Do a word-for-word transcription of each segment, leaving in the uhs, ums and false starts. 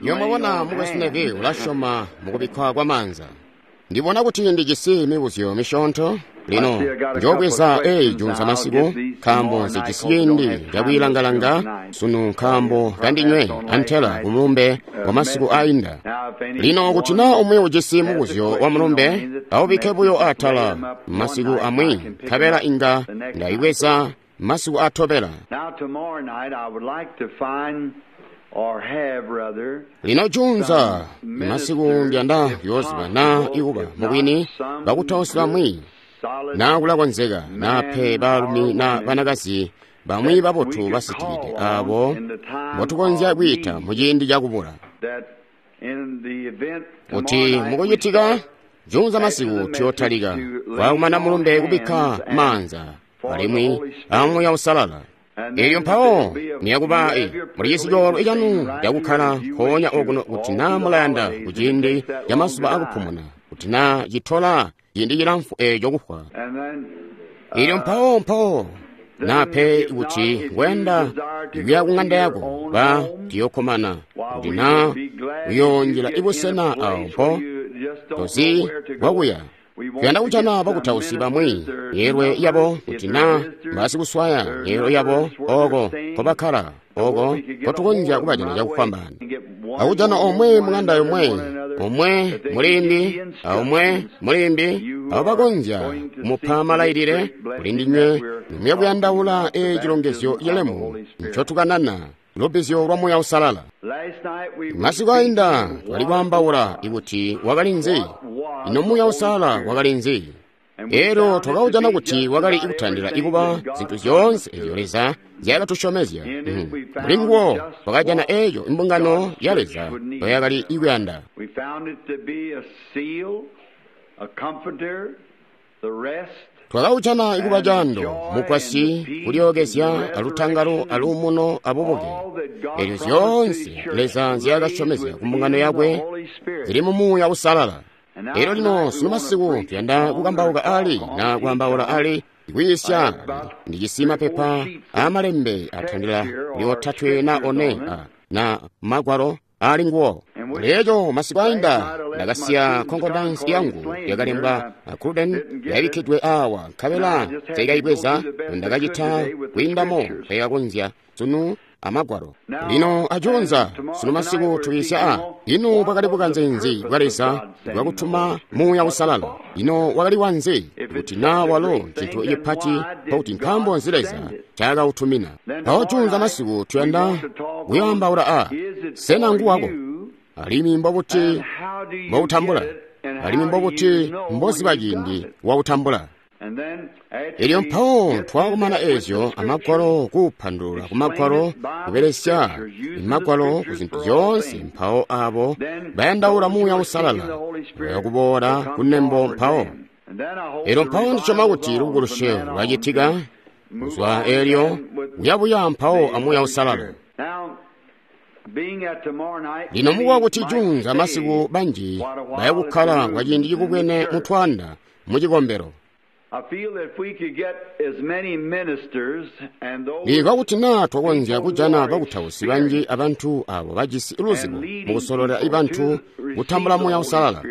Yomwabona mukwesu Neville ulasyoma mukubikkwa kwa maanza. Ndibona kuti ndijisi mibuzyo misyoonto. Lino njoobweza eyi junza masiku, nkaambo nzijisi ciindi cakwiilangalanga sunu nkaambo kandinywe antela kumulumbe wa masiku ainda. Lino kuti naa umwi ujisi mubuzyo wa mulumbe, aubikke buyo atala masiku amwi, nkabela inga ndaibweza masiku atobela. Lino junza masiku ndiyanda kuyoziba naa ikuba mubwini bakutausi bamwi, naa kulakonzeka naa pe baalumi na banakazi bamwi babotu basitikide aabo mbotukonzya kwiita muciindi cakubula. Kuti mukucitika junza masiku tuyootalika waakumana mulumbe kubikka maanza alimwi amuya usalala. Elyo mpawo niyakuba mulijisi coolwe canu cakukkala nkoonya okuno kuti naa mulayanda kuciindi camazuba akupumuna, kuti naa citola ciindi cilamfu eeco kufwa. Elyo mpawo mpawo naa pe kuti ngoyanda kuya kuŋanda yako ba tuyokkomana kuti naa uyoonjila ibusena awo mpo tozi bwakuya. Tuyanda kujana bakutausi bamwi myeelwe yabo kuti naa mbasikuswaya myeelwe yabo ooko nkobakkala, ooko nkotukonzya kubajana cakufwambaana. Akujana omwe muŋanda yomwe, omwe mulimbi, aomwe mulimbi, abo bakonzya kumupa malailile kuli ndinywe nimuya kuyandaula ee cilongezyo cilemu ncotukanana, lubbizyo lwa Muuya Uusalala. Masiku ainda twali kwaambaula ikuti wakali nzi, ino Muuya Uusalala wakali nzi. Elyo twakaujana kuti wakali kutandila ikuba zintu zyoonse ezyo Leza nzyaakatusyomezya. Muli nguwo twakajana eeco imbungano ya Leza ndoyakali ikuyanda. Twakaujana ikuba caando, mukwasyi, kulyookezya, alutangalo, aluumuno, abubuke. Elyo zyoonse Leza nzyaakasyomezya kumbungano yakwe zili mu Muuya Uusalala. Elyo lino sunu masiku tuyanda kukambauka ali na kwaambaula ali kwiisya. Ndijisi mapepa aamalembe atandila lyotatwe na one a, na magwalo ali nguwo. Leeco masiku ainda ndakasiya concordance yangu yakalembwa Cruden yabikkidwe awa, nkabela nseikaibweza ndakacita kwiindamo mpekakonzya sunu amagwalo. Lino ajuunza sunu masiku tuyiisya a ino bwakali bukanze nzi bwa Leza bwakutuma Muuya Uusalala? Ino wakali wanzi kuti naa walo cintu cipati nkokuti nkaambo nzi Leza ncaakautumina? Mpawo juunza masiku tuyanda kuyoambaula a sena nguwako, alimwi mbobuti mboutambula, alimwi mbobuti mboziba ciindi wautambula. Elyo mpawo twakumana ezyo amagwalo kuupandulula kumagwalo kubelesya imagwalo ku zintu zyoonse. Mpawo abo bayandaula Muuya Uusalala bayakuboola kunembo mpawo. Elyo mpawo ndisyoma kuti lubukulusyo lwacitika kuzwa elyo kuyabuya mpawo a Muuya Uusalala. Lino mukuwa kuti junza masiku banji bayakukkala kwa ciindi cikubwene mutwanda mucikombelo. Ndimvwa kuti naa twakonzya kujana bakutausi banji abantu abo bajisi luzibo mukusololela ibantu kutambula Muuya Uusalala,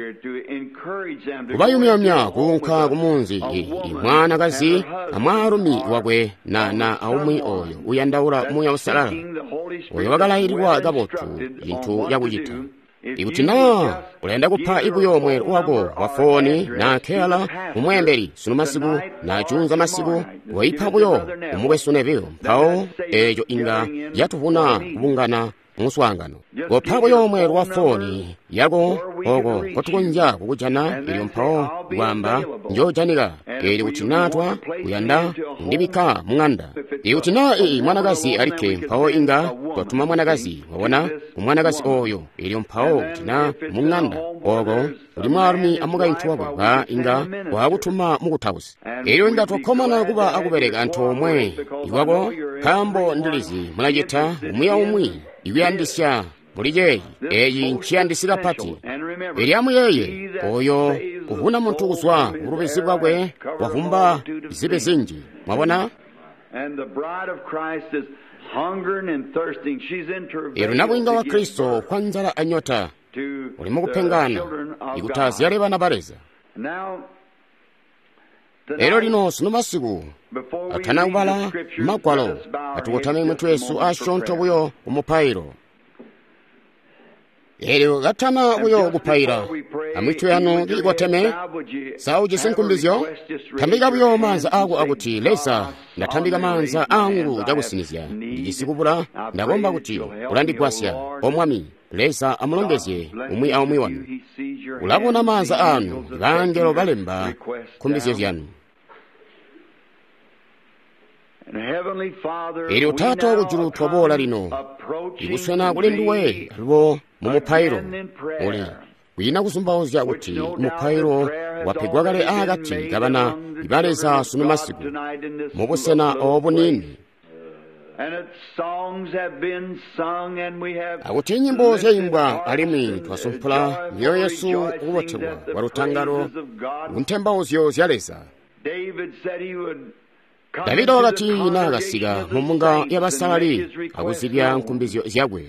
kubayumyayumya kuunka kumunzi imwanakazi amwaalumi wakwe na na aumwi oyo uyandaula Muuya Uusalala, oyo wakalaililwa kabotu cintu cakucita. Ikuti naa ulayanda kupa ibuyo mweelo wako wa fooni na keyala kumweembeli sunu masiku na junza masiku, woipa buyo kumukwesu Neville, mpawo eeco inga yatuvuna kubungana muswaangano. Kopa buyo mweelo wa fooni yako oko nkotukonzya kukujana, elyo mpawo kwaamba njoojanika. Eelyo kuti naa twa kuyanda kundibikka muŋanda. Ikuti naa ii mwanakazi alikke, mpawo inga twatuma mwanakazi, wabona, kumwanakazi oyo. Elyo mpawo kuti naa muŋanda oko kuli mwaalumi amukaintu wakwe, ba inga twakutuma mukutausi. Elyo inga twakkomana kuba akubeleka antoomwe ikwako, nkaambo ndilizi mulacita umwi aumwi ikuyandisya muli ceeci. Eeci nciyandisi kapati. Elyo amuyeeye, oyo kuvuna muntu kuzwa kubulubizi bwakwe wavumba zibi zinji. Mwabona? Elyo nabwiinga wa Kristo kwa nzala anyota uli mukupengana ikuti azyale bana ba Leza. Elyo lino sunu masiku atana kubala magwalo, atukotame mitwe yesu asyoonto buyo ku mupailo. Elyo katana buyo kupaila, amitwe yanu kiikoteme, sa ujisi nkumbizyo? Tambika buyo maanza ako akuti, Leza, ndatambika maanza angu cakusinizya, ndijisi kubula, ndakomba kuti ulandigwasya, O Mwami. Leza amulongezye umwi aumwi wanu. Ulabona maanza anu, bangelo balemba nkumbizyo zyanu. Elyo Taata wakujulu twaboola lino, ikuswena kuli nduwe alubo mu mupailo uli kwiina kuzumbauzya kuti mupailo wapegwa kale aakati kabana ba Leza sunu masiku mubusena obuniini, akuti nyimbo zyayimbwa alimwi twasumpula myoyo yesu kubotelwa kwa lutangalo kuntembauzyo zya Leza. Davida wakati naakasika mu mbunga y'abasalali akuzibya nkumbizyo zyakwe.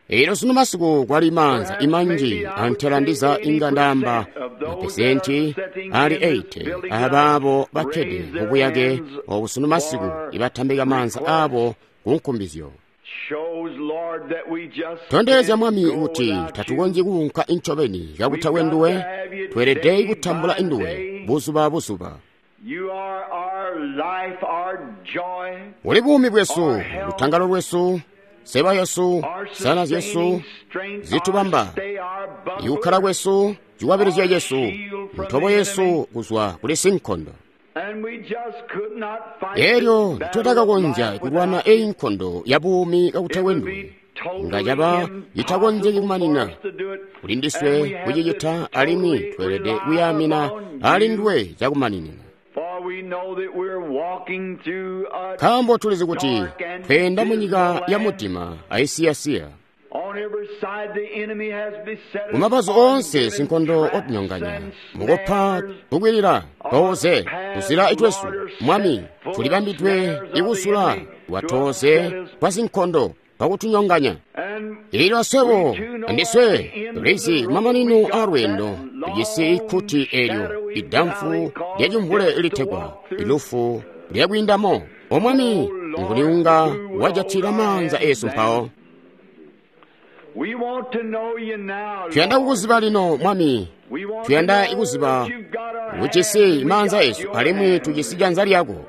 Elyo sunu masiku kwali maanza imanji antela ndiza inga ndamba mapesenti ali eighty abaabo bakkede mu buyake obu sunu masiku ibatambika maanza aabo ku nkumbizyo. Tondezya Mwami kuti tatukonzyi kuunka incobeni kakutakwe nduwe, tweelede kutambula induwe buzuba buzuba. Uli buumi bwesu, lutangalo lwesu, seba yesu, sana zyesu zitubamba, ikukkala kwesu, cikwabilizyo cesu, ntobo yesu kuzwa kuli sinkondo. Elyo twatakakonzya kulwana eyi nkondo ya buumi kakutakwe nduwe, nga caba itakonzeki kumanina kuli ndiswe kucicita, alimwi tweelede kuyaamina ali nduwe cakumaninina. Nkaambo tulizi kuti tweenda munyika ya mudima aisiyasiya. Kumabazu oonse sinkondo otunyonganya, mukupa tukwilila tooze kuzila itwesu. Mwami, tulibambidwe ikusula lwatooze twa sinkondo pakutunyonganya. Ilyo aswebo andiswe tulizi kumamanino a lweendo tujisi ikkuti elyo idamfu lyacimvule litegwa ilufu lyakwiindamo. O Mwami, nguni unga wajatila maanza esu mpawo? Tuyanda kukuziba lino, Mwami. Tuyanda kuziba ujisi maanza esu alimwi tujisi janza lyako,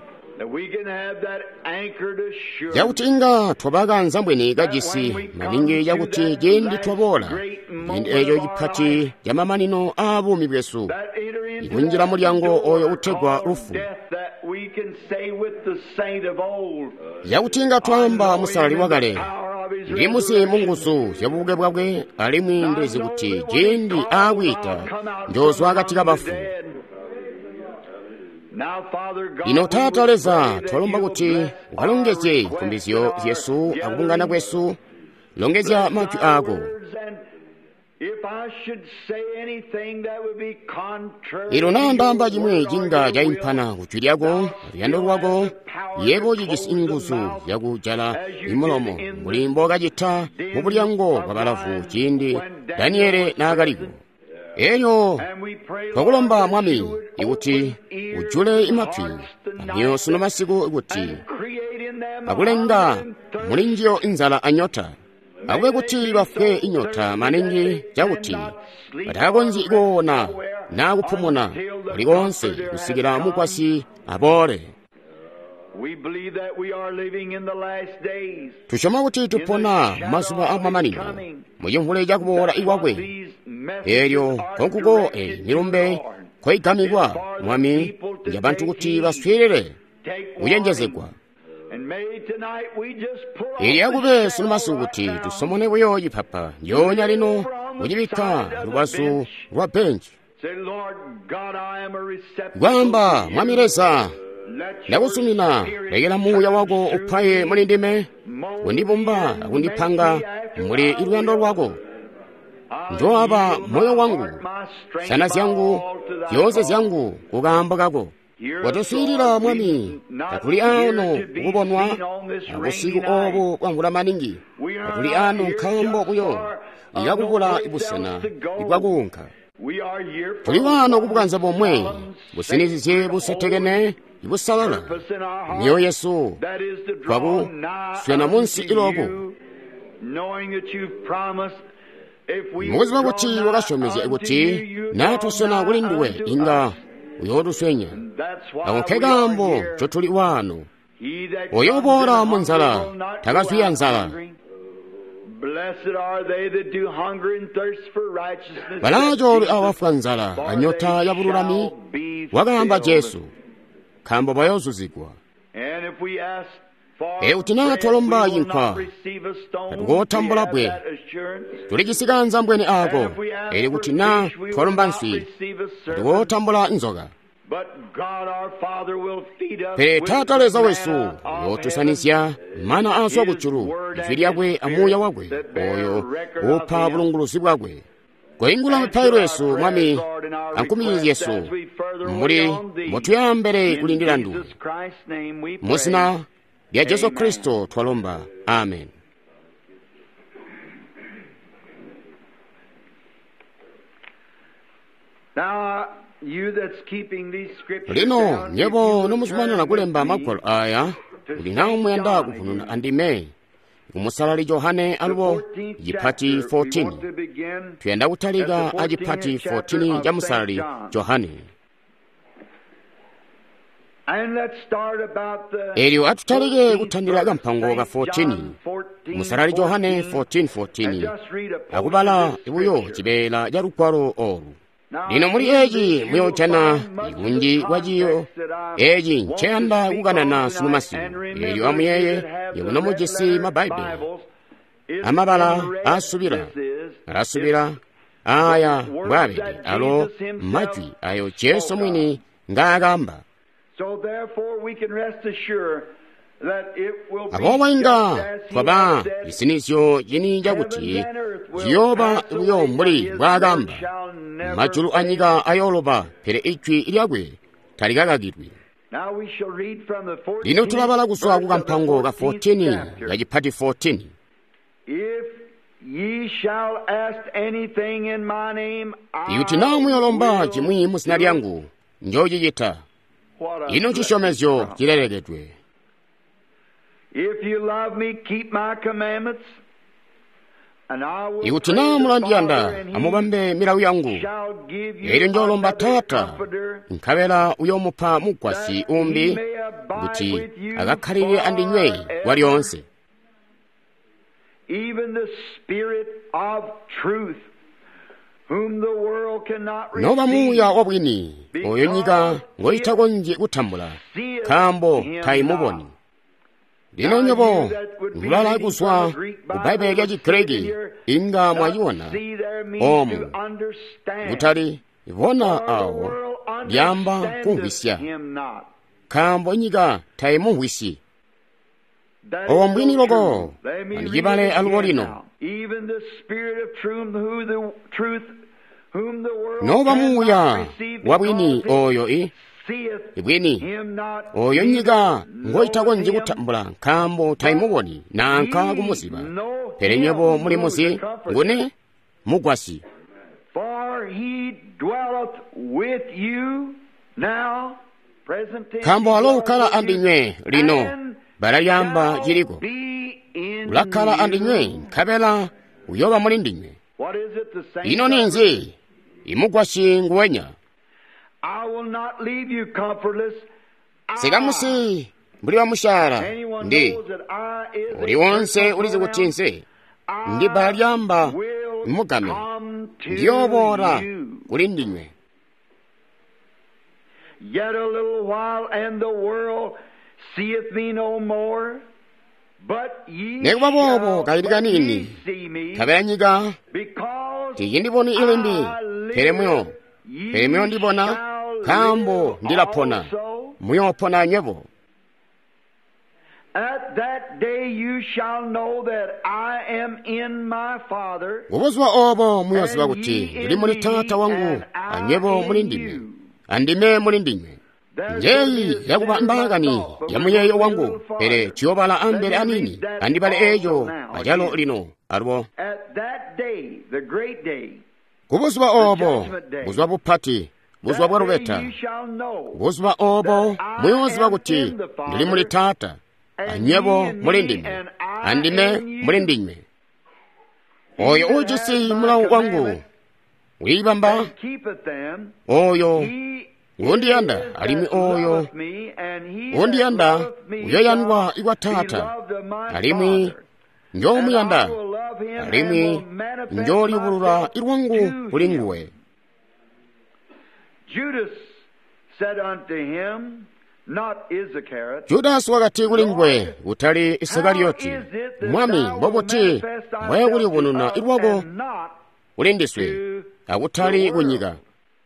cakuti inga twaba mbweni kajisi maningi, cakuti ciindi twaboola ciindi eco cipati camamanino aa buumi bwesu, ikunjila mulyango oyo utegwa lufu, cakuti inga twaamba musalali wakale, ndimuzi mu nguzu zya bubuke bwakwe, alimwi ndizi kuti ciindi aakwiita njoozwa akati kabafu. Lino Taata Leza, twalomba kuti ukalongezye nkumbizyo zyesu akubungana kwesu, longezya majwi aako. Ilo naambaamba cimwi cinga caimpana kujwi lyako, luyando lwako, yebo cijisi inguzu zyakujala imulomo mbuli mbookacita mu bulyango bwa balavu ciindi Daniele naakaliko. Elyo twakulomba Mwami ikuti ujule imatwi amyoyo sunu masiku kuti akulenga muli njiyo inzala anyota, akube kuti bafwe inyota maningi cakuti batakakonzyi kuona naa kupumuna kulikonse kusikila mukwasyi aboole. Tusyoma kuti tupona mazuba amamanino mucimvule cakuboola ikwakwe. Elyo nkonkuko eyi milumbe koigamikwa, Mwami, njabantu kuti baswiilile kucenjezegwa. Ili akube sunu masiku kuti tusomone buyo cipapa njoonya lino kucibikka lubazu lwa benji, kwaamba, Mwami Leza, ndakusumina, lekela muuya wako upaye muli ndime, kundibumba akundipanga muli luyando lwako. Njoaba moyo wangu, sana zyangu, zyoonse zyangu kukaambo kako. Watuswiilila Mwami, tatuli ano kukubonwa abusiku obu bwamvula maningi. Tatuli ano nkaambo buyo ikakubula busena bwakuunka. Tuli wano kubukanza bomwe businizizye busetekene busalala myoyo yesu twakuswena munsi iloku mukuziba kuti wakasyomezya kuti natuswena kuli nduwe inga uyootuswenya. Ako nke kaambo ncotuli wano. Oyo uboola mu nzala takazwiya nzala. Balaacoolwe abo bafwa nzala anyota ya bululami, wakaamba Jesu, nkaambo bayoozuzigwa. Ikuti naa twalomba cinkwa, tatukootambula bbwe. Tulijisi kaanzambwene aako. Elyo kuti naa twalomba nswi, tatukootambula nzoka. Pele Taata Leza wesu uyootusanizya mana aazwa kujulu, ijwi lyakwe amuuya wakwe, oyo uupa bulunguluzi bwakwe. Koingula mipailo yesu, Mwami, ankumbi zyesu, mbuli mbotuyambele kulindila nduwe. Muzina lya Jesu Kristo twalomba. Amen. Lino nyebo nomuzumanana kulemba magwalo aya, kuti naa muyanda kuvununa andime kumusalali Johane alubo cipati fourteen. Tuyanda kutalika a cipati fourteen ca musalali Johane. Elyo atutalike kutandila kampango ka fourteen, musalali Johane fourteen fourteen, akubala buyo cibeela ca lugwalo olu. Lino muli eci muyoojana ikunji kwa ciyo eci nceyanda kukanana sunu masiku. Elyo amuyeeye yebo nomujisi Mabbaibele amabala asubila alasubila aya mbwaabede alo majwi ayo Jesu mwini ngaakamba. Aboobo inga twaba cisinizyo cini cakuti ciyooba buyo mbuli mbwaakamba. Majulu anyika ayooloba, pele ijwi lyakwe talikakakilwi. Lino tulabala kuzwa ku kampango ka fourteen ka cipati fourteen. Ikuti naa muyolomba cimwi mu zina lyangu, njoocicita. Ino cisyomezyo cilelekedwe. Ikuti naa mulandiyanda, amubambe milawo yangu. Elyo njoolomba Taata, nkabela uyoomupa mugwasyi umbi kuti akakkalilile andinywe kwalyoonse. Noba Muuya wa bwini, oyo nyika ngoitakonzyi kutambula, nkaambo taimuboni. Lino nywebo mulala kuzwa ku Bbaibbele lya Chigiriki inga mwaciona omu kutali bona awo lyamba kumvwisya, nkaambo nyika taimumvwisyi. Obo mbwini loko andicibale alubo lino. Noba Muuya wa bwini oyo i bwini oyo nyika ngoitakonzyi kutambula, nkaambo taimuboni nanka kumuziba. Pele nywebo mulimuzi nguni mugwasyi. Nkaambo walo ukkala andinywe lino, bbala lyamba ciliko. Ulakkala andinywe nkabela uyooba muli ndinywe. Ino ninzi? Imugwasyi nguwenya. Sikamusi mbuli bamusyaala ndi uli wonse ulizi kuti nse ndi bbala lyamba mugame ndiyooboola kuli ndinywe. Yet a little while and the world seeth me no more, but ye Nekuba boobo shall kayili kanini, see me, nkabela nyika because tiyindiboni ilimbi, pele muyo ye pele muyondibona, shall nkaambo live ndilapona, also. muyoopona nywebo. At that day you shall know that I am in my Father, Kubuzuba obo muyoziba and kuti ye ndili in muli me, Taata wangu and I anywebo muli in ndime you. andime muli ndinywe. There's Njeyi gonna be a yakuba sinner in my mbaakani thought, but ya we're muyeeyo gonna be a wangu little pele farther. tuyobala Let ambele me aniini read that andibale also eeco now acalo again. lino alubo. At that day, the great day, Kubuzuba the obo judgment day, buzuba bupati buzuba that bwa day lubeta you shall know buzuba obo that I muyoziba am kuti in the ndili muli Father, Taata and ye anywebo in muli me, ndime and I andime in muli you. ndinywe. He Oyo that uujisi hath my mulawo wangu commandments wiibamba and keepeth them, oyo he it ngundiyanda is alimwi that oyo loveth me, and he that undiyanda loveth me shall uyoyandwa ikwa be Taata loved of my alimwi Father. And I njoomuyanda will love him and alimwi will manifest njooliyubulula myself lwangu to kuli him. nguwe. Judas said unto him, not Iscariot, Judasi wakati kuli nguwe Lord, kutali how Isikariyoti, is it that Mwami thou wilt mbobuti manifest thyself to mbwayakuliyubununa us lwako and not kuli ndiswe to the akutali world? kunyika?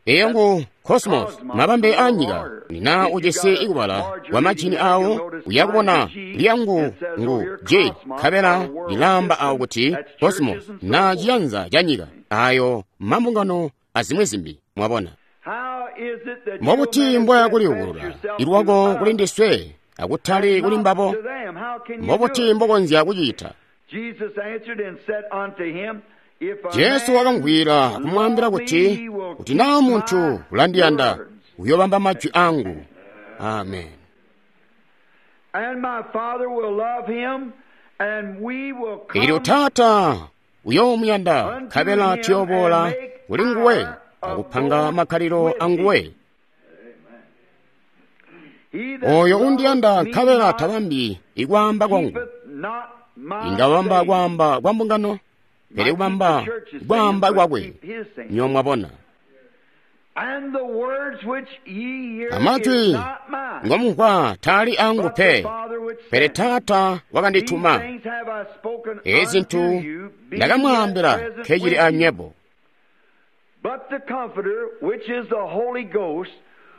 Eyo That's ngu cosmos cosmos, mabambe the a world nyika order. nina If you ujisi got a ikubala larger kwa reading majini there, you'll awo notice uya mine kubona is G. lyangu It says over ngu here G cosmos or nkabela the world lilamba awo system. kuti That's cosmos churches and so na forth. ciyanza ca nyika ayo mambungano azimwi zimbi mwabona. How is it that you'll Mbobuti manifest mbwayakuliyubulula yourself to lwako kuli us ndiswe akutali and kuli not mbabo? to them? How can you do Mbobuti it? mbokonzya kucita? Jesus answered and said unto him, If a Jesu man wakamvwiila kumwaambila love me, kuti he will kuti naa keep munthu my ulandiyanda words. uyobamba majwi angu. Amen. And my Father will love him, and we will Elyo come Taata uyoomuyanda unto nkabela him and tuyoboola make kuli nguwe our akupanga abode makhaliro with a nguwe. him. He that Oyo loveth undiyanda me nkabela not tabambi ikwaamba kwangu keepeth not my inga wamba sayings. kwaamba kwa mbungano pele Might keep the kubamba church's sayings, kwaamba but kwakwe keep his sayings. nyo mwabona. And the words which ye hear is Amajwi not mine, ngomumvwa taali angu but the pe Father which pele sent me. Taata These wakandituma. things have I spoken Ezi unto zintu you, being yet ndakamwaambila present nkecili with you. anywebo. But the Comforter, which is the Holy Ghost,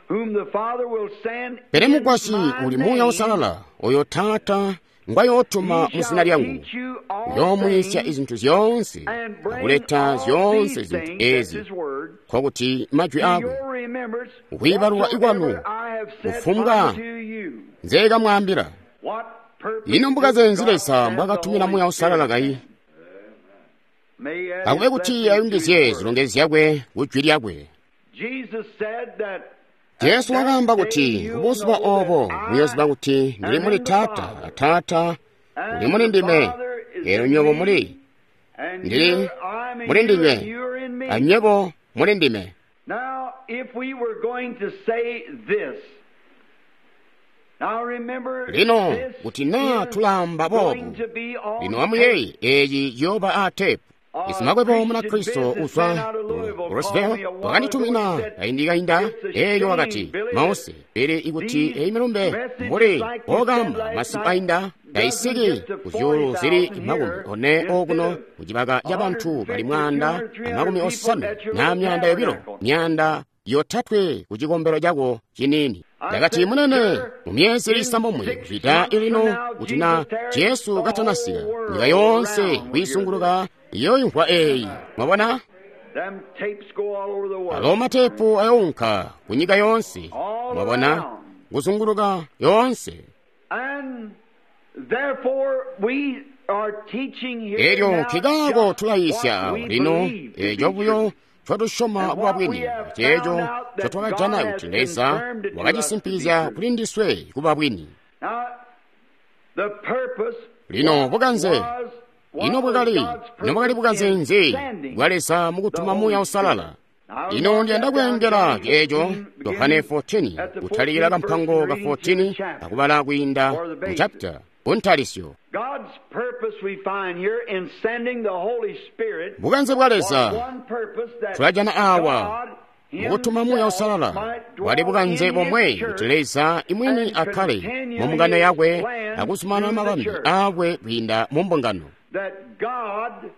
whom the Father will send Pele in mugwasyi my uli Muuya name, Uusalala oyo Taata ngwayootuma he mu zina shall lyangu teach you all uyoomwiisya things izintu zyoonse and bring akuleta all zyoonse these zintu things, that's ezi his word, nkokuti majwi to akwe your remembrance ukwiibalulwa ikwanu whatsoever I have said kufumbwa unto you. nzeekamwaambila. What purpose Ino did mbukaze nzi God Leza send the mbwakatumina Holy Muuya Uusalala Spirit kayi? then? May he add Akube his kuti blessing to his ayungizye word. zilongezyo zyakwe ku jwi lyakwe. Jesus said that at Jesu that wakaamba day kuti you'll kubuzuba know that obo I muyoziba kuti ndili am muli in the Taata Father, a Taata uli and muli the ndime Father is elyo in nywebo me, muli and ndili you're, I'm in muli you, and ndinywe you're in me. anywebo muli ndime. Now, if we were going to say this, now remember Lino this kuti naa is tulaamba going boobu to be on lino tape. amuyeeye eeci ciyooba aa teepu. A Isimakwebo Christian Munakristo businessman uzwa out of ku Louisville called Roseville me a while ago and wakanditumina said, kaindi kainda It's a elyo shame, wakati Billy, that mause pele ikuti these eyi milumbe messages mbuli like you said okamba last masiku night ainda doesn't taisiki get to ku zyuulu zili forty thousand makumi here one instead okuno of ku cibaka ca bantu bali one hundred fifty, two mwanda hundred, three amakumi hundred people osanwe at your na little myanda yobilo tabernacle. myanda yotatwe ku cikombelo cako ciniini. I Ndakati said, munene Sir, mu myezi in isambomwe six kupita months from ilino now, kuti na Jesus tarries, Jesu the katanasika whole nyika world yonse around will hear this. kuyisunguluka iyoyimvwa eyi. Mwabona? Them tapes go all over the world. Alo matepu ayounka ku nyika yonse. All Mwabona? around. Kuzunguluka yonse. And therefore we are teaching here Elyo now nkikaako just tulayisya what we lino believe to be eco buyo true. ncotwatusyoma And kuba what we bwini have ceeco found out that ncotwakajana God has kuti Leza confirmed it to us to be wakacisimpikizya true. kuli ndiswe kuba bwini. Now, the purpose, Lino what bukanze was, ino what was bwakali God's ino bwakali purpose bukanze in nzi sending bwa Leza the mukutuma Holy Muuya Spirit? Uusalala? Now, I Ino mark ndiyanda that down, kuyengela John ceeco fourteen, Yohane beginning fourteen at the kutalikira fourteenth verse kampango and ka reading to the fourteen chapter akubala kwiinda or the mu basis. chapter kuntalisyo. God's purpose we find here in sending the Holy Spirit Bukanze bwa was Leza one purpose that tulajana awa God mukutuma Muuya Himself Uusalala might bwali dwell bukanze in His bomwe kuti church Leza imwini and akhale mu continue mbungano His yakwe plan akusumana through the mabambi church. akwe kwiinda mu mbungano. That God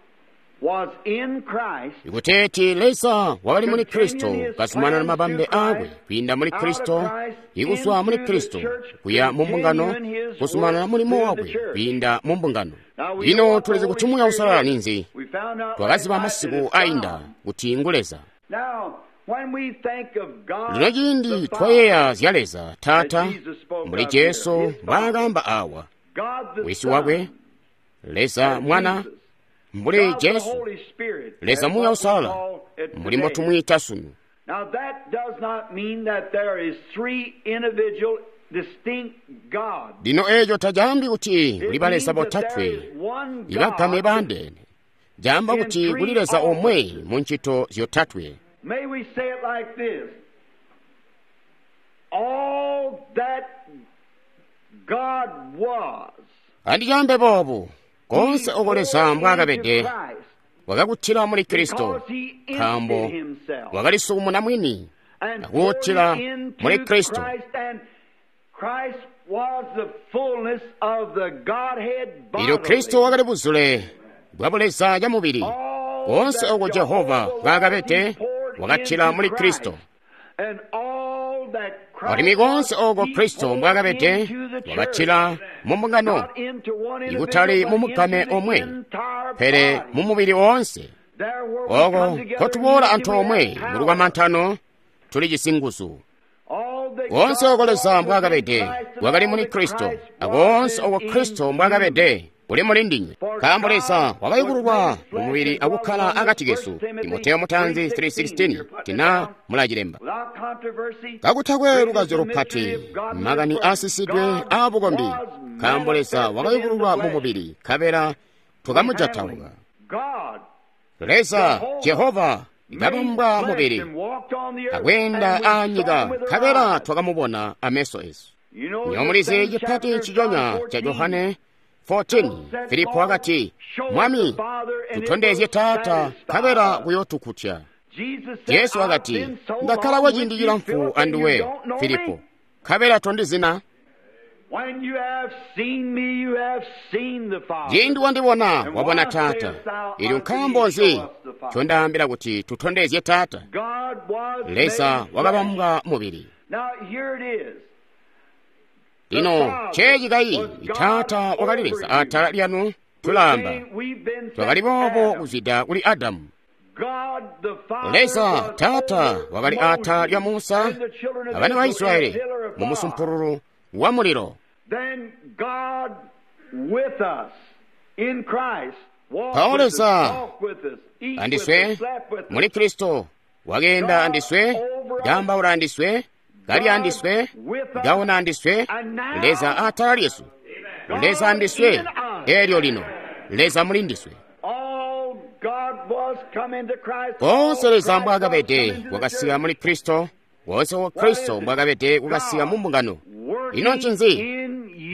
Ikuteeti Leza wakali muli Kristo kazumanana mabambe aakwe kwiinda muli Kristo, ikuzwa muli Kristo kuya mu mbungano, kuzumanana mulimo wakwe kwiinda mu mbungano. Lino tulizi kuti Muuya Uusalala ninzi. Twakaziba masiku ainda kuti ngu Leza. Lino ciindi twayeeya zya Leza Taata, mbuli Jesu mbwaakaamba awa, Wisi wakwe, Leza Mwana, mbuli Jesu, Leza Muuya Uusalala, mbuli mbotumwiita sunu. Lino eeco tacaambi kuti kuli baleza botatwe ibagame baandeene. Caamba kuti kuli Leza omwe mu ncito zyotatwe. Andicaambe boobu, koonse oko Leza mbwaakabede wakakutila muli Kristo, nkaambo wakalisukumuna mwini akuutila muli Kristo. Ilyo Kristo wakali buzule bwa buleza camubili. Koonse oko Jehova mbwaakabede wakatila muli Kristo. Alimwi koonse oko Kristo mbwaakabede wakatila mu mbungano, ikutali mu mugame omwe, pele mu mubili woonse. Oko nkotuboola antoomwe mu lukamantano tuli cisinguzu. Koonse oko Leza mbwaakabede wakali muli Kristo, akoonse oko Kristo mbwaakabede kuli muli ndinywe, nkaambo Leza wakayukululwa mu mubili akukkala akati kesu. Timoteyo mutanzi three sixteen tina mulacilemba. Kakutakwe lukazyo lupati, makani aasisidwe aabukombi, nkaambo Leza wakayukululwa mu mubili, nkabela twakamujatauka. Leza Jehova kabambwa mubili akweenda aanyika, nkabela twakamubona ameso esu. Nyomulizi cipati nciconya ca Johane fourteen, Filipo wakati, Mwami, tutondezye Taata, nkabela kuyootukutya. Jesu wakati, ndakkala kwa ciindi cilamfu anduwe, Filipo, nkabela tondizina. Ciindi wandibona, wabona Taata. Ilyo nkaambo nzi ncondaambila kuti tutondezye Taata? Leza wakabambwa mubili. Lino ceeci kayi, Taata wakali Leza atala lyanu, tulaamba twakali boobo kuzwida kuli Adamu. Leza Taata wakali atala lya Musa abana ba Israeli mu musumpululu wa mulilo. Mpawo Leza andiswe muli Kristo wakeenda andiswe, kaambaula andiswe, kali andiswe, kaona andiswe. Leza atala lyesu, Leza andiswe, elyo lino Leza muli ndiswe. Koonse Leza mbwaakabede kwakasika muli Kristo, koonse wa Kristo mbwaakabede kwakasika mu mbungano. Ino ncinzi?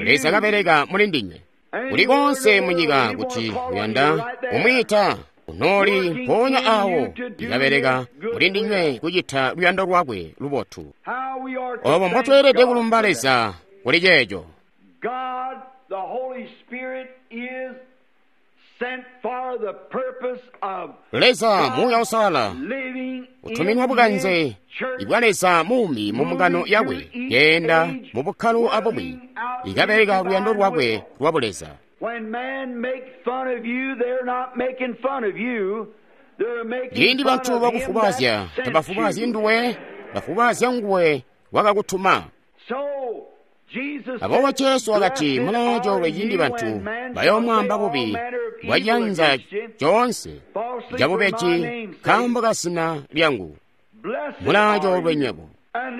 Leza kabeleka muli ndinywe. Kuli koonse munyika kuti uyanda kumwiita, unooli mpoonya awo ikabeleka muli ndinywe kucita luyando lwakwe lubotu. Obo mbotweelede kulumba Leza kuli ceeco. Leza Muuya Uusalala utuminwa bukanze ibwa Leza muumi mu mbungano yakwe, keenda mu bukkalo abumwi, ikabeleka luyando lwakwe lwa buleza. Ciindi bantu bakufubazya, tabafubazyi nduwe, bafubazya nguwe wakakutuma. Aboobo Jesu wakati, mulaacoolwe ciindi bantu bayoomwaamba bubi bwaciyanza coonse cabubeji nkaambo ka zina lyangu. Mulaacoolwe nywebo.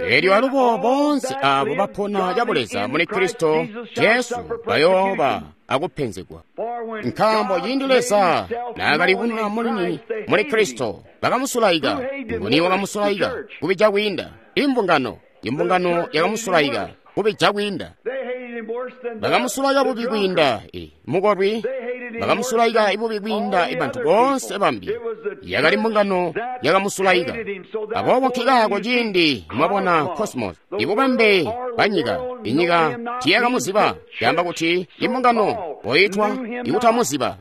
Elyo alubo boonse aabo bapona cabuleza muli Kristo Jesu bayooba akupenzegwa. Nkaambo ciindi Leza naakalibununa mulini muli Kristo, bakamusulaika. Nguni wakamusulaika? Kubija kwiinda imbungano. Imbungano yakamusulaika kubija kwiinda. Bakamusulaika bubi kwiinda mukolwi, bakamusulaika ibubi kwiinda ibantu boonse bambi. Yakali mbungano yakamusulaika. Aboobo nkikaako ciindi mwabona cosmos, ibubambe bwanyika, inyika tiyakamuziba, yaamba kuti imbungano poitwa ikutamuziba.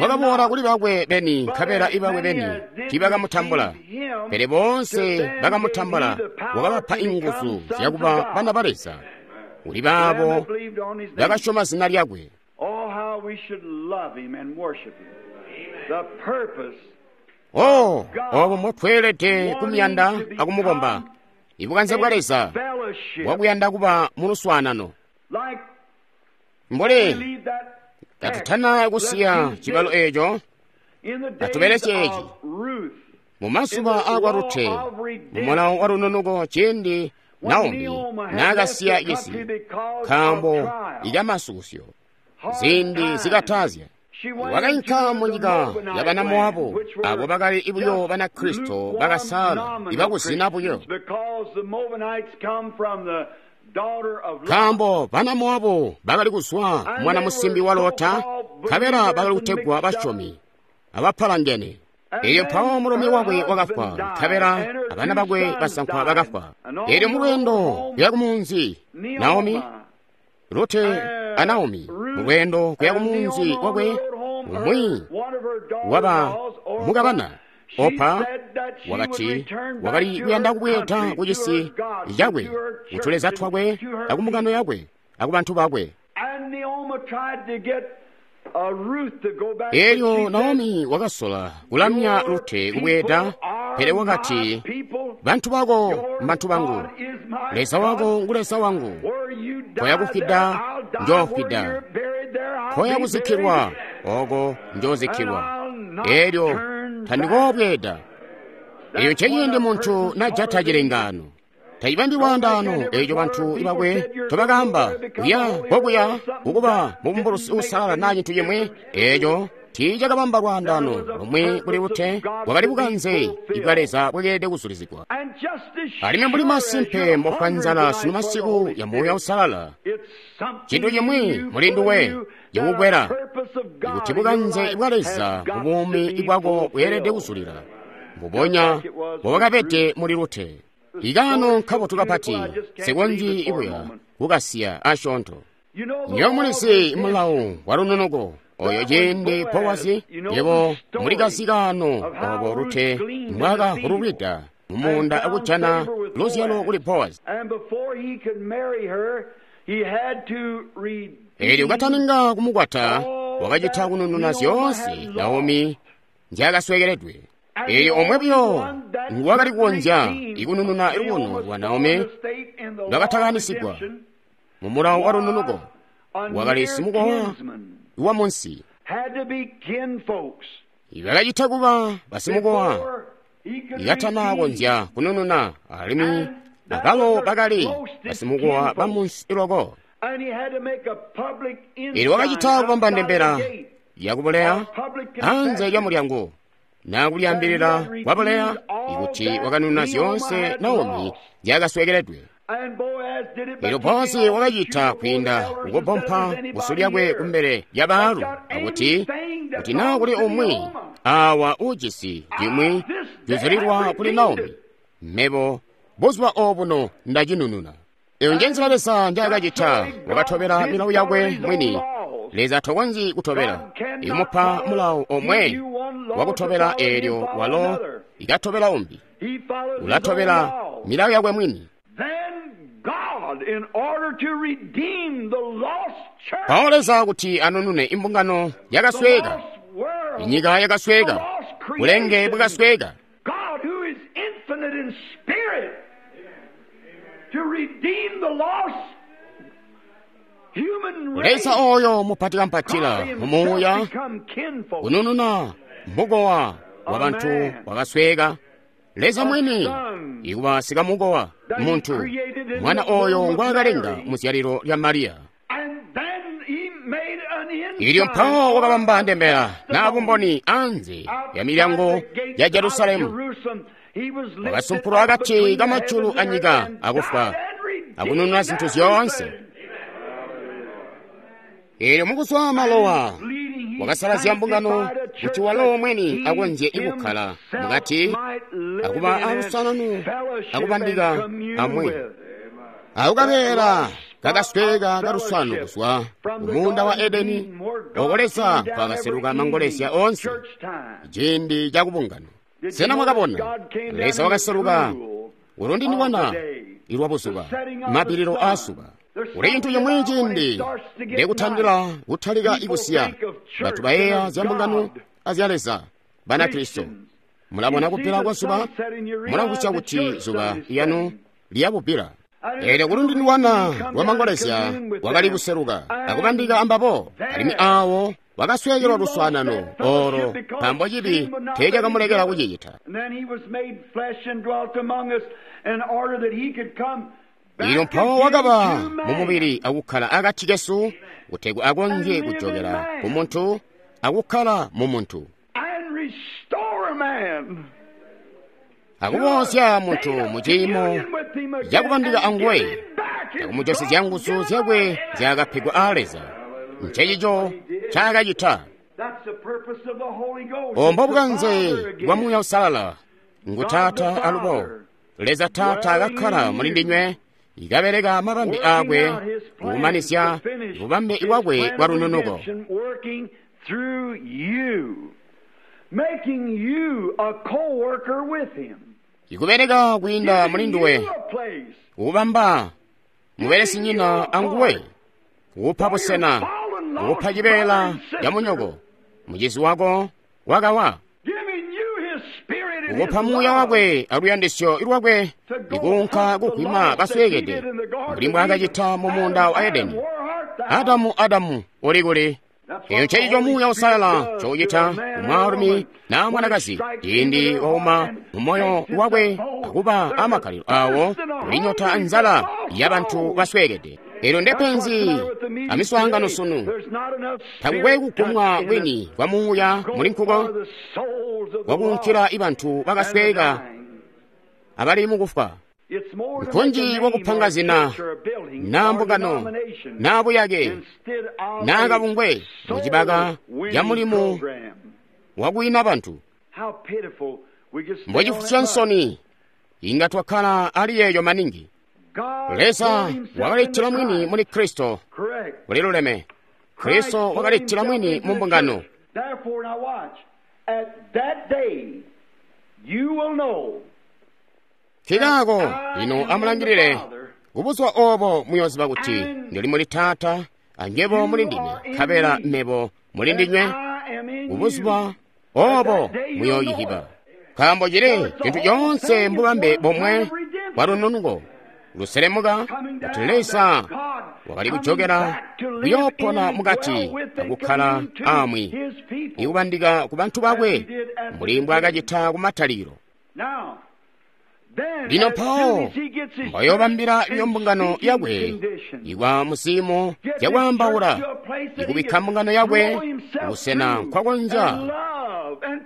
Wakaboola kuli bakwe beni, nkabela ibakwe beni tiibakamutambula. Pele boonse bakamutambula, wakabapa inguzu zyakuba bana ba Leza, kuli baabo bakasyoma zina lyakwe. Oh, obo mbotweelede kumuyanda akumukomba. Ibukanze bwa Leza bwakuyanda kuba muluswaanano. Mbole katutana kusiya cibalo eeco, atubelesye eci. Mumazuba aakwa Rute, mumulawo wa lununuko ciindi Naomi naakasiya cisi nkaambo ikamasukusyo, ziindi zikatazya. Wakainka munyika ya bana Moabu, abo bakali buyo Banakristo bakasala ibakuzina buyo. Nkaambo bana Moabu bakali kuzwa mwana musimbi wa Lota, nkabela bakali kutegwa basyomi abapalangene. Elyo mpawo mulumi wakwe wakafwa, nkabela abana bakwe basankwa bakafwa. Elyo mulweendo kuya kumunzi, Naomi, Rute a Naomi, mulweendo kuya kumunzi wakwe, umwi waba mukabana Opa wakati wakali kuyanda kubweeda kucisi cakwe, kutuleza twakwe, akumbungano yakwe, akubantu bakwe. Elyo Naomi wakasola kulamya Rute kubweeda, pele wakati, bantu bako mbantu bangu, Leza wako ngu Leza wangu. Koya kufwida njoofwida, koya kuzikkilwa oko njozikkilwa. Elyo tandikoobweeda. Eyo nceciindi muntu najata cilengano. Tacibambi lwaandaano eeco bantu bakwe tobakaamba kuya kokuya kukuba mubumbulusi uusalala naa cintu cimwi. Eeco tiicakabamba lwaandaano lomwe kuli Rute, bwakali bukanze bwa Leza bwakeelede kuzulizigwa. Alimwi mbuli masimpe mbofwa nzala sunu masiku ya Muuya Uusalala, cintu cimwi muli nduwe cikukwela ikuti bukanze bwa Leza mubuumi bwako bweelede kuzulila, mbubonya mbobwakabede muli Rute. Ikaano nkabotu kapati, sikonzyi ibuya kukasiya asyoonto. Nywebo mulizi mulawo wa lununuko oyo ciindi Bowazi, yebo mulikazi kaano obo Rute mbwaakahululwida mumuunda akujana luzyalo kuli Bowazi. Eelyo kataninga kumukwata, wakacita kunununa zyoonse Naomi nzyaakasweekeledwe. Eelyo omwe buyo nguwakali kukonzya ikunununa lubono lwa Naomi lwakatakanisigwa mumulawo wa lununuko, wakali simukowa wa munsi. Bakacita kuba basimukowa ikatana konzya kunununa, alimwi abalo bakali basimukowa ba munsi loko. Eelyo wakacita kubamba ndembela yakubuleya anze lya mulyango, nakulyaambilila kwabuleya ikuti wakanununa zyoonse Naomi nzyaakasweekeledwe. Eelyo Bowazi wakacita kwiinda kukubompa busu lyakwe kumbele lya baalu akuti, kuti naa kuli umwi awa uujisi cimwi cizulilwa kuli Naomi, mebo buzuba obuno ndacinununa. Eyo njenzila Leza njaakacita, wakatobela milawo yakwe mwini. Leza tokonzyi kutobela ikumupa mulawo omwe wakutobela eelyo walo ikatobela umbi. Ulatobela milawo yakwe mwini. Mpawo Leza kuti anunune imbungano yakasweeka, inyika yakasweeka, bulenge bwakasweeka. Leza oyo mupatikampatila mumuuya kunununa mukowa wa bantu wakasweeka. Leza mwini ikuba sikamukowa muntu, mwana oyo ngwaakalenga muzyalilo lya Mariya. Ilyo mpawo wakabamba ndembela na bumboni anze ya milyango ya Jerusalemu. Wakasumpulwa akati kamajulu anyika akufwa akunununa zinthu zyoonse. Eelyo mukuzwa malowa wakasalazya mbungano kuti walo mwini akonzye ikukkala mukati akuba alusananu akubandika amwi. Akukabeela kakasweka kaluswano kuzwa mumuunda wa Edeni, oko Leza nkwakaseluka mangolezya onse ciindi cakubungano. Sena mwakabona Leza wakaseluka ulundindikwana ilwa buzuba, mapiliro asuba. Kuli cintu chimwi ciindi ndikutandila kutalika ikusiya bantu bayeeya zya mbungano azya Leza Banakristo. Mulabona kuphela kwa zuba, mulamvwisya kuti zuba lyanu lyabubbila. Eelyo kulundindikwana lwa mangolezya wakali kuseluka akubandika ambabo, alimwi awo wakasweekelwa luswaanano olo nkaambo cibi teecakamulekela kucicita. Lino mpawo wakaba mumubili akukkala akati kesu kutegwa akonzye kujokela ku muntu akukkala mu muntu, akubozya muntu mu ciimo cakubandika anguwe akumujosezya nguzu zyakwe zyakapegwa aa Leza. Ncencico ncaakacita. Ombo bukanze bwa Muuya Uusalala ngu Taata alubo Leza Taata akakkala muli ndinywe, ikabeleka mabambe akwe kukumanizya bubambe bwakwe bwa lununuko. Ikubeleka kwiinda muli nduwe, kukubamba mubelesinyina anguwe, kukupa busena, kukupa cibeela ca munyoko, mucizi wako wakawa, kukupa muuya wakwe aluyandisyo lwakwe ikuunka kugwima basweekede mbuli mbwaakacita mu muunda wa Edeni. Adamu, Adamu, uli kuli? Eyo ncencico Muuya Uusalala ncoucita kumwaalumi naa mwanakazi ciindi wauma mumoyo wakwe akuba amakkalilo awo kulinyota nzala ya bantu basweekede. Eelyo ndepenzi amiswaangano sunu. Takukwe kugumwa kwini kwa muuya muli nkuko kwakuunkila ibantu bakasweeka abali mukufwa. Nkunji kwakupanga zina naa mbungano naa buyake naa kabungwe mucibaka ca mulimu wakuina bantu. Mbocifusya nsoni inga twakkala ali yeeyo maningi. Leza wakalitila mwini muli Kristo. Kuliluleme, Kristo wakalitila mwini mu mbungano. Nkaako lino amulangilile kubuzuba obo muyooziba kuti ndili muli Taata anywebo muli ndime, nkabela mebo muli ndinywe. Kubuzuba obo muyooyihiba, nkaambo cili cintu coonse mbubambe bomwe bwa lununuko luselemuka kuti Leza wakali kujokela kuyoopona mukati akukkala amwi ikubandika ku bantu bakwe mbuli mbwaakacita kumatalikilo. Lino mpawo mbayoobambila iyo mbungano yakwe ikwa muziimo zyakwaambaula, ikubikka mbungano yakwe kubusena nkwakonzya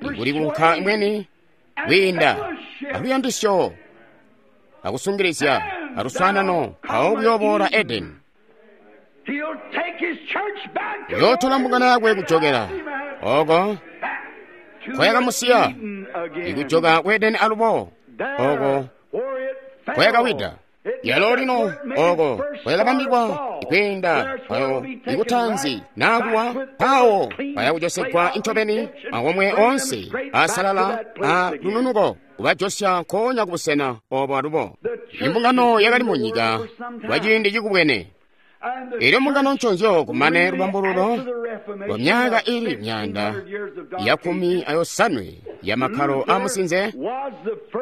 ikuli kunka imweni kwiinda aluyandisyo akusungilizya aluswaanano mpawo kuyooboola Edeni. Uyootola mbungano yakwe kujokela oko nkoyakamusiya, ikujoka ku Edeni alubo oko nkoyakawida. Yalo lino oko nkoyakabambikwa ikwiinda ayo ikutanzi naakuwa mpawo bayakujosegwa incobeni akomwe onse asalala a lununuko kubajosya nkoonya kubusena obo alubo. Imbungano yakali mu nyika kwa ciindi cikubwene. Eelyo mbungano nconzyo kumane lubambululo lwa myaka ili myaanda ya kumi ayosanwe ya makkalo amusinze,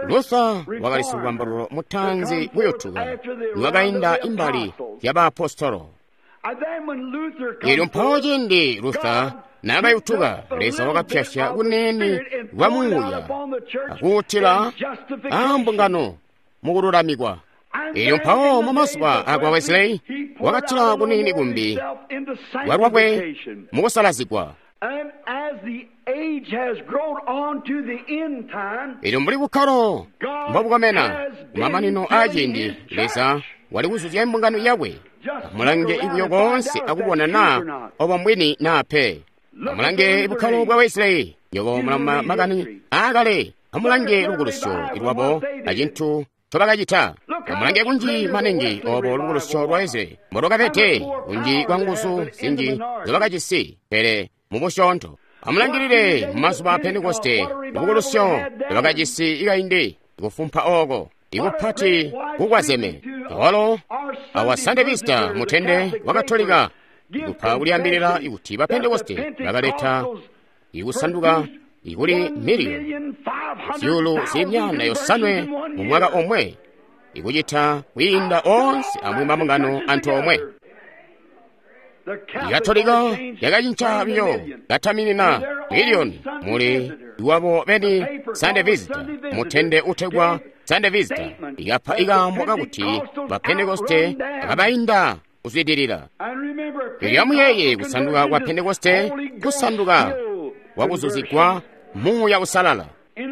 Luther wakali silubambululo mutaanzi kuyotuka niwakainda imbali ya baapostolo. Eelyo mpawo ciindi Luther naakayutuka, Leza wakapyasya kunene lwa muuya akuutila aambungano mukululamikwa. Eelyo mpawo mu mazuba akwa Wesley wakatila kunini kumbi lwalwakwe mukusalazigwa. Eelyo mbuli bukkalo mbobukomena kumamanino aaciindi, Leza wali kuzuzya imbungano yakwe. Amulange ibuyo koonse akubona naa obo mbwini naa pe. Amulange bukkalo bwa Wesley, nywebo mulama makani aakale. Amulange lukulusyo lwabo acintu ncobakacita. Amulange kunji maningi obo lubukulusyo lwa Wesley mbolwakabede, kunji kwa nguzu zinji nzobakajisi, pele mubusyoonto. Amulangilile mumazuba a Pentekoste, lubukulusyo lwakajisi kaindi, kufumpa oko, ikupati kukwazeme. Awalo awa Sunday Visitor mutende wa Katolika ikupa kuliyambilira ikuti ba Pentekoste bakaleta ikusanduka ikuli miliyoni zyuulu zimyanda yosanwe mu mwaka omwe, ikucita kwiinda onse amwi mabungano antoomwe. Ikatolika yakacinca biyo kataminina miliyoni muli iwabo beni Sunday Visitor mutende utegwa Sunday Visitor ikapa ikambo kakuti ba Pentekoste akabayinda kuzwidilira. Ilyamuyeeye kusanduka kwa Pentekoste, kusanduka kwakuzuzigwa Muuya Usalala.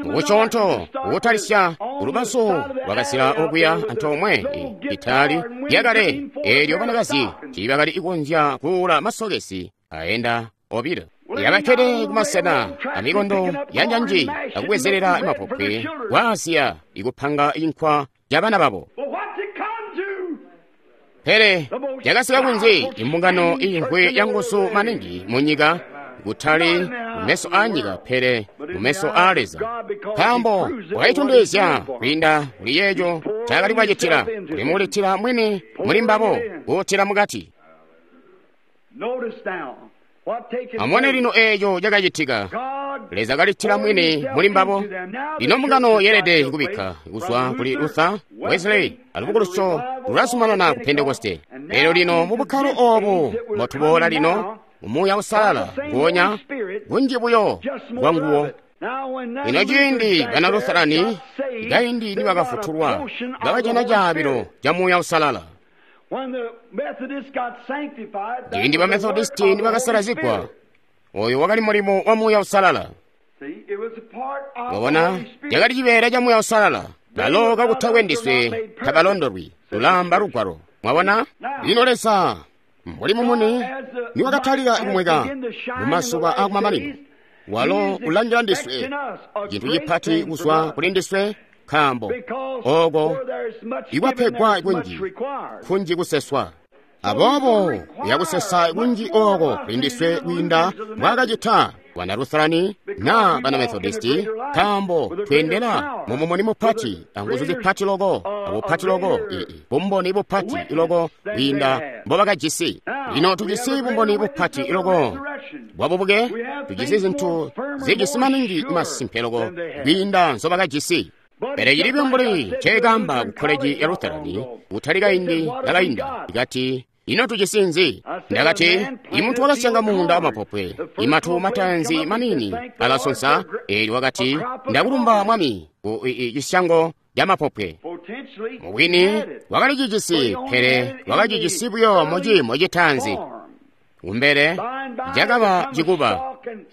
Mukuchonto ukutalisya ulubazu lwakazila okuya antoomwe itali lyakale eelyo banakazi tiibakali ikonzya kuula masokesi ayenda obilo. Yakakkede kumasena amikondo ya njanji akubwezerera mapopwe kwa Asiya ikupanga inkwa ya bana babo. Pele yakasika kunzi imbungano inkwe ya nguzu maningi mu nyika, kutali mumeso a nyika pele mumeso a Leza, nkaambo wakayitondezya kwiinda kuli yeeco ncaakali kubacitila, kulimuulitila mwini muli mbabo kuutila mukati. Amubone lino eeco cakacitika. Leza kalitila mwini muli mbabo. Lino mbungano yeelede kubikka kuzwa kuli Luther, Wesley, alubukulusyo lulazumanana ku Pentekoste. Elyo lino mu bukkalo obu mbotuboola lino, Muuya Usalala nguonya kunji buyo bwa nguwo. Lino ciindi bana Lutherani kaindi nibakafutulwa bakajana caabilo ca Muuya Usalala. Ciindi ba Methodisti nibakasalazigwa, oyo wakali mulimo wa Muuya Usalala. Wabona, cakali cibeela ca Muuya Usalala. Balo kakutakwe ndiswe tabalondolwi, lulamba lugwalo. Mwabona? Lino Leza mbuli mumuni niwakatalika kumweka mumazuba akumamanino, walo ulangila ndiswe cintu cipati kuzwa kuli ndiswe, nkaambo oko ikwapegwa kunji kunji kuseswa. Aboobo yakusesa kunji oko kuli ndiswe kwiinda mbwaakacita bana Lutherani na bana Methodisti, nkaambo tweendela mumumuni mupati anguzu zipati loko abupati loko, bumboni bupati loko kwiinda mbobakajisi. Lino tujisi bumboni bupati loko bwabubuke, tujisi zintu zijisi maningi masimpe loko kwiinda nzobakajisi. Pele cili mbuli nceekamba ku koleji ya Lutherani kutali kaindi kakainda, ikati ino tujisi nzi? Ndakati, imuntu wakasyanga muunda wamapopwe, imatu matanzi manini alasonsa. Eelyo wakati, ndakulumba Mwami ku cisyango ca mapopwe. Mubwini wakali cijisi, pele wakacijisi buyo muciimo citanzi. Kumbele cakaba cikuba,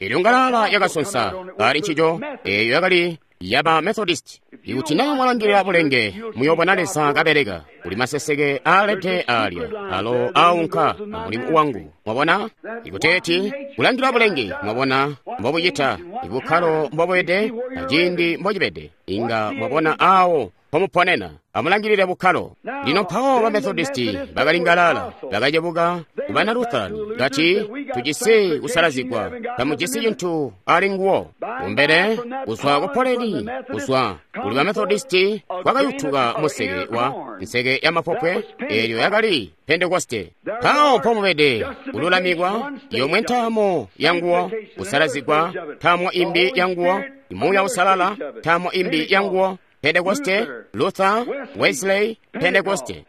eelyo ngalala yakasonsa ali ncico, eeyo yakali yaba Methodist. Ikuti naa mwalangilila bulenge, muyoobona Leza kabeleka. Kuli maseseke aalede aalya alo aunka mulimu wangu. Mwabona? Ikuteeti kulangila bulenge, mwabona mbobucita, ibukkalo mbobwede, aciindi mbocibede. Inga mwabona aawo mpomuponena. Amulangilile bukkalo. Lino mpawo ba Methodisti bakali ngalala, bakacebuka ku bana Lutherani, kati tujisi kusalazigwa, tamujisi cintu ali nguwo. Kumbele kuzwa ku poleni, kuzwa kuli ba Methodisti kwakayutuka museke wa nseke ya mapopwe, eelyo yakali Pentekoste. Mpawo mpomubede kululamikwa, yomwe ntaamo ya nguwo, kusalazigwa, ntaamo imbi ya nguwo, Muuya Usalala, ntaamo imbi ya nguwo, Pentekoste, Luther, Wesley, Pentekoste.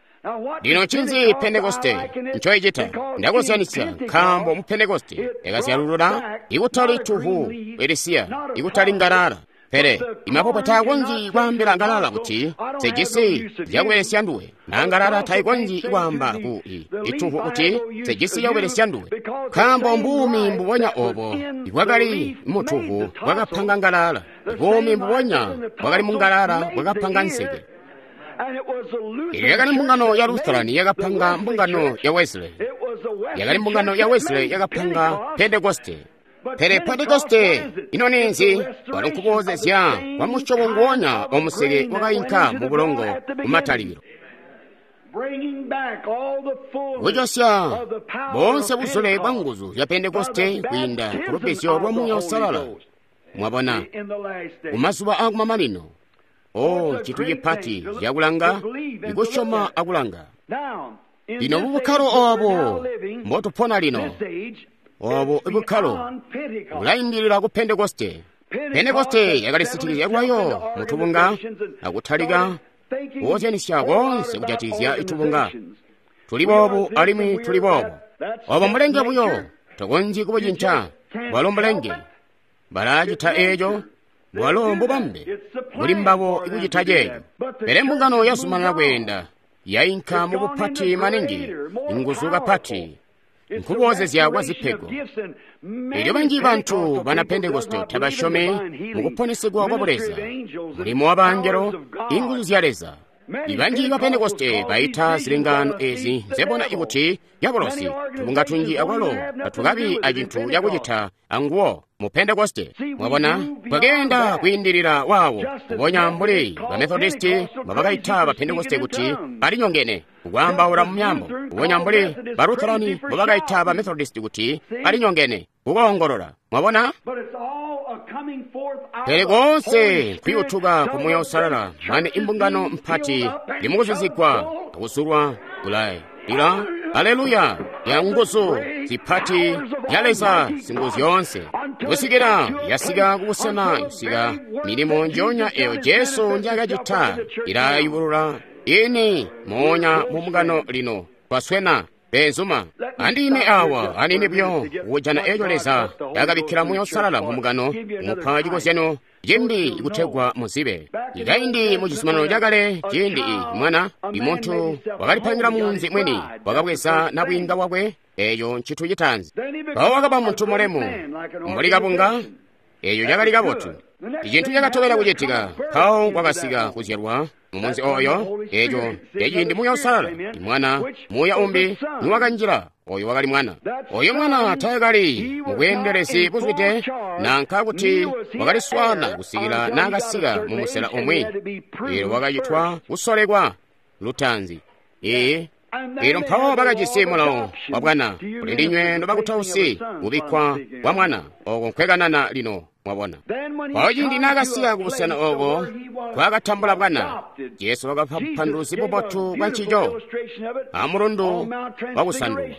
Lino ncinzi Pentekoste ncoicita? Ndakozyanisya nkaambo mu Pentekoste yakazyalulula ikutali tuhu elisiya, ikutali ngalala. Pele imapopwe taakonzyi kwaambila ngalala kuti sejisi zyakubelesya nduwe, na ngalala taikonzyi kwaamba ku ituhu kuti sejisi yakubelesya nduwe, nkaambo mbuumi mbubonya obo ibwakali mutuhu bwakapanga ngalala, buumi mbubonya bwakali mungalala bwakapanga nseke. Iyo yakali mbungano ya Lutherani yakapanga mbungano ya Wesley, yakali mbungano ya Wesley yakapanga Pentekoste. Pele Pentekoste ino ninzi? Wali nkuboozezya kwa musyobo nguonya wa museke wakainka mu bulongo kumatalikilo, kujosya boonse buzule bwa nguzu zya Pentekoste kwiinda ku lubbizyo lwa Muuya Uusalala. Mwabona, kumazuba akumamanino, o ncintu cipati cakulanga, ikusyoma akulanga. Lino mubukkalo obo mbotupona lino, obo ibukkalo bulaindilila ku Pentekoste. Pentekoste yakalisitikizya lwayo mutubunga akutalika kukozyanisya koonse kujatikizya itubunga. Tuli boobu alimwi tuli boobu. Obo mbulenge buyo, tokonzyi kubucinca. Bwalo mbulenge. Balacita eeco, bwalo mbubambe buli mbabo ikucita ceeco. Pele mbungano yazumanana kweenda, yainka mubupati maningi, nguzu kapati, nkuboozezya kwa zipego. Elyo banji bantu bana Pentekoste tabasyomi mukuponesegwa kwa Buleza, mulimo wa bangelo, inguzu zya Leza. Ibanji ba Pentekoste baita zilengano ezi nzebona ikuti diabolosi. Tubunga tunji akwalo tatukabi acintu cakucita anguwo mu Pentekoste. Mwabona, bwakeenda kwiindilila wawo, kubonya mbuli ba Methodisti mbabakaita ba Pentekoste kuti balinyongene kukwaambaula mu myaambo, kubonya mbuli ba Lutherani mbabakaita ba Methodisti kuti balinyongene kukoongolola. Mwabona? Pele koonse nkuyutuka ku Muuya Uusalala, mane imbungano mpati limukuzuzigwa akuzulwa kulai ila aleluya ya nguzu zipati ya Leza singuzu zyoonse, kusikila yasika kubusena kusika milimo njonya eyo Jesu njakacita ilayubulula ini moonya mu mbungano lino. Twaswena benzuma andime awa anini buyo kujana eco Leza yakabikkila Muuya Uusalala mu mbungano, kumupa cikozyano cimbi kutegwa muzibe. Ikaindi mu cizuminano cakale, ciindi i mwana imuntu wakalipangila munzi mwini, wakabweza nabwiinga wakwe, eco ncintu citaanzi. Mpawo wakaba muntu mulemu mbuli kabunga, eco cakali kabotu. Icintu cakatobela kucitika, mpawo kwakasika kuzyalwa mumunzi oyo, eco eciindi Muuya Uusalala, imwana muuya umbi niwakanjila, oyo wakali mwana. Oyo mwana taakali mubweendelezi buzwide, nanka kuti wakaliswana kusikila naakasika mumusela umwi. Elyo wakacitwa kusolekwa lutaanzi. Ee, elyo mpawo bakajisi mulawo wa bwana, kuli ndinywe nobakutausi kubikkwa kwa mwana, oko nkwekanana lino. Mwabona, mpawo ciindi naakasika kubusena oko kwakatambula bwana, Jesu wakapa bupanduluzi bubotu bwa ncico amulundu wakusandulwa.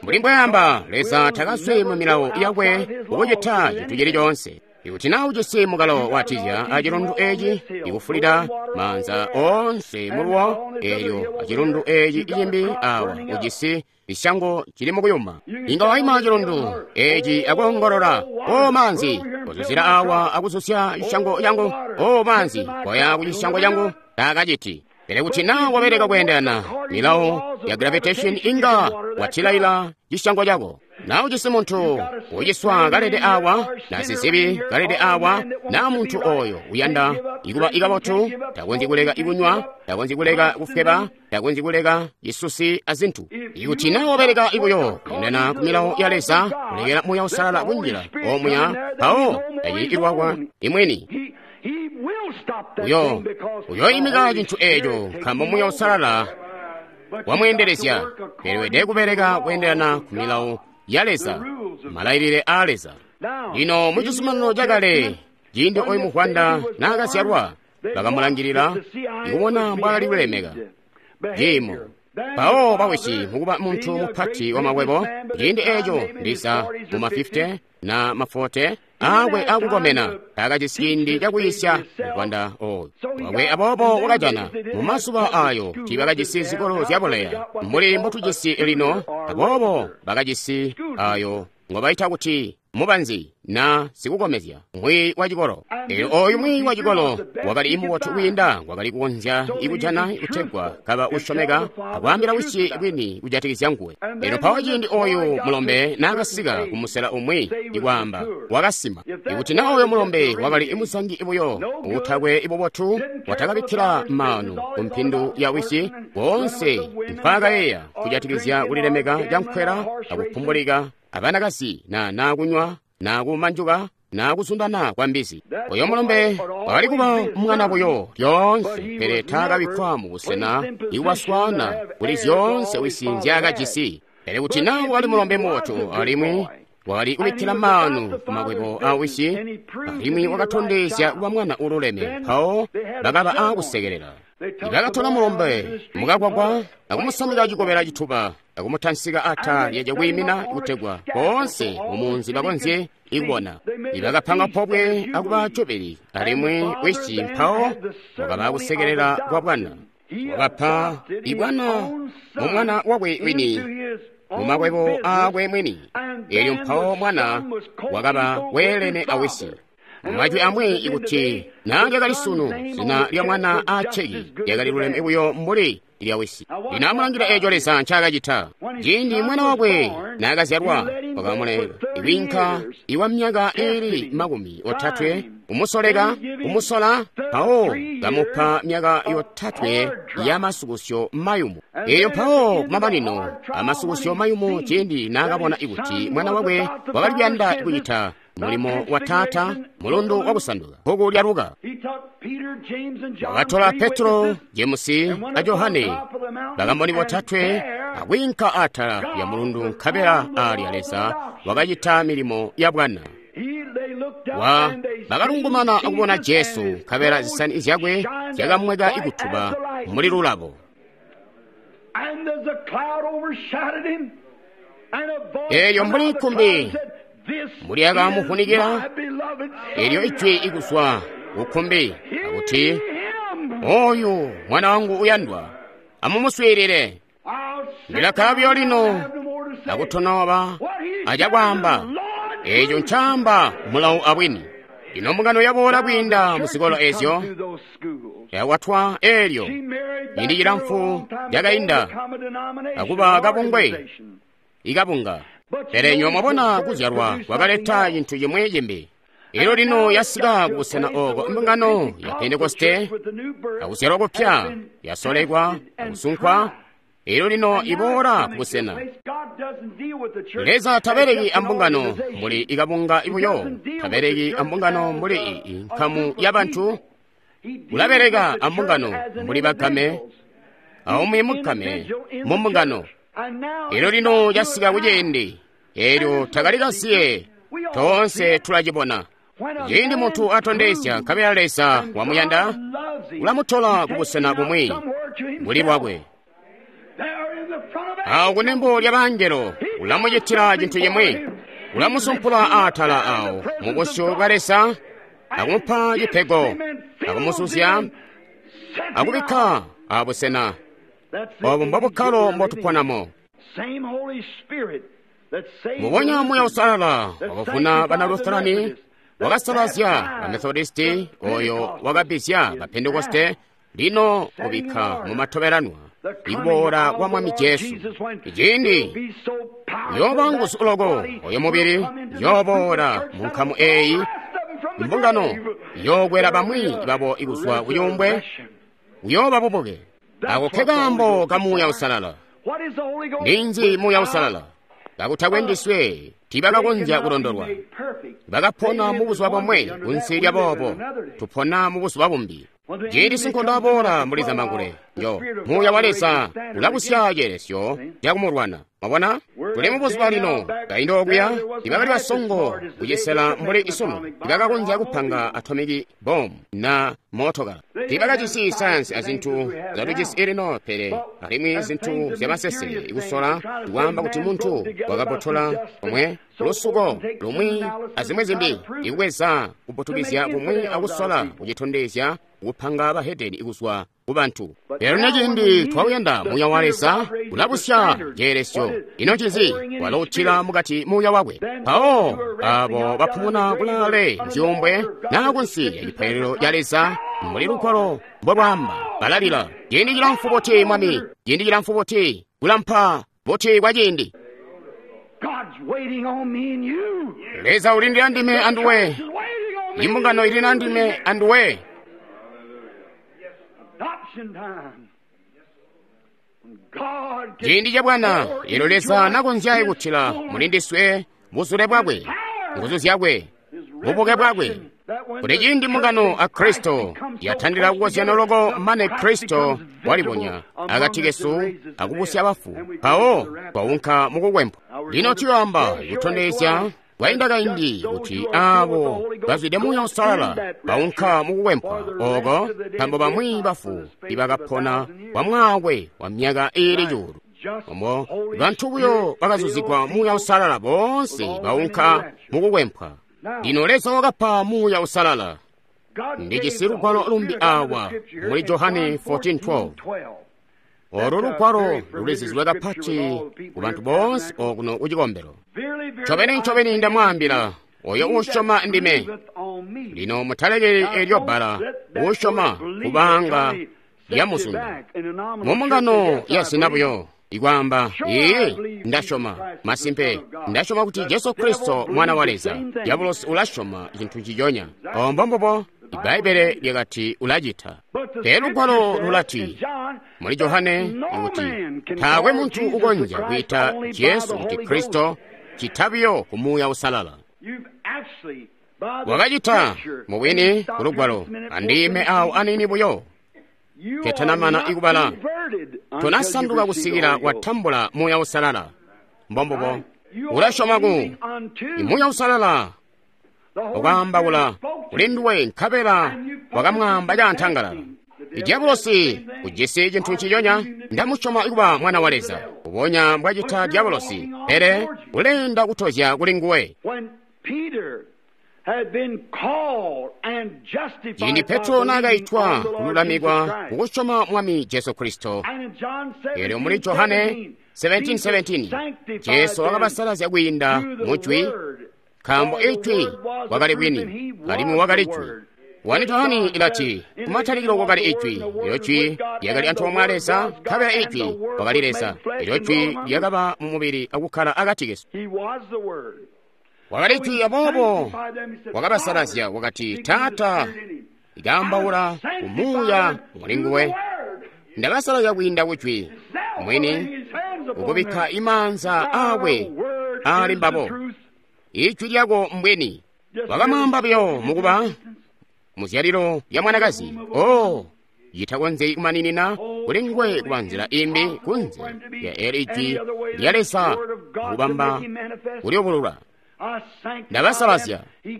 Mbuli mbwayamba, Leza takaswi mu milawo yakwe kukucita cintu cili coonse. Ikuti naa ujisi mukalo watizya acilundu eci ikufulida maanza oonse muluwo, elyo acilundu eci icimbi awa ujisi isyango cili mukuyuma, inga waima acilundu eci akoongolola, o maanzi kozuzila awa akuzusya cisyango cangu, o maanzi koya ku cisyango cangu. Taakaciti. Pele kuti naa wabeleka kweendelana milawo ya gravitation, inga watilaila cisyango cako. Na ujisi muntu uciswa kalede awa, na sizibi kalede awa, na muntu oyo uyanda ikuba ikabotu, takonzyi kuleka ikunywa, takonzyi kuleka kufweba, takonzyi kuleka isusi azintu. Ikuti na wabeleka ibuyo kweendelana ku milawo ya Leza, kulekela Muuya Uusalala kunjila omuya, mpawo tacili ilwakwa imweni. Uyo uyoimika cintu eco nkaambo Muuya Uusalala wamweendelezya. Pele weelede kubeleka kweendelana ku milawo ya Leza, malailile aa Leza. Lino mu cizuminano cakale, ciindi oyu muvwanda naakazyalwa, bakamulangilila ikubona mbwaakali kulemeka ciimo. Mpawo bawisi mukuba muntu mupati wa makwebo, ciindi eco ndiza mu ma fifty na ma forty akwe akukomena, taakajisi ciindi cakuyisya muvwanda oyu wakwe. Aboobo wakajana mu mazuba ayo tiibakajisi zikolo zyabuleya mbuli mbotujisi lino, aboobo bakajisi ayo ngobaita kuti mubanzi na sikukomezya, mwiiyi wa cikolo. Elyo oyu mwiiyi wa cikolo wakali mubotu kwiinda wakali kukonzya ikujana kutegwa kaba usyomeka akwaambila wisi bwini kujatikizya nguwe. Elyo mpawo ciindi oyu mulombe naakasika kumusela umwi, ikwaamba wakasima. Ikuti na oyo mulombe wakali muzangi buyo utakwe ibubotu, watakabikkila maanu ku mpindu ya wisi, koonse mpaakayeeya kujatikizya kulilemeka cankwela akupumbulika abanakazi na nakunywa na kuuma njuka na kuzundana kwa mbizi. Oyo mulombe wakali kuba mwana buyo lyoonse, pele taakabikkwa mu busena iwaswaana kuli zyoonse wisi nzyaakajisi. Pele kuti naa wakali mulombe mubotu alimwi wakali kubikkila maanu ku makwebo a wisi, alimwi wakatondezya kuba mwana ululeme, mpawo bakaba aakusekelela. Bakatola mulombe mukagwagwa akumusamika cikobela cituba akumutansika ata lya cakwiimina kutegwa boonse mumunzi bakonzye ikubona. Ibakapanga pobwe akuba cobeli alimwi wisi mpawo wakaba kusekelela kwa bwana. Wakapa ibwana mu mwana wakwe wini mu makwebo aakwe mwini. Elyo mpawo mwana wakaba weelene awisi. Majwi amwi ikuti naa lyakali sunu, zina lya mwana aaceki lyakali luleme buyo mbuli lya wisi. Lino amulangila eeco Leza ncaakacita. Ciindi mwana wakwe naakazyalwa, wakamuleka iwinka iwa myaka iili makumi otatwe kumusoleka kumusola, mpawo kamupa myaka yotatwe ya masukusyo mayumu. Eeyo mpawo kumamanino amasukusyo mayumu, ciindi naakabona ikuti mwana wakwe wakali kuyanda kucita mulimo wa taata, mulundu wakusanduka bbuku lya Luka. Wakatola Petro, Jemusi a Johane, bakamboni botatwe, akwiinka atala lya mulundu, nkabela aalya Leza wakacita milimo ya bwana. Wa bakalungumana akubona Jesu, nkabela zisani zyakwe zyakamweka ikutuba muli lulabo. Eelyo mbuli nkumbi mbuli akamufunikira, elyo ijwi ikuzwa kukumbi akuti, oyu mwana wangu uyandwa, amumuswiilile. Ndilakkala buyo lino akutonoba acakwaamba eeco ncaamba mulawu abwini. Ino mbungano yaboola kwiinda muzikolo ezyo yakwatwa eelyo ciindi cilamfu lyakainda akuba kabungwe ikabunga. Pele nywe mwabona kuzyalwa kwakaleta cintu cimwi cimbi. Elyo lino yasika kubusena ooko mbungano ya Pentekoste akuzyalwa kupya yasolekwa akusunkwa. Elyo lino iboola kubusena. Leza tabeleki ambungano mbuli ikabunga ibuyo, tabeleki ambungano mbuli inkamu yabantu. Ulabeleka ambungano mbuli bagame, aumwi mugame mumbungano. Elyo lino yasika kuciindi elyo takali kasiye, toonse tulacibona. Ciindi muntu atondezya nkabela Leza wamuyanda, ulamutola kubusena bumwi buli bwakwe. Awo kunembo lya bangelo ulamucitila cintu cimwi, ulamusumpula atala awo mu busyu bwa Leza, akumupa cipego, akumusuzya, akubikka abusena. Obu mbobukkalo mbotuponamo. Mubonya Muuya Uusalala wakavuna bana Lutherani, wakasalazya ba Methodisti, oyo wakabbizya ba Pentekoste, lino ubikka mu matobelanwa ikuboola kwa Mwami Jesu. Ciindi uyooba nguzu loko oyo mubili yooboola mu nkamu eeyi, mbungano yookwela bamwi babo ikuzwa kuyumbwe, uyooba bubuke. Ako ke kaambo ka Muuya Uusalala. Ninzi Muuya Uusalala? Kakutakwe ndiswe tiibakakonzya kulondolwa. Bakapona mu buzuba bomwe kunsi lya boobo, tupona mu buzuba bumbi. Ciindi sinkondo aboola muli zambangulwe, yo Muuya wa Leza ulabusya ceelesyo cakumulwana. Mwabona, tuli mu buzuba lino. Kaindi okuya tibakali basongo kucisela mbuli isunu, tibakakonzya kupanga atomiki bomu na mootokala. Tibakajisi sayansi azintu zyatujisi lino, pele alimwi zintu zyamasese ikusola kwaamba kuti muntu wakabotola komwe lusuko lumwi azimwi zimbi, ikuweza kuputukizya kumwi akusola kucitondezya kupanga bahedeni ikuzwa ku bantu. Lero neciindi twawuyanda Muuya wa Leza ulabusya ceelesyo. Ino ncinzi? Waloutila mukati Muuya wakwe. Mpawo abo bapumuna kulaale nzyuumbwe naa kunsi ya cipaililo ca Leza mbuli lugwalo mbolwaamba, balalila, ciindi cilamfu buti Mwami, ciindi cilamfu buti, kulampa buti kwa ciindi. Leza ulindila ndime anduwe, imbungano ilina ndime anduwe. Ciindi ca bwana, elo Leza nakonzya kutila muli ndiswe buzule bwakwe, Nguzu zyakwe, bubuke bwakwe. Kuti ciindi mbungano a Kristo yatandila kukozyana loko mane Kristo walibonya akati kesu akubusya bafu, mpawo twaunka mukukwempwa. Lino tuyoamba kutondezya kwainda kaindi kuti aabo bazwide Muuya Uusalala baunka mukukwempwa oko, nkaambo bamwi bafu ibakapona kwa mwaakwe wa myaka iili cuulu. Omo bantu buyo bakazuzigwa Muuya Uusalala boonse baunka mukukwempwa. Lino Leza wakapa Muuya Uusalala. Ndijisi lugwalo lumbi awa muli Johane fourteen twelve. Olu lugwalo lulizizilwe kapati ku bantu boonse okuno ku cikombelo. Ncobeni ncobeni ndamwaambila, oyo uusyoma ndime. Lino mutalekeli elyo bbala uusyoma kubanga lyamuzunda. Mu mbungano ya zina buyo ikwaamba, iiyi, ndasyoma, masimpe, ndasyoma kuti Jesu Kristo mwana wa Leza. Diabolosi ulasyoma cintu nciconya. Ombo mbubo, Ibbaibbele lyakati ulacita. Pele lugwalo lulati muli Johane kuti taakwe muntu ukonzya kwiita Jesu kuti Kristo citabiyo ku Muuya Uusalala. Wakacita mubwini ku lugwalo, andiime awo aniini buyo. Ketanamana ikubala, tonasanduka kusikila watambula Muuya Uusalala. Mbombubo, ulasyoma ku Muuya Uusalala wakaambaula kuli nduwe nkabela wakamwaamba caantangalala. Diabolosi ujisi cintu nciconya, ndamusyoma kuba mwana wa Leza, ubonya mbwacita Diabolosi, pele uleenda kutozya kuli nguwe. Ciindi Petro naakaitwa kululamikwa kukusyoma Mwami Jesu Kristo, eelyo muli Johane seventeen seventeen, Jesu wakabasalazya kwiinda mujwi, nkaambo ijwi wakali bwini, alimwi wakali jwi. Wani Johane ilati, kumatalikilo kwakali ijwi, elyo jwi lyakali antoomwe a Leza, nkabela ijwi wakali Leza, elyo jwi lyakaba mu mubili akukkala akati kesu. Wakali jwi, aboobo wakabasalazya, wakati, Taata, ikaambaula ku Muuya muli nguwe. Ndabasalazya kwiinda kujwi mwini, ukubikka imaanza aakwe aali mbabo. Ijwi lyako mbwini. Wakamwaamba buyo mukuba muzyalilo lya mwanakazi. Oh, yitakonzyi kumaninina kuli nguwe kuba nzila imbi kunze lya eli ijwi lya Leza kubamba kulyubulula. Ndabasalazya,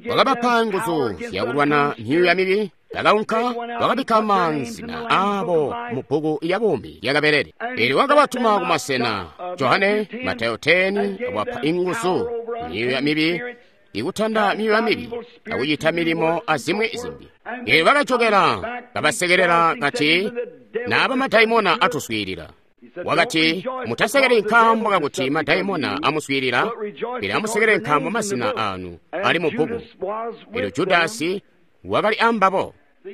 wakabapa nguzu zyakulwana myuuya mibi. Bakaunka wakabikka mazina aabo mu bbuku lya buumi lyakabelele. Eelyo wakabatuma kumasena. Johane, Matayo ten, wapa inguzu myuuya mibi, ikutanda myuuya mibi, akucita milimo azimwi zimbi. Eelyo bakajokela kabasekelela kati, naaba madaimona atuswiilila. Wakati, mutasekeli nkaambo kakuti madaimona amuswiilila, pele amusekele nkaambo mazina anu ali mu bbuku. Eelyo Judasi wakali ambabo.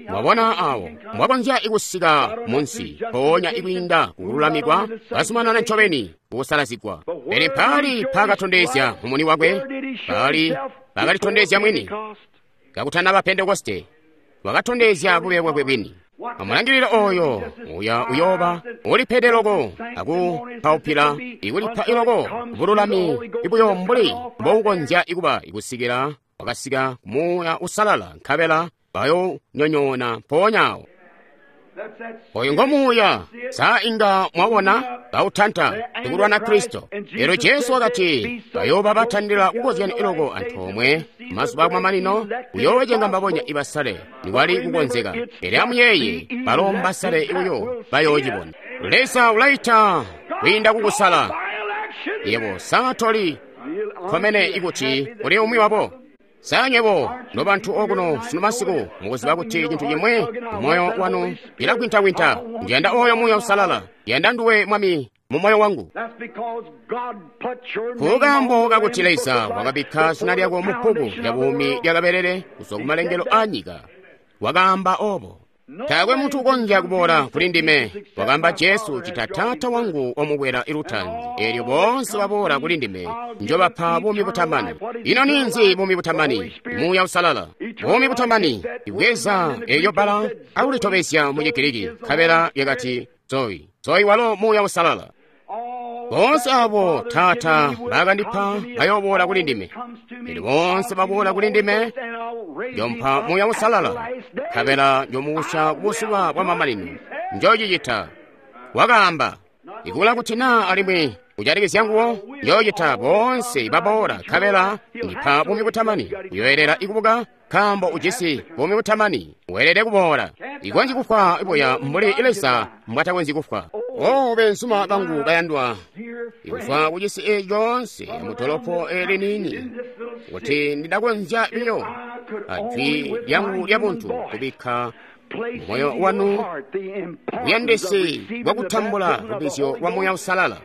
Mwabona awo mwakonzya ikusika munsi mpoonya ikwiinda kukululamikwa, bazumanana ncobeni kukusalazigwa. Pele mpaali paakatondezya mumuni wakwe, paali paakalitondezya mwini kakutanaba Pentekoste, wakatondezya bube bwakwe bwini. Amulangilile oyo uya uyooba ulipede loko akupaupila ikulipa iloko bululami ibuyo mbuli mboukonzya ikuba ikusikila wakasika Muuya Uusalala, nkabela bayonyonyoona mpoonya awo. Oyo ngo Muuya, saa inga mwabona bautanta ikulwana Kristo. Elyo Jesu wakati bayooba batandila kukozyana iloko antoomwe mazuba akumamanino uyoocenga mbabonya ibasale nikwali kukonzeka. Pele amuyeeye, balo mbasale buyo bayoocibona. Leza ulaita kwiinda kukusala. Yebo saa toli komene ikuti uli umwi wabo. Saa nywebo nobantu okuno sunu masiku mukuziba kuti cintu cimwe mumoyo wanu cilagwinta-gwinta. Ndiyanda oyo Muuya Uusalala, ndiyanda nduwe Mwami mu moyo wangu. Kukaambo kakuti Leza wakabikka zina lyako mu bbuku lya buumi lyakabelele kuzwa kumalengelo a nyika. Wakaamba obo. Taakwe muntu ukonzya kuboola kuli ndime, wakaamba Jesu, cita Taata wangu wamukwela ilutanzi. Eelyo boonse baboola kuli ndime njobapa buumi butamani. Ino ninzi buumi butamani? Muuya Uusalala. Buumi butamani ibweza eelyo bbala akulitobezya mu Chigiriki, nkabela lyakati Zoe. Zoe walo Muuya Uusalala. Boonse abo Taata bakandipa bayooboola kuli ndime. Elyo boonse baboola kuli ndime, njompa Muuya Uusalala, nkabela njomuusya kubuzuba bwa mamanino. Njoocicita. Wakaamba, ikula kuti naa alimwi kujatikizya nguwo, njoocita boonse baboola, nkabela ndipa buumi butamani. Uyoelela ikubuka, nkaambo ujisi buumi butamani, weelede kuboola. Ikonzyi kufwa buya mbuli Leza mbwatakonzyi kufwa. O beenzuma bangu bayandwa, ikufwa kucisi eeci coonse mudolopo eli niini, kuti ndidakonzya biyo ajwi lyangu lyabuntu kubikka moyo wanu buyandisi bwakutambula lubbizyo lwa Muuya Uusalala.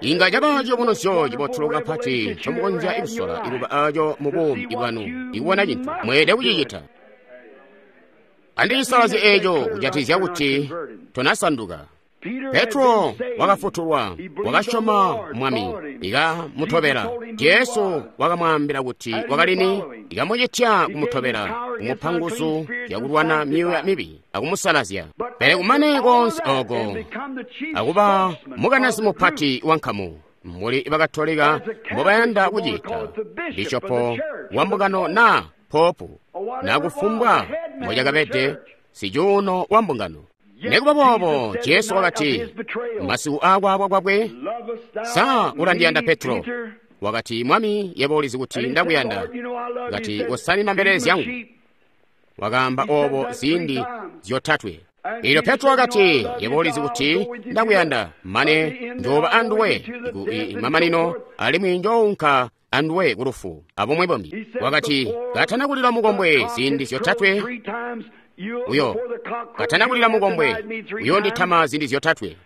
Inga caba ciyubunuzyo cibotu kapati ncomukonzya kusola ikuba aco mu buumi bwanu, ikubona cintu mweelede kucicita. Andisalazye eeco kujatikizya kuti tonasanduka. Petro wakafutulwa, wakasyoma Mwami, ikamutobela. Jesu wakamwaambila kuti wakalini, ikamucitya kumutobela, kumupa nguzu zyakulwana myuuya mibi akumusalazya. Pele kumane koonse ooko, akuba mukanazi mupati wa nkamu, mbuli Bakatolika mbobayanda kucita, bishopo wa mbungano naa popu, na kufumbwa mbocakabede, sicuuno wa mbungano. Nekuba boobo, Jesu wakati, masiku aakwaabwa kwakwe, sa ulandiyanda Petro? Wakati, Mwami, yebo ulizi kuti ndakuyanda. Wakati, usanina mbelele zyangu. Wakaamba oobo ziindi zyotatwe. Eelyo Petro wakati, yebo ulizi kuti ndakuyanda, mane njooba anduwe ku mamanino, alimwi njounka anduwe ku lufu, abumwi bumbi. Wakati, katana kulila mukombwe ziindi zyotatwe, uyo katana kulila mukombwe uyonditama ziindi zyotatwe.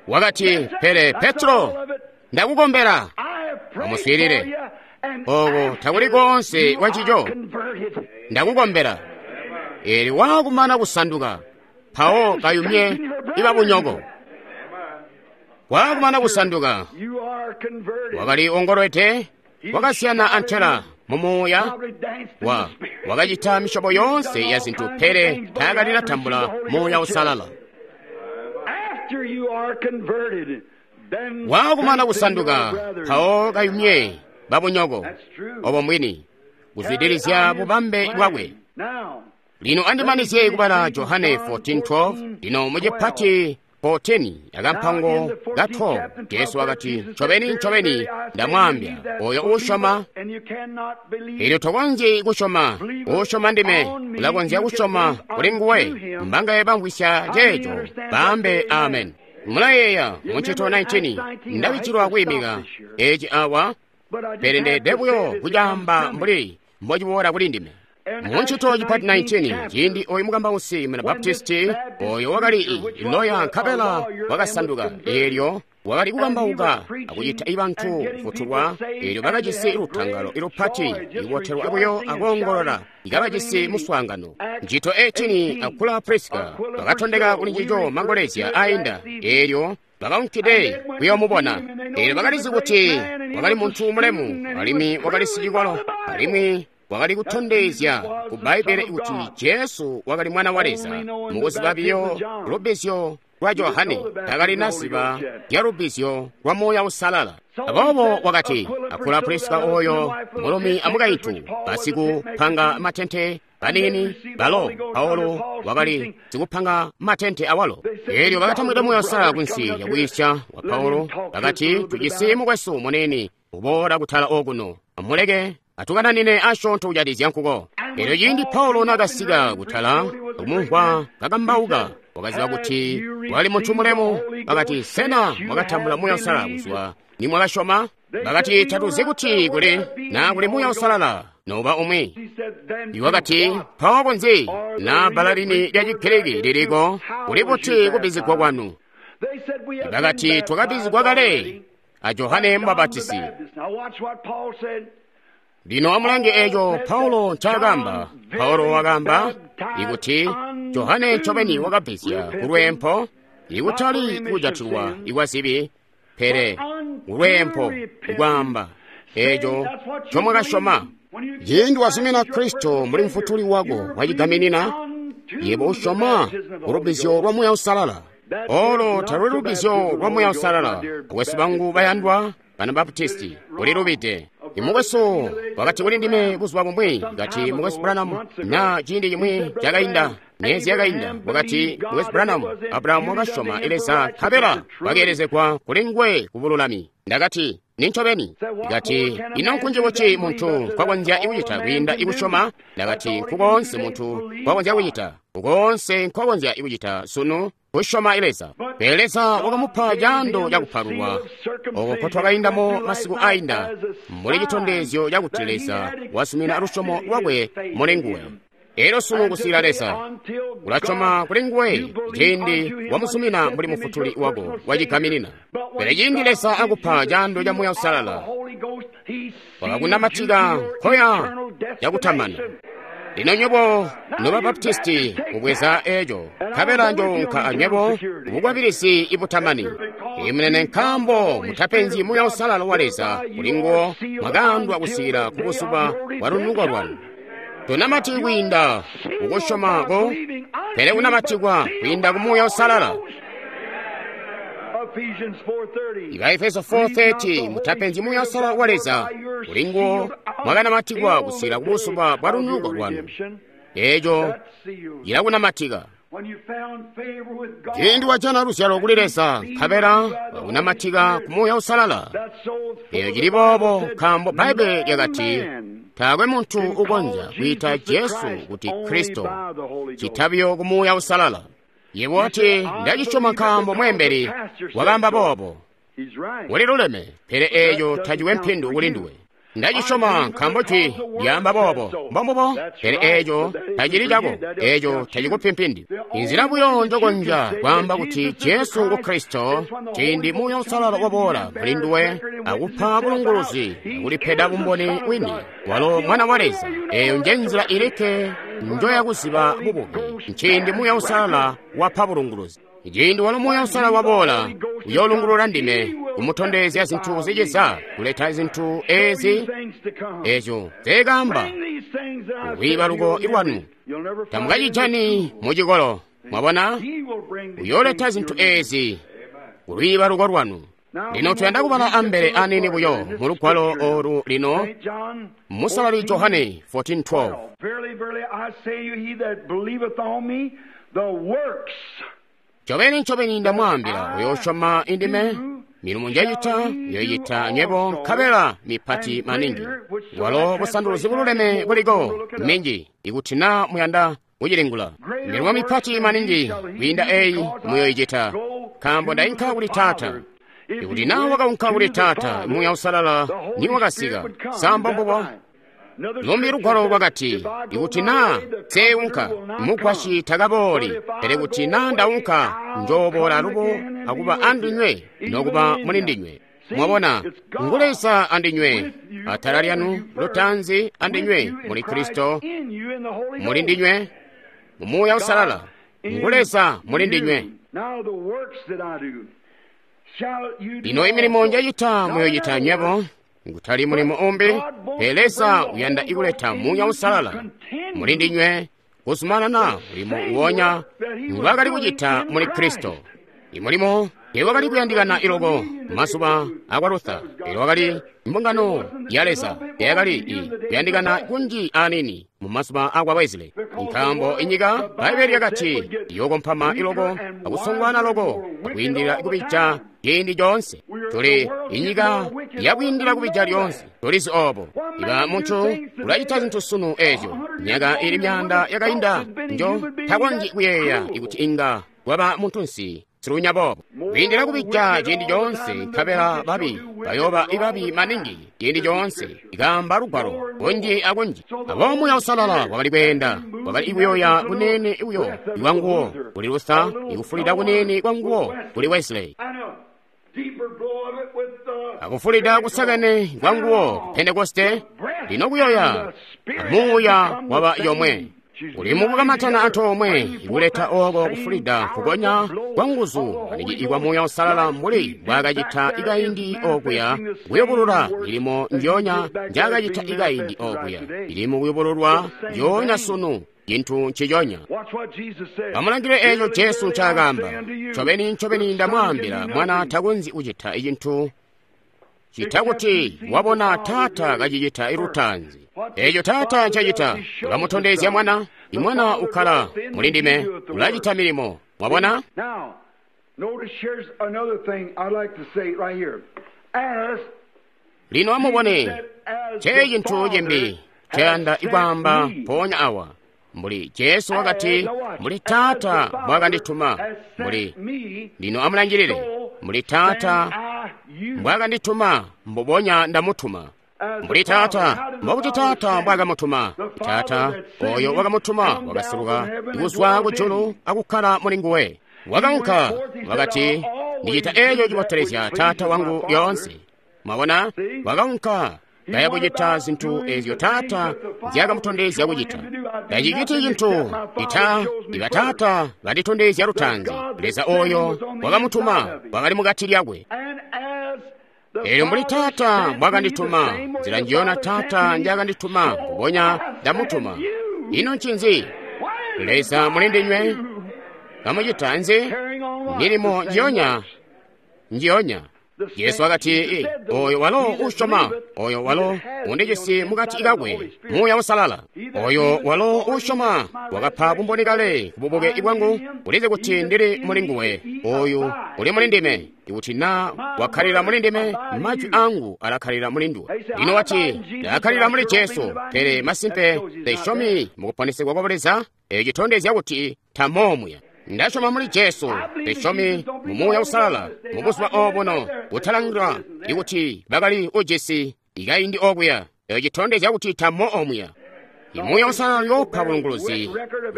Wakati, pele Petro, ndakukombela. Amuswiilile, oko takuli koonse kwa ncico. Ndakukombela. Eelyo waakumana kusanduka, mpawo kayumye ibabunyoko. Waakumana kusanduka, wakali ongolwete, wakasiyana antela mumuuya wa wakacita misyobo yoonse ya zintu, pele taakalila tambula Muuya Uusalala. Waakumana kusanduka, mpawo kayumye babunyoko, obo mbwini, kuzwidilizya bubambe bwakwe. Lino andimanizye kubala Johane fourteen twelve. Lino mucipati fourteen akampango ka twelve, Jesu wakati, ncobeni ncobeni ndamwaambya, oyo uusyoma, eelyo tokonzyi kusyoma, uusyoma ndime ulakonzya kusyoma kuli nguwe. Mbangaye bamvwisya ceeco, baambe amen. Mulayeeya muncito nineteen, ndabichilwa kwiimika eci awa, pele ndeede buyo kucaamba mbuli mbociboola kuli ndime. Muncito cipati nineteen, ciindi oyu mukambausi muna Baptisti oyo wakali loya nkabela wakasanduka, eelyo wakali kukambauka akucita ibantu kufutulwa, eelyo bakajisi lutangalo ilupati ikubotelwa buyo akoongolola, ikabajisi muswaangano. Ncito eighteen, Akula Priska bakatondeka kuli ncico mangolezya ainda, eelyo bakaunkide kuyoomubona. Eelyo bakalizi kuti wakali muntu mulemu, alimwi wakali sicikolo, alimwi wakali kutondezya ku Bbaibbele kuti Jesu wakali mwana wa Leza. Mukuziba biyo lubbizyo lwa Johane, takali naziba lya lubbizyo lwa Muuya Uusalala. Aboobo wakati, Akula Priska oyo mulumi amukaintu basikupanga matente banini balo Paulo wakali sikupanga matente awalo. Eelyo bakatambwida Muuya Uusalala kunsi yakuyisya wa Paulo, bakati, tujisi mukwesu munini uboola kutala okuno, amuleke atukananine asyoonto kujatikizya nkuko. Eelyo ciindi Paulo naakasika kutala kumumvwa kakambauka, wakaziba kuti wali muntu mulemu. Bakati, sena mwakatambula Muuya Uusalala kuzwa nimwakasyoma? Bakati, tatuzi kuti kuli naa kuli Muuya Uusalala noba umwi. Iwakati, mpawo kunzi na bbala lini lya Chigiriki liliko kuli buti kubbizigwa kwanu? Bakati, twakabbizigwa kale a Johane Mubapatisi. Lino amulange eeco Paulo ncaakaamba. Paulo wakaamba ikuti Johane ncobeni wakabbizya kulweempo, ikutali kujatilwa ikwa zibi, pele kulweempo, ikwaamba eeco ncomwakasyoma. Ciindi wazumina Kristo mbuli mfutuli wako wacigaminina, Yebo usyoma ku lubbizyo lwa Muuya Uusalala. Olo taluli lubbizyo lwa Muuya Uusalala. Bakwesu bangu bayandwa, bana Baptisti, ulilubide. Imukwesu wakati kuli ndime buzuba bumwi, kati Mukwesu Branham, na ciindi cimwi cakainda, myezi yakainda, wakati Mukwesu Branham, Abrahamu wakasyoma Leza nkabela wakeelezegwa kuli nguwe ku bululami. Ndakati, nincobeni. Ndakati, ino nkunji buti muntu nkwakonzya kucita kwiinda ikusyoma? Ndakati, nkukoonse muntu nkwakonzya kucita, nkukoonse nkwakonzya kucita sunu kusyoma Leza. Pele Leza wakamupa caando cakupalulwa oko nkotwakaindamo masiku ainda, mbuli citondezyo cakuti Leza wasumina lusyomo lwakwe muli nguwe. Elyo sunu kusikila Leza ulasyoma kuli nguwe ciindi wamusumina mbuli mufutuli wako wacigaminina. Pele ciindi Leza akupa caando ca Muuya Uusalala, wakakunamatika nkoya yakutamana. Lino nywebo noba Baptisti mubweza eco, nkabela njounka anywebo kubukwabilizi ibutamani. Imunene nkaambo mutapenzyi Muuya Uusalala wa Leza kuli nguwo mwakaandwa kusikila ku buzuba bwa lunuko lwanu. Tunamati kwiinda kukusyoma ko, pele kunamatikwa kwiinda ku Muuya Uusalala. Iba Efeso four thirty, mutapenzyi Muuya Uusalala wa Leza kuli nguwo mwakanamatikwa kusikila ku buzuba bwa lunuko lwanu. Eco cilakunamatika. Ciindi wajana luzyalo kuli Leza, nkabela wakunamatika ku Muuya Uusalala. Eyo cili boobo nkaambo Bbaibbele lyakati taakwe muntu ukonzya kwiita Jesu kuti Kristo citabiyo ku Muuya Uusalala. Yebo wati, ndacisyoma nkaambo mweembeli wakaamba boobo. Uliluleme, pele eeco tacikwe mpindu kuli nduwe. Ndacisyoma nkaambo jwi lyaamba boobo, mbombubo, pele eeco tacili cako, eeco tacikupi mpindu. Inzila buyo njokonzya kwaamba kuti Jesu ngu Kristo, ciindi Muuya Uusalala waboola kuli nduwe akupa bulunguluzi akulipeda bumboni wini, walo Mwana wa Leza. Eeyo nje nzila ilikke njoyakuziba bubuke, nciindi Muuya Uusalala wapa bulunguluzi. Ciindi walo Muuya Uusalala waboola, uyoolungulula ndime, kumutondezya zintu ziciza, kuleta zintu ezi ezyo nzeekaamba kulwiibaluko lwanu. Tamukacijani mucikolo, mwabona? Uyooleta zintu ezi kulwiibaluko lwanu. Lino tuyanda kubala ambele aniini buyo mu lugwalo olu lino, Musalali Johane fourteen twelve. Ncobeni ncobeni ndamwaambila, uyoosyoma indime, milimo njacita uyoyita nywebo nkabela mipati maningi. Walo busanduluzi bululeme buliko minji, ikuti na muyanda kucilingula. Milimo mipati maningi kwiinda eyi muyoyicita, nkaambo ndainka kuli Taata. Ikuti na wakaunka kuli Taata, Muuya Uusalala niwakasika. Sa mbombubo? Lumbi lugwalo lwakati, ikuti na nseunka, mugwasyi takabooli, pele kuti na ndaunka, njooboola alubo akuba andinywe nokuba muli ndinywe. Mwabona, ngu Leza andinywe, atala lyanu lutaanzi andinywe muli Kristo, muli ndinywe mu Muuya Uusalala, ngu Leza muli ndinywe. Lino imilimo njacita muyoyita nywebo, ngutali mulimo umbi, pele Leza uyanda ikuleta Muuya Uusalala muli ndinywe kuzumanana mulimo uwonya ngwaakali kucita muli Kristo. Imulimo teewakali kuyandikana iloko mazuba akwa Luther, pele wakali mbungano ya Leza teyakali kuyandikana kunji aniini mu mazuba akwa Wesley, nkaambo inyika Bbaibbele lyakati iyookompama iloko akusongwana loko akwiindilila kubija ciindi coonse. Tuli inyika yakwiindila kubija lyoonse, tulizi oobo. Iba muntu ulacita zintu sunu ezyo myaka ili myaanda yakainda njo takonzyi kuyeeya ikuti inga kwaba muntunsi silunya boobo. Kwiindila kubija ciindi coonse, nkabela babi bayooba ibabi maningi ciindi coonse, ikaamba lugwalo kunji akunji. Aboobo Muuya Uusalala wakali kweenda, wakali kuyoya kunene uyo ikwanguwo kuli Luther, ikufulida kunene kwanguwo kuli Wesley, akufulida kusakene kwanguwo ku Pentekoste. Lino kuyoya amuuya waba yomwe uli mukukamatana antoomwe ikuleta oko kufulida kukonya kwa nguzu maningi ikwa Muuya Uusalala mbuli mbwaakacita ikaindi okuya kuyubulula milimo njoonya njaakacita ikaindi okuya, ili mukuyubululwa njoonya sunu Cintu nciconya. Amulangile eco Jesu ncaakaamba. Ncobeni, ncobeni ndamwaambila, Mwana takonzyi kucita cintu cita kuti wabona Taata kacicita lutaanzi. Eco Taata ncacita, ulamutondezya Mwana. I Mwana ukkala muli ndime, ulacita milimo. Mwabona? Lino amubone, cee cintu cimbi nceyanda ikwaamba mpoonya awa. Mbuli Jesu wakati, mbuli Taata mbwakandituma, mbuli lino amulangilile, mbuli Taata mbwakandituma, mbubonya ndamutuma. Mbuli Taata, mbokuti Taata mbwakamutuma. Taata oyo wakamutuma wakaseluka kuzwa kujulu akukkala muli nguwe. Wakaunka, wakati, ndicita eco cibotelezya Taata wangu lyoonse. Mwabona? Wakaunka kaya kucita zintu ezyo Taata nzyakamutondezya kucita. Taciciti cintu ita iba Taata banditondezya lutaanzi. Leza oyo wakamutuma wakali mukati lyakwe. Elyo mbuli Taata mbwakandituma, nzila njiyona Taata njakandituma, mbubonya ndamutuma. Ino ncinzi? Leza muli ndinywe kamucita nzi? Milimo njiyonya, njiyonya. Jesu wakati, oyo walo usyoma, oyo walo undijisi mukati kakwe, Muuya Uusalala. Oyo walo usyoma wakapa bumboni kale kububuke bwangu, ulizi kuti ndili muli nguwe. Oyu uli muli ndime, ikuti na wakkalira muli ndime, majwi angu alakkalira muli nduwe. Lino wati, ndakkalira muli Jesu, pele masimpe ndisyomi mukuponesegwa kwa Leza, eco citondezya kuti tamomuya. Ndasyoma muli Jesu, ndisyomi mu Muuya Uusalala, mu buzuba obuno butalangilwa ikuti bakali ujisi ikaindi okuya, eco citondezya kuti tamo omuya. Muuya Uusalala uyoopa bulunguluzi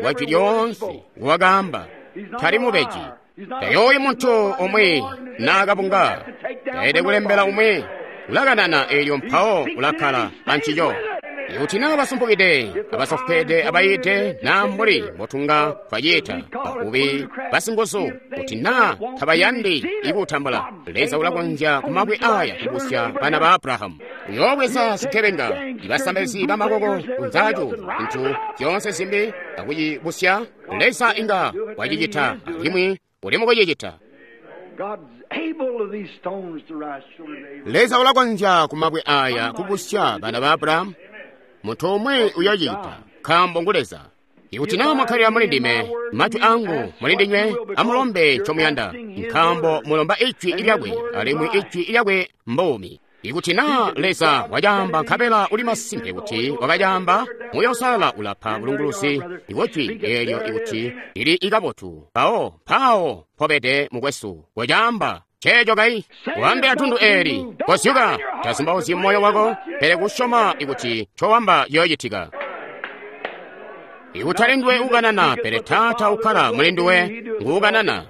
bwa jwi lyoonse wakaamba, tali mubeji. Tayooyi muntu umwi naakabunga, taede kulembela umwi, ulakanana eelyo mpawo ulakkala ancico. Ikuti naa basumpukide, abasofweede, abayide, naa mbuli mbotunga twaciita, bavubi, basinguzu, kuti naa tabayandi ikutambula, Leza ulakonzya kumabwe aya kubusya bana ba Abrahamu. Uyoobweza zigebenga, ibasambalizi bamakoko kunzaaco, zintu zyoonse zimbi akucibusya. Leza inga wacicita, alimwi uli mukucicita. Leza ulakonzya kumabwe aya kubusya bana ba Abrahamu. Muntu umwe uyocita, nkaambo ngu Leza. Ikuti naa mwakkalira muli ndime, majwi angu muli ndinywe, amulombe ncomuyanda, nkaambo mulomba ijwi lyakwe, alimwi ijwi lyakwe mbuumi. Ikuti naa Leza wacaamba nkabela uli masimpe kuti wakacaamba, Muuya Uusalala ulapa bulunguluzi bwajwi eelyo ikuti lili ikabotu. Mpawo mpawo mpobede mukwesu, wacaamba. Ceeco kai, wambila tundu eeli, kozyuka, tazumbauzyi moyo wako, pele kusyoma ikuti ncowamba ciyoocitika. Ikutali nduwe ukanana, pele Taata ukkala muli nduwe nguukanana.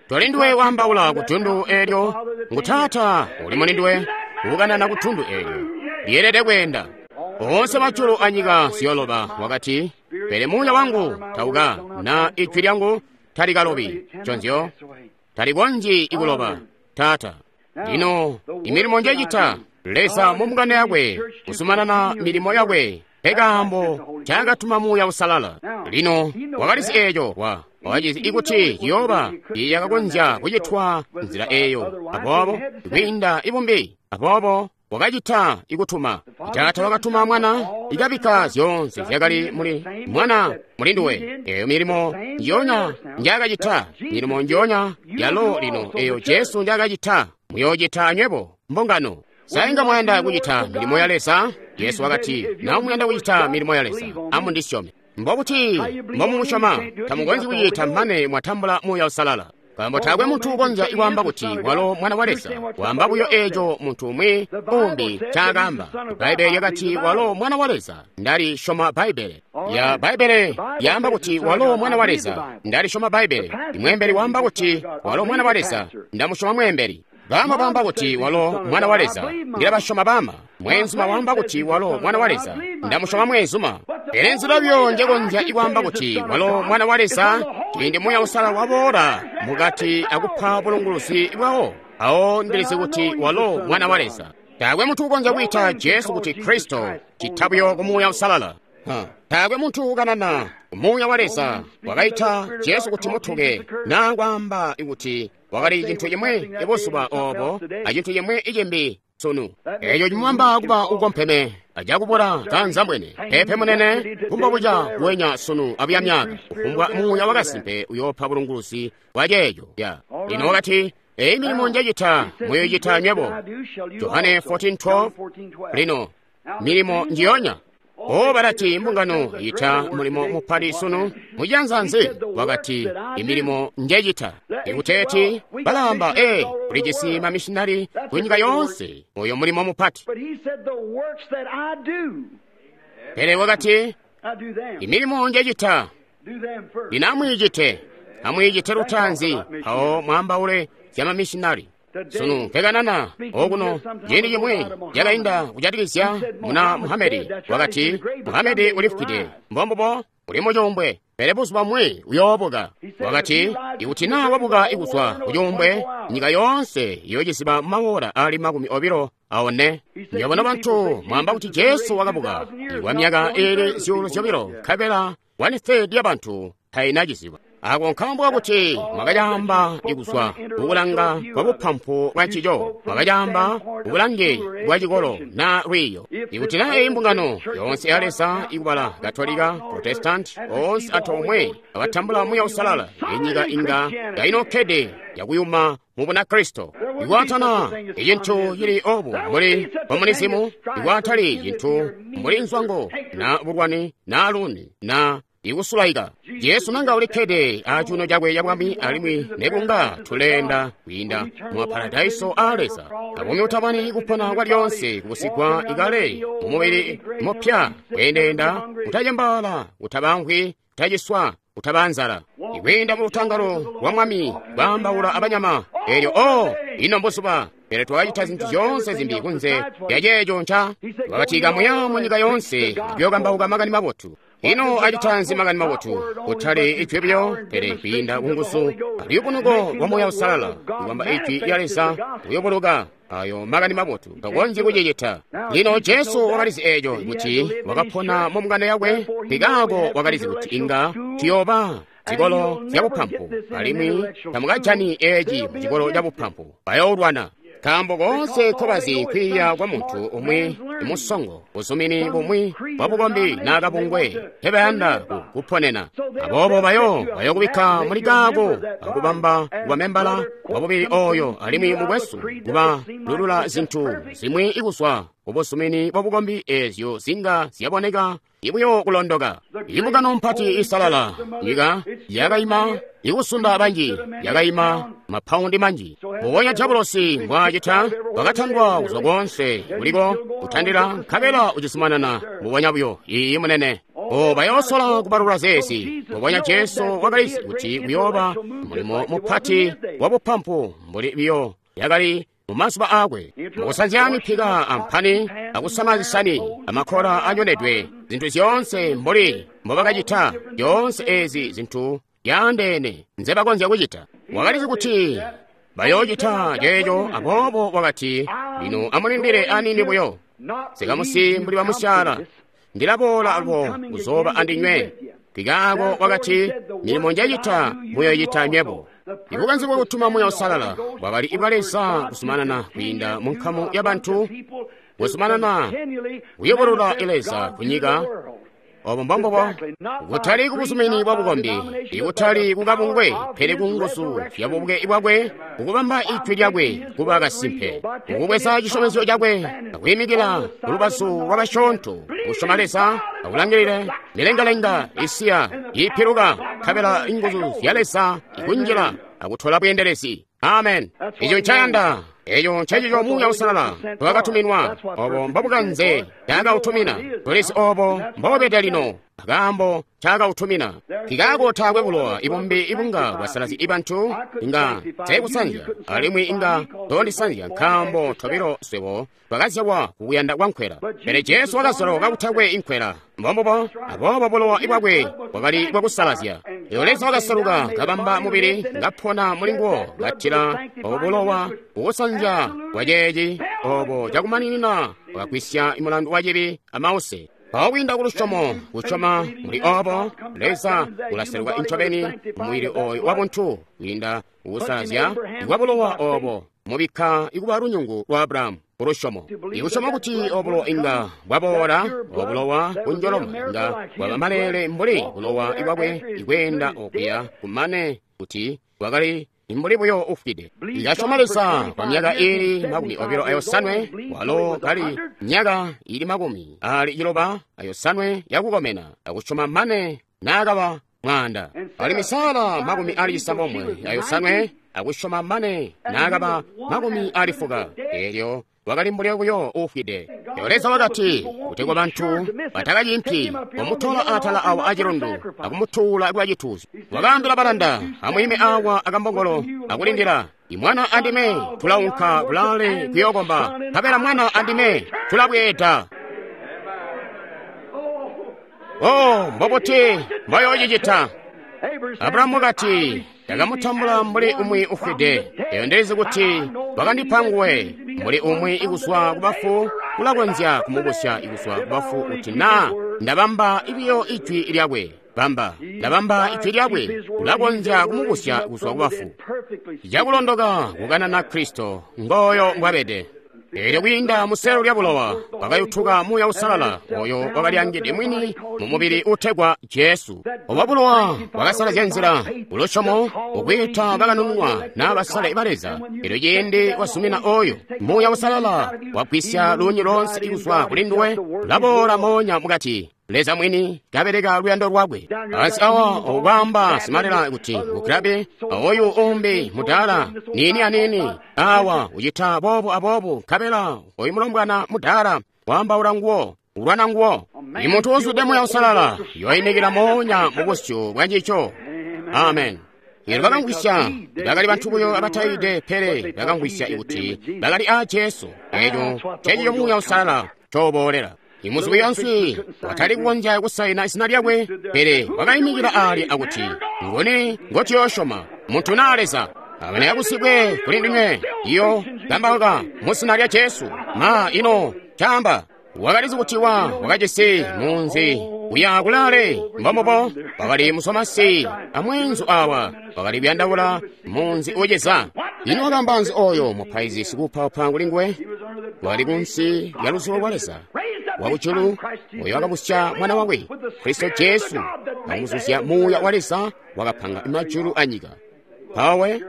Toli nduwe waambaula ku tundu eelyo, ngu Taata uli muli nduwe ukanana ku tundu eelyo. Lyeelede kweenda. Oonse majulu anyika ziyoloba, wakati, pele muuya wangu tauka, na ijwi lyangu talikalobi. Nconzyo, talikonzyi ikuloba. Taata, lino imilimo njecita, Leza mu mbungano yakwe kuzumanana milimo yakwe, pekaambo ncaakatuma Muuya Uusalala. Lino wakalizi eeco, wa wakacizi ikuti ciyooba yakakonzya kucitwa nzila eeyo, aboobo kwiinda ibumbi, aboobo wakacita ikutuma. Taata wakatuma Mwana, ikabikka zyoonse zyakali muli Mwana muli nduwe. Eeyo milimo njiyonya njaakacita, milimo njiyonya yalo lino eeyo Jesu njaakacita, muyoocita anywebo mbungano. Sa inga mwayanda kucita milimo ya Leza? Yesu wakati, na muyanda kucita milimo ya Leza, amundisyome. Mbokuti mbomumusyoma, tamukonzyi kucita mane mwatambula Muuya Uusalala. Nkaambo taakwe muntu ukonzya kwaamba kuti walo Mwana wa Leza, waamba buyo eeco muntu umwi umbi ncaakaamba. Bbaibbele lyakati walo Mwana wa Leza, ndalisyoma Bbaibbele. Ya Bbaibbele yaamba kuti walo Mwana wa Leza, ndalisyoma Bbaibbele. Imweembeli waamba kuti walo Mwana wa Leza, ndamusyoma mweembeli. Bama baamba kuti walo Mwana wa Leza, ndilabasyoma bama. Mweenzuma waamba kuti walo Mwana wa Leza, ndamusyoma mweenzuma. Pele nzila buyo njekonzya ikwaamba kuti walo Mwana wa Leza, ciindi Muuya Uusalala waboola mukati akupa bulunguluzi bwawo, awo ndilizi kuti walo Mwana wa Leza. Taakwe muntu ukonzya kwiita Jesu kuti Kristo, cita buyo ku Muuya Uusalala. Taakwe muntu ukanana Muuya wa Leza wakaita Jesu kuti mutuke na kwaamba kuti wakali cintu chimwe ibuzuba obo a cintu chimwe icimbi sunu. Eco cimubamba kuba ukompeme ajakubula kanzambwene pepe munene kumbobuca kuwenya sunu abuya myaka kufumbwa Muuya wakasimpe uyoopa bulunguluzi bwa ceeco. Lino wakati eyi milimo njecita muyoicita nywebo. Johane fourteen twelve. Lino milimo njiyonya. O balati mbungano ita mulimo mupati sunu mujanza nzi? Wakati imilimo njecita. Ikuteeti balamba e kulijisi mamishinari ku nyika yoonse, oyo mulimo mupati. Pele wakati imilimo njecita lino amwiicite, amwiicite lutanzi awo mwambaule zya mamishinari. Sunu mpekanana okuno ciindi cimwi cakainda kujatikizya muna Muhamedi. Wakati Muhamedi ulifwide, mbombubo uli mucuumbwe, pele buzuba bumwi uyoobuka. Wakati ikuti naa wabuka ikuzwa kucuumbwe, nyika yoonse iyoociziba mumawoola ali makumi obilo aone. Nyabona bantu mwamba kuti Jesu wakabuka kwa myaka ili zyuulu zyobilo, nkabela one third ya bantu tainaciziba. Ako nkaambo kakuti mwakacaamba ikuzwa kukulanga kwa bupampu bwa ncico, mwakacaamba kubulange bwa cikolo na lwiiyo. Ikuti na eyi mbungano yoonse ya Leza ikubala Katolika, Protestant, oonse antoomwe abatambula Muuya Uusalala, inyika inga yainokkede yakuyuma mu Bunakristo. Ikwatana icintu cili obu mbuli komunizimu, ikwatali cintu mbuli nzwango na bulwani na luni na ikusulaika. Jesu nanga ulikkede acuuno cakwe cabwami alimwi nekunga tuleenda kwiinda mu maparadaiso a Leza. Kabumi utabani kupona kwa lyonse kubusigwa ikale mumubili mupya kweendeenda kutacembaala kutabamvwi kutaciswa kutaba nzala. Ikwiinda mu lutangalo lwa Mwami kwaambaula abanyama elyo o ino mbuzuba. Pele twakacita zintu zyoonse zimbi kunze lya ceeco nca twakatika muya mu nyika yoonse kuyokambauka makani mabotu. Ino acitanzi makani mabotu? Kutali ijwi buyo, pele kwiinda kunguzu aluyubunuko lwa Muuya Uusalala, ikwamba ijwi lya Leza kuyoboloka ayo makani mabotu takonzyi kucicita. Lino Jesu wakalizi eco kuti wakapona mu mbungano yakwe, nkikaako wakalizi kuti inga tuyooba zikolo zya bupampu, alimwi tamukajani eci mu cikolo ca bupampu, bayoolwana. Nkaambo koonse nkobazi kwiiya kwa muntu umwi musongo, buzumini bumwi bwa bukombi naa kabungwe tebayanda kuponena. Aboobo bayo bayokubikka muli kaako akubamba kuba membala wa bubili oyo alimwi mukwesu kuba lulula zintu zimwi ikuzwa kubuzumini bwa bukombi ezyo zinga zyaboneka ibuyo kulondoka. Imbungano mpati isalala nyika yakaima ikusunda banji, yakaima mapaundi manji. Mbubonya diabulosi mbwaacita, wakatandwa kuzwa koonse kuliko kutandila nkabela ucizumanana mbubonya buyo. Iyi munene. O bayoosola kubalula zeezi. Mbubonya Jesu wakalizi kuti kuyooba mulimo mupati wa bupampu mbuli biyo yakali mumazuba aakwe, mukusanzya mipika amphani akusama zisani amakkola anyonedwe, zintu zyoonse mbuli mbobakacita, zyoonse ezi zintu zyaandeene nzebakonzya kucita. Wakalizi kuti bayoocita ceeco, aboobo wakati, lino amulindile aniini buyo, sikamusi mbuli bamusyaala, ndilaboola alwo kuzooba andinywe. Nkikaako wakati, milimo njecita muyoicita nywebo. Ibukanze bwa kutuma Muuya Uusalala bwakali ibwa Leza kuzumanana kwiinda mu nkamu ya bantu, kuzumanana kuyobolola Leza ku nyika. Obo mbombubo, kutali kubuzumini bwa bukombi, ikutali kukabungwe, pele ku nguzu zya bubuke bwakwe, kukubamba ijwi lyakwe kuba kasimpe, kukubweza cisyomezyo cakwe, akuyimikila kulubazu lwa basyoonto, kusyoma Leza, akulangilile milengalenga isiya ipiluka, nkabela inguzu zya Leza ikunjila akutola bweendelezi. Amen. Eco ncayanda. Eco ncecico Muuya Uusalala twakatuminwa. Obo mbobukanze ncaakautumina. Tulisi obo mbobede lino akaambo ncaakautumina. Nkikaako taakwe bulowa ibumbi ibunga bwasalazya ibantu, inga teekusanzya alimwi inga tondisanzya, nkaambo tobilo swebo twakazyalwa kukuyanda kwa nkwela. Pele Jesu wakazyalwa kakutakwe inkwela. Mbombubo, aboobo bulowa bwakwe bwakali bwakusalazya. Leo Leza wakasaluka kabamba mubili ngapona mulinguwo, katila obo bulowa kukusanzya kwa ceeci obo cakumaninina wakakwisya mulandu wa cibi amause. Mpawo kwiinda ku lusyomo, kusyoma muli obo, Leza ulaseluka incobeni mumubili oyo wabuntu kwiinda kukusalazya kwa bulowa obo, mubikka ikuba lunyungu lwa Abrahamu ku lusyomo. Ikusyoma kuti obulowa inga bwaboola, obulowa bunjoloma inga bwaba maleele mbuli bulowa bwakwe ikweenda okuya kumane kuti bwakali mbuli buyo ufwide. Ikasyoma Leza kwa myaka ili makumi obilo ayosanwe, walo kali myaka ili makumi ali ciloba ayosanwe yakukomena, akusyoma mane naakaba mwaanda. Alimwi Sara makumi ali cisambomwe ayosanwe, akusyoma mane naakaba makumi ali fuka. Eelyo wakali mbuli buyo ufwide. Leo Leza wakati, kutegwa bantu batakacimpi, wamutola atala awa acilundu akumutuula kuba cituuzyo. Wakaambila balanda, amwiime awa akambongolo akulindila. Imwana andime tulaunka kulaale kuyookomba, nkabela mwana andime tulabweeda. Oh, mbobuti mboyoocicita? Abrahamu wakati, ndakamutambula mbuli umwi ufwide. Eyo ndilizi kuti wakandipa nguwe mbuli umwi ikuzwa kubafu kulakonzya kumubusya ikuzwa kubafu kuti naa ndabamba ibiyo ijwi lyakwe. Bamba, ndabamba ijwi lyakwe, kulakonzya kumubusya kuzwa kubafu. Cakulondoka kukanana Kristo, ngooyo mbwabede. Eelyo kwiinda muselo lya bulowa wakayutuka Muuya Uusalala oyo wakalyangide mwini mu mubili utegwa Jesu. Obo bulowa bwakasalazya nzila kulusyomo ukwiita bakanununwa naa basale ba Leza. Eelyo ciindi wasumina oyo Muuya Uusalala wagwisya luunyu loonse kuzwa kuli nduwe, ulaboola moonya mukati. Leza mwini kabeleka luyando lwakwe. Ansi awa okwaamba simalela kuti mugrabe oyu umbi mudaala nini anini awa ucita boobu aboobu, nkabela oyu mulombwana mudaala waambaula nguwo, ulwana nguwo. Imuntu uzwide Muuya Uusalala yoyimikila moonya mu busyu bwa ncico. Amen. Eelyo bakamvwisya, bakali bantu buyo abatayide, pele bakamvwisya kuti bakali aa Jesu. Eeco ncecico Muuya Uusalala cooboolela. Imuzubi yonse watali kukonzya kusaina izina lyakwe, pele wakayimikila ali akuti, nguni ngotuyoosyoma, muntu naa Leza? Amene yakusikwe kuli ndinywe, iyo kambauka mu zina lya Jesu. Ma ino caamba wakalizi kuti wa wakajisi munzi uya kulaale, mbombubo wakali musomasi amweenzu awa wakali kuyandaula munzi uceza. Ino wakamba nzi oyo mupaizi sikuupaupa kuli nguwe? Wakali kunsi lya luzubo lwa Leza wakujulu oyo wakabusya mwana wakwe Kristo Jesu, akumuzuzya Muuya wa Leza wakapanga majulu anyika. Mpawe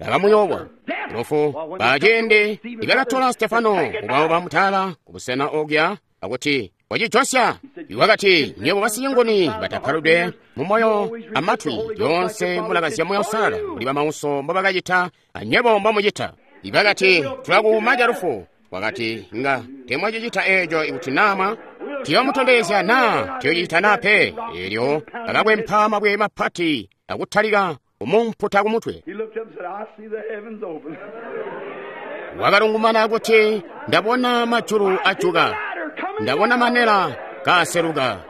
bakamuyowa lufu. Baciindi ibakatola Stefano kubaoba mutala kubusena okuya akuti wacijosya, wakati, nywebo basinyongoni batapaludwe mumoyo amatwi, lyoonse mulakazya Muuya Uusalala mbuli bamauso mbobakacita anywebo mbomucita. Ibakati, tulakuuma calufu. Wakati, nga temwacicita eeco ikuti naamwa tiyomutondezya naa tiyocicita naa pe. Eelyo bakakwempa mabwe mapati akutalika kumumputa kumutwe. Wakalungumana kuti, ndabona majulu ajuka, ndabona manela kaaseluka,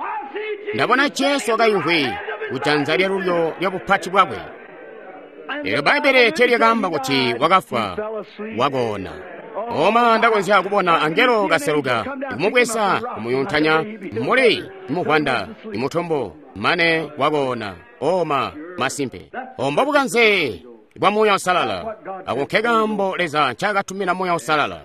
ndabona Jesu akayimvwi kujanza lyalulyo lya bupati bwakwe. Eelyo Bbaibbele telyakaamba kuti wakafwa, wakoona. Oma ndakonzya kubona angelo kaseluka kumubweza kumuyuntanya mbuli muvwanda imutombo mane wakoona. Oma masimpe ombo bukanze bwa Muuya Uusalala. Ako nke kaambo Leza ncaakatumina Muuya Uusalala.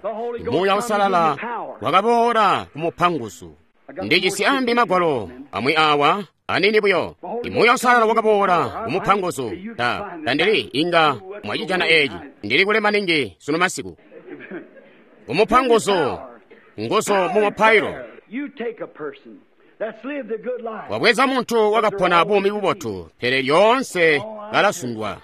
Muuya Uusalala wakaboola kumupa nguzu. Ndijisi ambi magwalo amwi awa anini buyo. Muuya Uusalala wakaboola kumupa nguzu. Ta tandili inga mwacijana eeci. Ndili kule maningi sunu masiku. Kumupa nguzu, nguzu mu mupailo. Wabweza muntu wakapona buumi bubotu, pele lyoonse kalasundwa.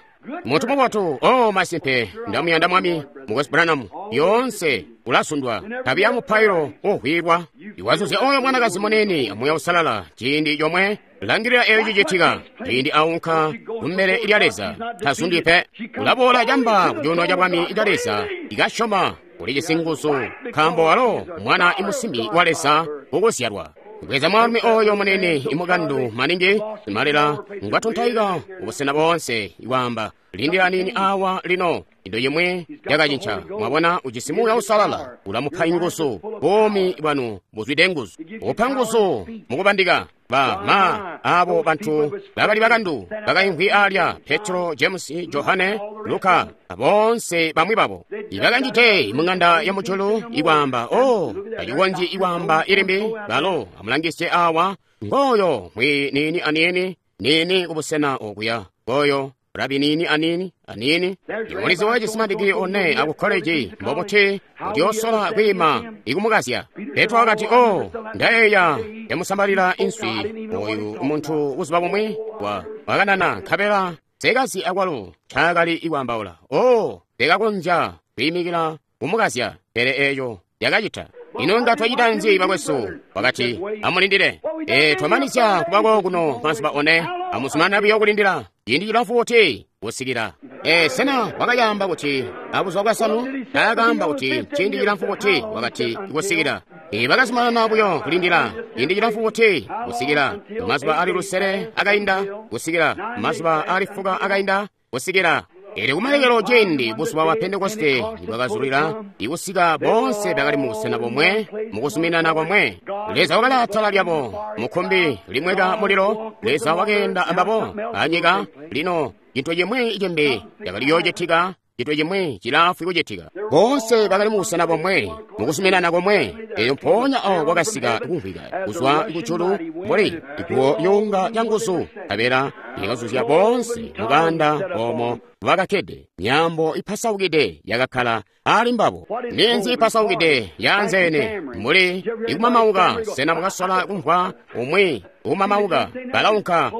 Muntu mubotu, oh masimpe, ndamuyanda Mwami, Mukwesu Branham, lyoonse ulasundwa. Tabi ya mupailo uhwilwa. Iwazuzya oyo mwanakazi munini Muuya Uusalala ciindi comwe, langilila eyo cicitika. Ciindi aunka kumbele lya Leza, tasundwi pe. Ulaboola camba kucuuno ca bwami ca Leza, ikasyoma ulijisi nguzu, nkaambo walo mwana imusimbi wa Leza ukuzyalwa. Bweza mwaalumi oyo munene imukandu maningi, simalela ngwatontaika kubusena boonse, iwaamba, Lindila nini awa lino. Into yimwe yakacinca. Mwabona ujisi Muuya Uusalala ulamupa inguzu. Buumi bwanu buzwide nguzu. Upa nguzu mukubandika. Ba ma abo bantu bakali bakandu bakaimvwi alya Petro, James, Johane, Luka bonse bamwi babo ibakanjite mung'anda ya mujulu ikwaamba o bacikonzyi ikwaamba ilimbi balo amulangisye awa ngoyo mwi nini anini nini kubusena okuya ngoyo rabi nini anini anini imulizi wa cisimadiki one aku koleji mbobuti kuti osola kwiima ikumukazya. Petro wakati o ndayeya yamusambalira inswi oyu muntu buzuba bumwe wa wakanana nkabela sekazi akwalo ncaakali ikwaambaula o tekakonzya kwiimikila kumukazya pele eyo yakacita. Ino nga twacita nzi bakwesu? Wakati amulindile. E twamanizya kubako kuno mazuba one amuzumanana buyo kulindila ciindi cilamfu kuti kusikila. E sena wakayamba kuti abuzuba bwasanu? Taakaamba kuti ciindi cilamfu kuti wakati kusikila. E bakazumanana buyo kulindila ciindi cilamfu kuti kusikila mazuba ali lusele akainda kusikila mazuba ali fuka akainda kusikila. Elyo kumalekelo ciindi buzuba bwa Pentekoste bwakazulila ikusika bonse bakali mu busena bomwe mukuzuminana komwe. Leza wakali atala lyabo mukhumbi limweka mulilo. Leza wakeenda ambabo anyika. Lino cintu cimwi cimbi cakali yoocitika, cintu cimwi cilaafwi kucitika. Bonse bakali mu busena bomwe mukuzuminana komwe. Elyo mpoonya awo kwakasika kumvwika kuzwa kujulu mbuli iguwo lyuunga lyanguzu nkabela lyakazuzya bonse mukanda omo bakakkede. Myaambo ipasaukide yakakkala ali mbabo. Ninzi ipasaukide yaanzeene mbuli ikumamauka. Sena mukasola kumvwa umwi ukumamauka? Balaunka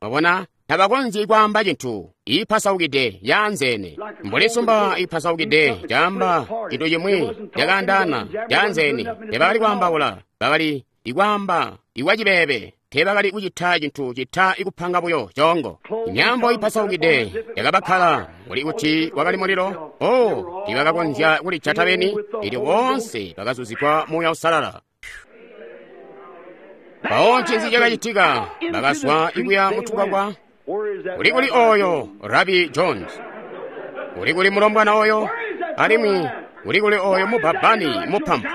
mwabona tabakonzyi kwaamba cintu. Ipasaukide yaanzeene mbuli sumba ipasaukide caamba cintu cimwi cakaandaana yaanzeene. Tebakali kwaambaula, bakali ikwaamba ikwacibebe. Tebakali kucita cintu cita ikupanga buyo congo. Imyambo ipasaukide yakabakkala mbuli kuti wakali mulilo. O tibakakonzya kulijata beni. Elyo bonse bakazuzigwa Muuya Uusalala. Mpawo ncinzi cakacitika? Bakazwa ikuya mutukwakwa. Uli kuli oyo Rabi Jones? Uli kuli mulombwana oyo? Alimwi uli kuli oyo mubabani mupampu?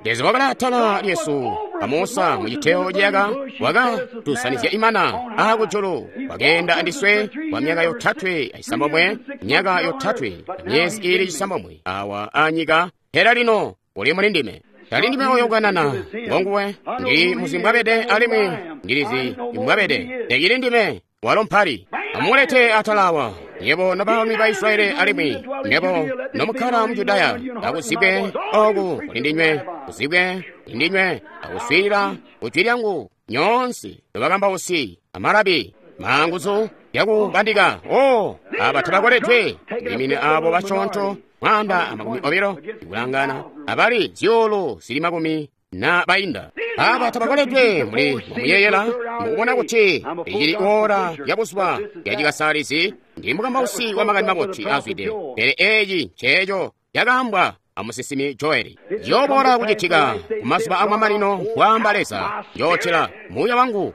Leza wakali atala lyesu a Musa muciteyo ciyaka wakatusanizya imana akujulu. Wakeenda andiswe kwa myaka yotatwe acisambomwe, myaka yotatwe myezi ili cisambomwe awa anyika. Pele lino uli muli ndime. Tali ndime oyo kukanana ngonguwe. Ndili muzi mbwabede alimwi ndilizi mbwabede. Tekili ndime walo mpali. Amulete atalawa nyebo nobaalumi ba Israeli alimwi nyebo nomukkala mu Judaya, akuzibwe oku kuli ndinywe, kuzibwe kuli ndinywe, akuswiilila kujwi lyangu nyoonse nobakambausi amalabi manguzu yakubandika. O aba tabakoledwe ndimine abo basyoonto mwaanda amakumi obilo ikulangana abali zyuulu zili makumi na bainda. Aba tabakoledwe muli mwamuyeyela mukubona kuti icili ora ya buzuba yacikasalizi. Ndi mukambausi wa makani mabotu azwide, pele eci nceeco yakaambwa amusinsimi Joeli. Ciyoboola kucitika kumazuba amamanino, mbwaamba Leza, njootila Muuya wangu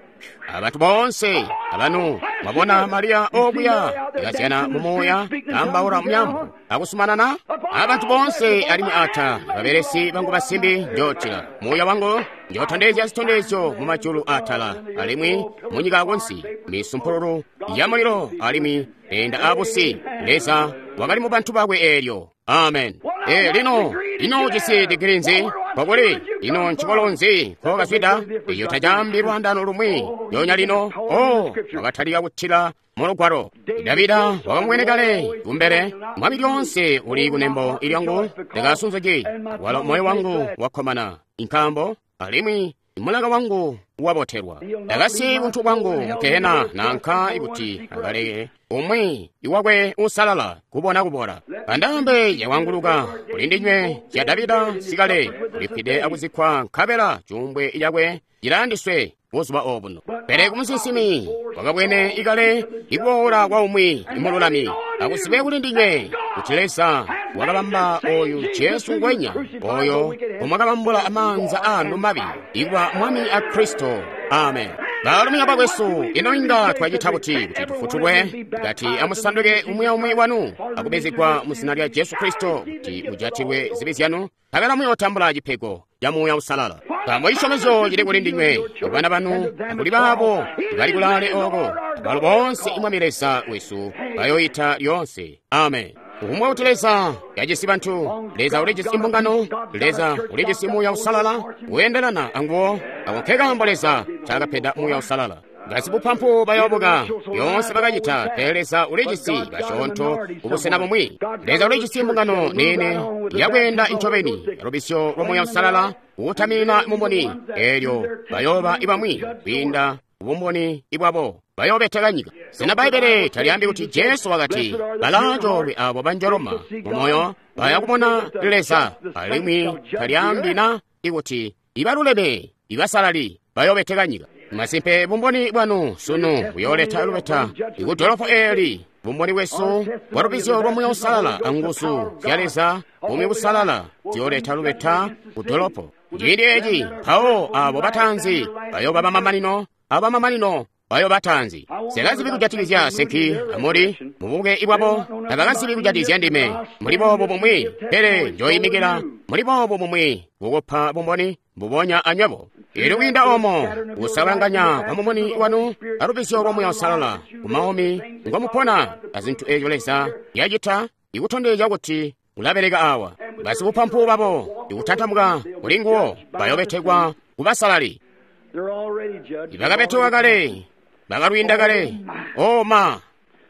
abantu bonse abanu. Mwabona Mariya okuya ikazyana mumuuya kaambaula muyambo akusumanana abantu bonse alimwi ata babelesi bangu basimbi njootila Muuya wangu, njootondezya zitondezyo mu majulu atala alimwi munyika akunsi, misumpululu ya mulilo alimwi enda abusi. Leza wakali mu bantu bakwe eelyo. Amen. E lino ino ujisi digiri nzi? Kokuli ino ncikolo nzi kokazwida? Iyo tacambi lwandano lumwi nyonya lino. O wakatalika kutila mu lugwalo. Davida wakamwene kale kumbele. Mwami lyonse uli kunembo ilyangu ndakasunzuki walo moyo wangu wakkomana inkambo alimwi mulaka wangu wabotelwa. Ndakasi buntu bwangu mukehena nanka ikuti akaleke umwi iwakwe usalala kubona kubola. Andambe yawanguluka kuli ndinywe zya Davida sikale ulipide akuzikkwa nkabela cuumbwe cakwe cilandiswe buzuba obuno. Pele kumusinsimi wakabwene ikale ikuboola kwa umwi imululami akuzibe kuli ndinywe kuti Leza wakabamba oyu Jesu ngwenya oyo omwakabambula amaanza anu mabi ikuba Mwami a Kristo. Amen. Baalumi abakwesu, ino inga twacita buti kuti tufutulwe? Kati amusanduke umwi aumwi wanu akubezegwa mu zina lya Jesu Kristo kuti mujatilwe zibi zyanu, nkabela muyootambula cipego ca Muuya Uusalala. Nkaambo cisyomezyo cili kuli ndinywe, kubana banu, akuli baabo bali kulaale ooko, abalo boonse Mwami Leza wesu bayoyita lyoonse. Amen. Kufumbwa kuti Leza yajisi bantu, Leza ulijisi imbungano, Leza ulijisi Muuya Uusalala weendelana anguwo. Ako nkekaambo Leza ncaakapeda Muuya Uusalala. Basibupampu bayoobuka, lyoonse bakacita, pele Leza ulijisi basyoonto kubusena bumwi. Leza ulijisi imbungano niini yakweenda incobeni lubisyo lwa Muuya Uusalala kuutamina mumboni, eelyo bayooba ibamwi kwiinda bumboni ibwabo bayoobeteka nyika. Sena Bbaibbele talyaambi kuti Jesu wakati balaacoolwe abo banjoloma mumoyo baya kubona Leza, alimwi talyaambi na ikuti ibaluleme ibasalali bayoobeteka nyika. Masimpe bumboni bwanu sunu buyooleta lubeta ikudolopo eeli. Bumboni bwesu bwa lubizyo lwa Muuya Uusalala anguzu zya Leza buumi busalala ziyooleta lubeta kudolopo. Ciindi eeci mpawo abo bataanzi bayooba bamamanino, abamamanino bayoobataanzi. Sekazibi kujatikizya Senki amuli mubuke ibwabo, tabakazibi kujatikizya ndime muli boobo bumwi, pele njoyimikila muli boobo bumwi kukupa bumboni mbubonya anywebo. Eelyo kwiinda oomo kusalanganya kwa mumuni wanu alubizyo lwa Muuya Uusalala kumaumi ngomupona azintu eezyo Leza yacita ikutondezya kuti ulabeleka awa. Basibupampu babo ikutantamuka kuli nguwo bayobetekwa kubasalali. Ibakabetekwa kale, bakalwiinda kale. O ma,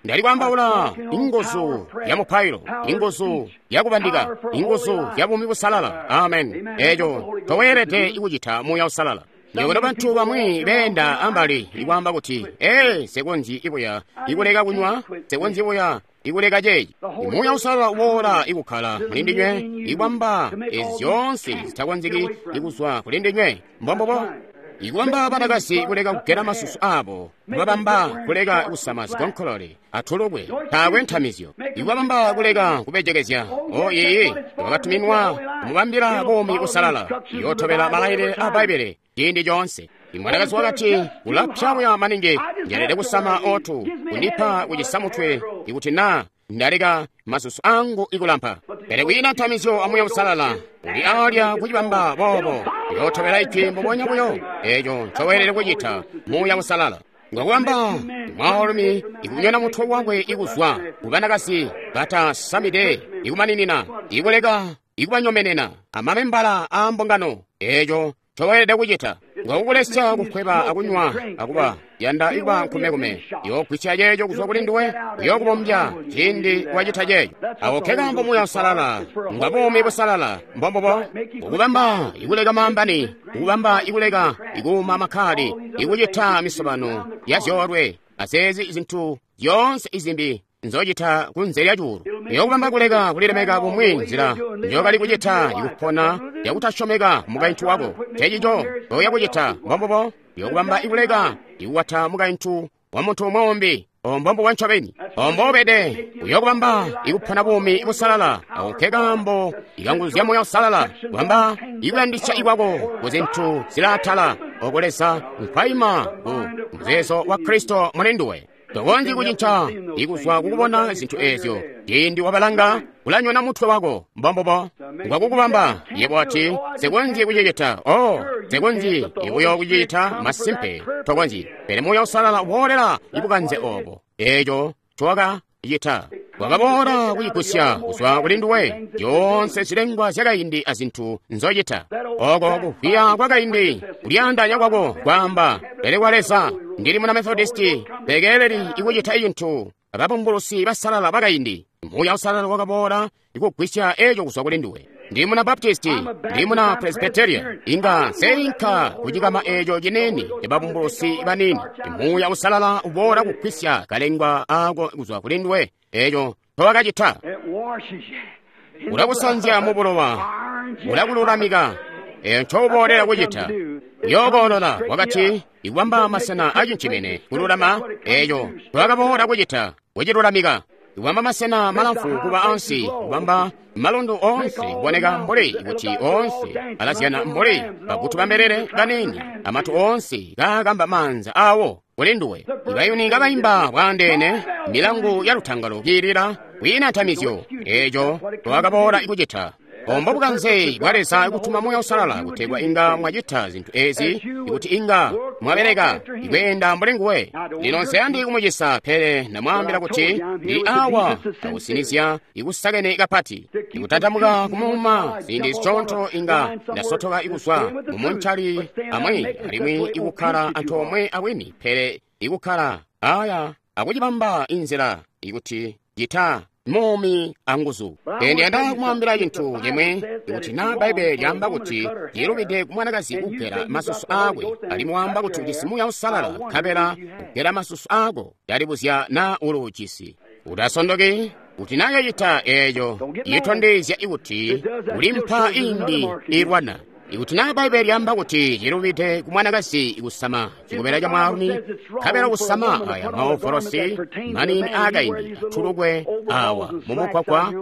ndali kwaambaula inguzu ya mupailo, inguzu ya kubandika, inguzu ya buumi busalala. Amen. Eeco toweelede kucita Muuya Uusalala. Nywebo bantu bamwi beenda ambali ikwaamba kuti, ee, nsekonzyi ibuya ikuleka kunywa, nsekonzyi buya ikuleka ceeci. Muuya Uusalala uboola ikukkala muli ndinywe, ikwamba ezi zyoonse zitakonzeki ikuzwa kuli ndinywe. Mbombubo. Ikwamba banakazi kuleka kugela masusu abo, kubabamba kuleka kusama zikonkolole atulukwe, taakwe ntamizyo. Ikwabamba kuleka kubejekezya, o iiyi, wakatuminwa kumubambila buumi busalala, yootobela malailile a Bbaibbele ciindi coonse. Imwanakazi wakati, ulapya buya maningi, njelede kusama otu, kundipa kucisa mutwe, ikuti naa ndaleka masusu angu ikulampa. Pele kwiina ntamizyo a Muuya Uusalala uli alya kucibamba boobo, yootobela ijwi mbubonya buyo. Eeco ncoweelede kucita Muuya Uusalala. Ngakubamba mwaalumi ikunyona mutwe wakwe ikuzwa kubanakazi batasamide ikumaninina, ikuleka ikubanyomenena amamembala aambungano. Eeco ncoweelede kucita ngakukulesya kukweba akunywa akuba yanda ikuba nkumekume. Yoogwisya ceeco kuzwa kuli nduwe, uyookubombya ciindi wacita ceeco. Ako nkekaambo Muuya Uusalala ngwa buumi busalala. Mbombubo. Ukubamba ikuleka maambani, ukubamba ikuleka ikuuma makkali, ikucita misobano ya zyoolwe azeezi zintu zyoonse izimbi nzocita kunze lya cuulu. Uyokubamba kuleka kulilemeka bumwi nzila njokali kucita ikupona yakutasyomeka mukaintu wako. Cecico oya kucita. Mbombubo. Uyokubamba ikuleka ikukwata mukaintu wa muntu umwi. Ombombo wa ncobeni ombobede. Uyokubamba ikupona buumi busalala. Ako nkekaambo ikanguzu zya Muuya Uusalala kubamba ikuyandisya ikwako kuzintu zilaatala oko Leza nkwaima ku muzeezo wa Kristo muli nduwe. Tokonzyi kucinca ikuzwa kukubona zintu eezyo. Ciindi wabalanga ulanyona mutwe wako. Mbombubo. Ngwakukubamba yebo ati nsekonzyi kucicita. O nsekonzyi ibuyo kucicita. Masimpe tokonzyi. Pele Muuya Uusalala uboolela ibukanze oobo. Eeco ncowakacita wakaboola kucigusya kuzwa kuli nduwe zyoonse zilengwa zyakaindi azintu nzocita. Oko kuvwiya kwakaindi kulyaandanya kwako kwaamba, pele kwa Leza ndili muna Methodisti, pekeleli ikucita cintu ababumbulusi basalala bakaindi. Muuya Uusalala wakaboola ikugwisya eeco kuzwa kuli nduwe. Ndi muna Baptisti, ndi muna Presbyterian, inga nseinka kucikama eeco ciniini cababumbulusi baniini. Muuya Uusalala uboola kugwisya kalengwa ako kuzwa kuli nduwe. Eeco ncowakacita. Ulakusanzya mubulowa, ulakululamika. Eeco ncouboolera kucita. Uyookolola wakati ikubamba masena acincimene kululama. Eeco ncowakaboola kucita, kucilulamika. Kubamba masena malamfu kuba ansi, kubamba malondo onse kuboneka mbuli kuti onse alazyana mbuli bagutu bambelele banini, amatu onse kakamba manza awo kuli nduwe. Ibayuni kabayimba bwaandeene, milangu ya lutangalo kiilila kwiina ntamizyo, eeco twakaboola ikucita. Ombo bukanze bwa Leza kutuma Muuya Uusalala kutegwa inga mwacita zintu ezi, ikuti inga mwabeleka ikweenda mbuli nguwe. Lino nseyandi kumucisa, pele ndamwaambila kuti ndili awa akusinizya ikusakene kapati, ikutantamuka kumuuma ziindi zisyoonto inga ndasotoka ikuzwa mumuncali amwi alimwi ikukkala antoomwe awini, pele ikukkala aya akucibamba inzila ikuti cita muumi anguzu. Pele ndiyanda kumwaambila cintu cimwe, kuti naa Bbaibbele lyaamba kuti cilubide ku mwanakazi kugela masusu aakwe, alimwi waamba kuti ujisi Muuya Uusalala, nkabela kugela masusu aako, ndalibuzya naa uluujisi. Utasondoki, kuti naa yacita eeco itondezya kuti uli mpa imbi ilwana. Ikuti naa Bbaibbele lyaamba kuti cilubide ku mwanakazi kusama cikobela ca mwaalumi, nkabela kusama aya maovolosi maniini aakaindi atulukwe awa mumukwakwa,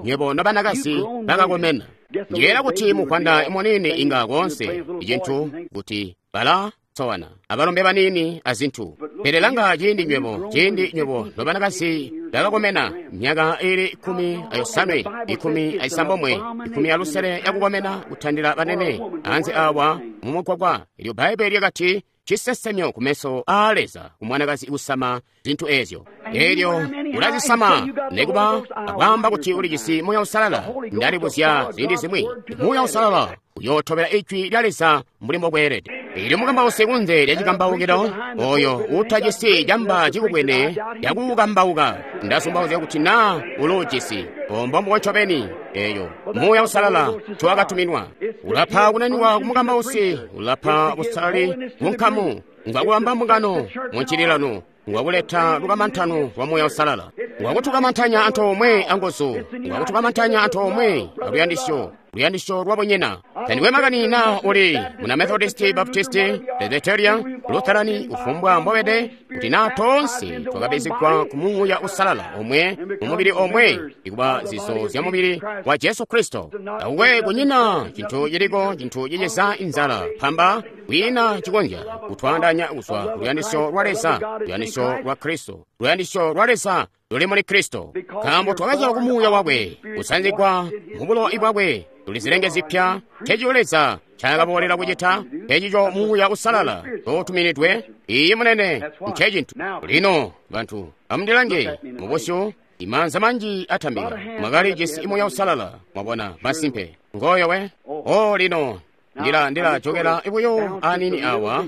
nywebo nobanakazi bakakomena. Ndiyeera kuti muvwanda muniini inga koonse icintu kuti bala sowana abalombe baniini azintu. Pele langa ciindi nywebo, ciindi nywebo nobanakazi bakakomena myaka ili ikumi ayosanwe, ikumi aisambomwe, ikumi alusele yakukomena kutandila banene anze awa mumukwakwa. Ilyo Bbaibbele lyakati cisesemyo kumeso aa Leza kumwanakazi kusama zintu ezyo. Elyo ulazisama nekuba akwaamba kuti ulijisi Muuya Uusalala. Ndalibuzya ziindi zimwi, Muuya Uusalala uyootobela ijwi lya Leza mbuli mbokweelede. Elyo mukambausi kunze lya cikambaukilo oyo utajisi camba cikubwene yakukambauka, ndasumbauzya kuti naa uluujisi. Ombo mbubo ncobeni eyo Muuya Uusalala ncowakatuminwa. Ulapa kunaniwa ku mukambausi, ulapa busalali munkamu, ngwakubamba mbungano muncililano, ngwakuleta lukamantano lwa Muuya Uusalala, ngwakutukamantanya antoomwe anguzu, ngwakutukamantanya antoomwe aluyandisyo, luyandisyo lwabunyina. Tandikwe makani naa uli muna Methodisti, Baptisti, Presbyterian, Lutherani, kufumbwa mbobede, kuti naa toonse twakabizigwa ku Muuya Uusalala omwe mumubili omwe, ikuba zizo zya mubili wa Jesu Kristo. Takukwe kunyina cintu ciliko cintu cicisa inzala pamba kwiina cikonzya kutwaandanya kuzwa ku luyandisyo lwa Leza, luyandisyo lwa Kristo, luyandisyo lwa Leza luli muli Kristo. Nkaambo twakazyalwa ku Muuya wakwe, kusanzigwa mu bulowa bwakwe, tuli zilenge zipya. Ncencico Leza ncaakaboolela kucita, ncencico Muuya Uusalala ncoutuminidwe. Iiyi munene, ncecintu. Lino bantu amundilange mubusyu, imaanza manji atambika. Mwakalijisi Muuya Uusalala, mwabona, masimpe. Ngoyo we. O lino ndila ndila jokela buyo anini awa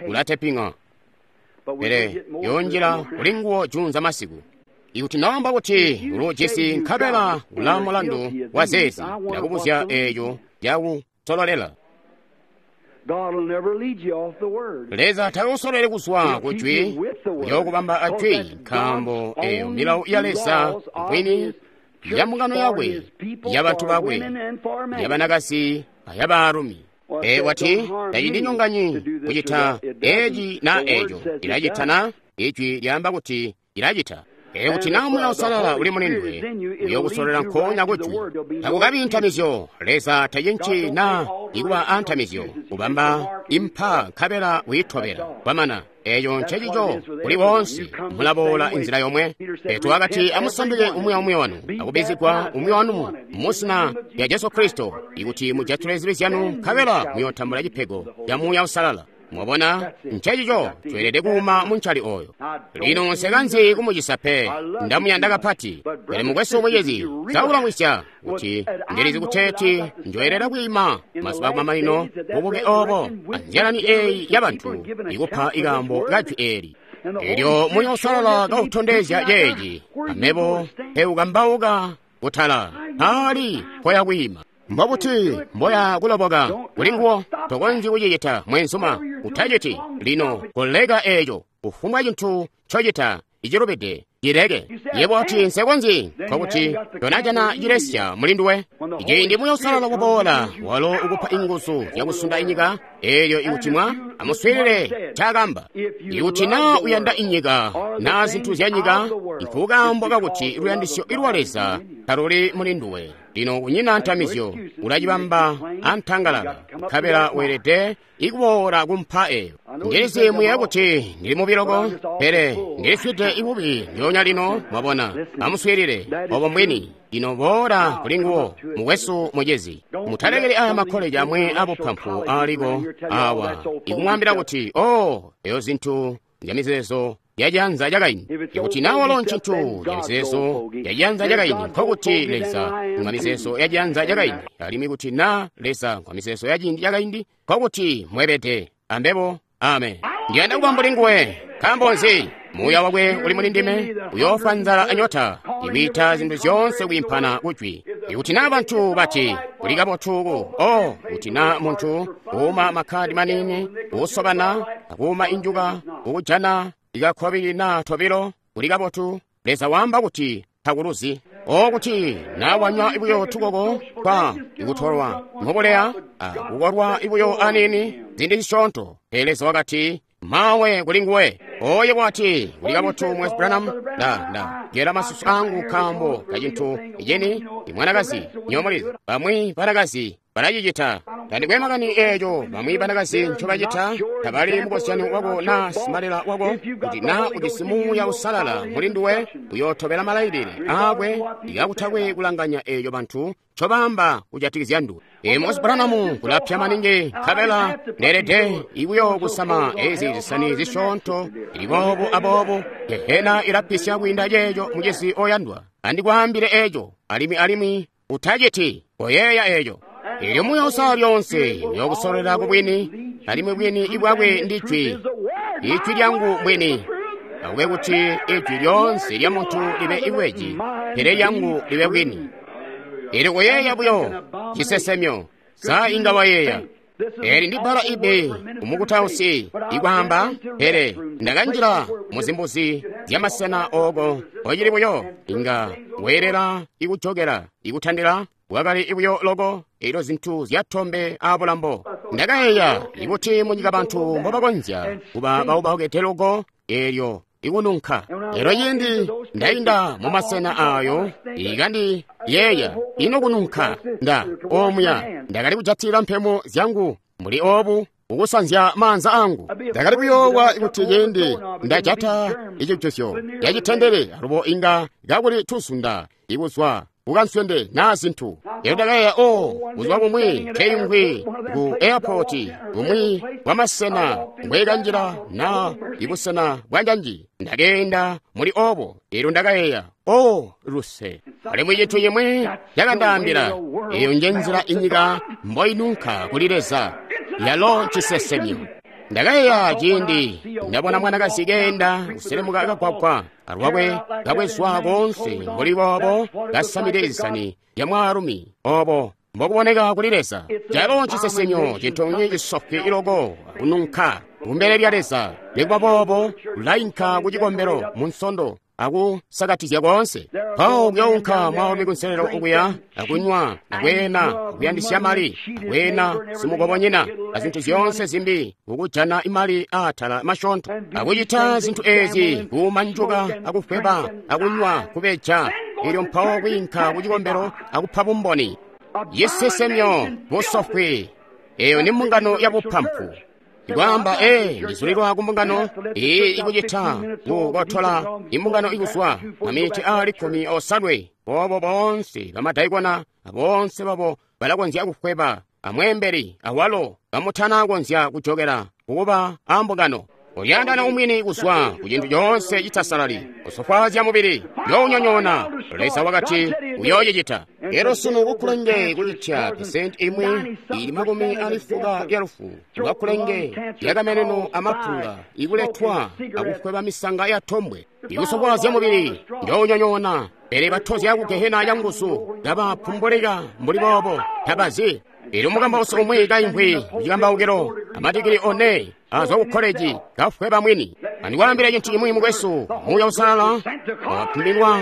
ulateping'a, pele yonjila kuli nguwo junza masiku. Ikuti naamba kuti uluujisi nkabela ula mulandu wa zeezi, ndakubuzya eeco cakusololela. Leza takusololeli kuzwa ku jwi, uyookubamba ajwi, nkaambo eyo milawo ya Leza mbwini ya mbungano yakwe, ya bantu bakwe, ya banakazi ayabaalumi. E wati tacindinyonganyi kucita eci na eco, ilacita na ijwi lyaamba kuti ilacita. Pele kuti naa Muuya Uusalala uli muli nduwe, uyokusololela nkoonya kujwi. Takukabi ntamizyo. Leza tacinci naa ikuba antamizyo, kubamba impa nkabela wiitobela. Kwamana eeco ncecico kuli woonse, mulaboola inzila yomwe. Petro wakati amusanduke umwi aumwi wanu akubizigwa umwi wanu muzina lya Jesu Kristo, ikuti mujatule zibi zyanu nkabela muyootambula cipego ca Muuya Uusalala. Mwabona, ncecico tweelede kuuma muncali oyo. Lino nsekanzi kumucisa pe, ndamuyanda kapati. Pele mukwesu mucizi, saulamwisya kuti ndilizi kuteeti njoyelela kwiima mazuba akumamanino bubuke obo anzyalani eeyi yabantu ikupa ikaambo kajwi eeli. Elyo Muuya Uusalala kautondezya ceeci, amebo peukambauka kutala ali mpoya kwiima. Mbobuti mboya kuloboka kuli nguwo? Tokonzyi kucicita mwenzuma, utaciti. Lino koleka eeco, kufumbwa cintu ncocita icilubide. Cileke. Yebo wati, Nse konzyi, nkokuti tonajana cilesya muli nduwe. Ciindi Muuya Uusalala waboola, walo ukupa inguzu zyakusunda inyika, eelyo ikuti mwa amuswiilile ncaakamba. Ikuti naa uyanda inyika naa zintu zya nyika, nkukaambo kakuti luyandisyo lwa Leza taluli muli nduwe. Lino kunyina ntamizyo, ulacibamba antangalala, nkabela weelede ikuboola kumpa eyo. Ndilizi muyeeya kuti ndili mubi loko, pele ndilifwide ibubi ndyoonya lino, mwabona. Amuswiilile, obo mbwini. Lino boola kuli nguwo, mukwesu mucizi. Mutalekeli aya makkoleji amwe abupampu aaliko awa ikumwaambila kuti, oh, eyo zintu zyamizeezo yacianza cakaindi. Ikuti naa walo ncintu camizeezo yacianza cakaindi, nkokuti Leza ngwa mizeezo yacianza cakaindi. Alimwi kuti naa Leza ngwa mizeezo yaciindi cakaindi, nkokuti mwebede ambebo. Amen. Ndiyanda kuba mbuli nguwe. Nkaambo nzi? Muuya wakwe uli muli ndime, uyoofwa nzala anyota, ikwiita zintu zyoonse kwiimpana kujwi. Ikuti naa bantu bati, kuli kabotu ku, oh, kuti naa muntu kuuma makhadi manini, kuusobana, akuuma injuka, kukujana ikakhobili naa tobilo, kuli kabotu, Leza waamba kuti takuluzi. O kuti naa wanywa ibuyo tukoko twa ikutolwa mubuleya, akukolwa ibuyo anini zindi zisyoonto, pele Leza wakati, mawe kuli nguwe. Oye wati, kuli kabotu Mwezi Branham, nda nda gela masusu angu nkaambo kacintu iceni imwanakazi nyomulizi. Bamwi banakazi balacicita. Tandikwe makani eeco bamwi banakazi ncobacita, tabali mukozyano wako naa simalela wako. Kuti naa ujisi Muuya Uusalala muli nduwe, uyootobela malailile aakwe ikakutakwe kulanganya eeco bantu ncobaamba kujatikizya nduwe. Ee, Mwezi Branham kulapya maningi, nkabela ndeelede ibuyo kusama ezi zisani zisyoonto ili boobu aboobu. Gehena ilapisya kwiinda ceeco, mucizi oyandwa. Andikwaambile eeco, alimwi alimwi utaciti koyeeya eeco. Eelyo Muuya Uusalala lyoonse uyookusololera ku bwini, alimwi bwini ibwakwe ndi jwi. Ijwi lyangu mbwini. Akube kuti ijwi lyoonse lya muntu libe ibweji, pele lyangu libe bwini. Eelyo koyeeya buyo cisesemyo, sa inga wayeeya. Eli ndi bbala ibe umukutausi ikwaamba, pele ndakanjila muzimbuzi zyamasena ooko ocili buyo inga weelela ikujokela ikutandila bwakali ibuyo loko elyo zintu zyatombe abulambo. Ndakayeeya ikuti munyika bantu mbobakonzya kuba baubaukete loko elyo ikununka. Elyo ciindi ndainda mumasena ayo ikandi yeeya ino kununka nda omuya ndakali kujatila mpemo zyangu mbuli obu ukusanzya maanza angu. Ndakali kuyoowa kuti ciindi ndajata icijuzyo yacitendele alubo inga kakuli tuzunda ikuzwa kukanswende naa zintu. Elyo ndakayeeya, o buzuba bumwi nkeyungwi ku airport bumwi bwamasena mbwekanjila naa ibusena bwanjanji ndakeenda muli obo. Elyo ndakayeeya, o luse. Alimwi cintu cimwi cakandaambila, eyo nje nzila inyika mboinunka kuli Leza, yalo cisesemyo. Ndakayeeya ciindi ndabona mwanakazi keenda kuselemuka kagwagwa alwakwe kabwezwa koonse mbuli boobo kasamide zisani ya mwaalumi obo mbokuboneka kuli Leza. Calo cisesemyo cintu cisofwi iloko kununka kumbele lya Leza. Nikuba boobo ulainka ku cikombelo mu Nsondo akusakatizya koonse. Mpawo kuyounka mwaalumi kunselelo okuya akunywa akweena akuyandisya mali akweena simukobonyina azintu zyoonse zimbi kukujana imali aatala masyoonto akucita zintu ezi kuumanjuka akufweba akunywa kubeja. Elyo mpawo kwiinka ku cikombelo akupa bumboni. Cisesemyo busofwi. Eyo ni mbungano ya bupampu. Ikwaamba, ee, ndizulilwa ku mbungano iyi ikucita kukotola imbungano ikuzwa mamiti aali kkumi osanwe. Bobo boonse bamadaikona aboonse babo balakonzya kufweba amweembeli awalo bamutana konzya kujokela kukuba ambungano. Ulyandana umwini kuzwa ku cintu coonse citasalali, kusofwaazya mubili, yoonyonyoona. Leza wakati uyoocicita. Elyo sunu kukulenge kucitya pesenti imwi ili makumi ali fuka ya lufu lwakulenge lyakameneno amapunga ikuletwa akufweba misanga ya tombwe. Ikusofwaazya mubili, yoonyonyoona. Pele batozya ku gehena ya nguzu kabapumbulika mbuli boobo tabazi. Elyo mukambausi umwi kaimvwi kucikambaukilo amadigili one azwa ku koleji kafweba mwini. Andikwaambila cintu cimwi mukwesu, Muuya Uusalala wapimilwa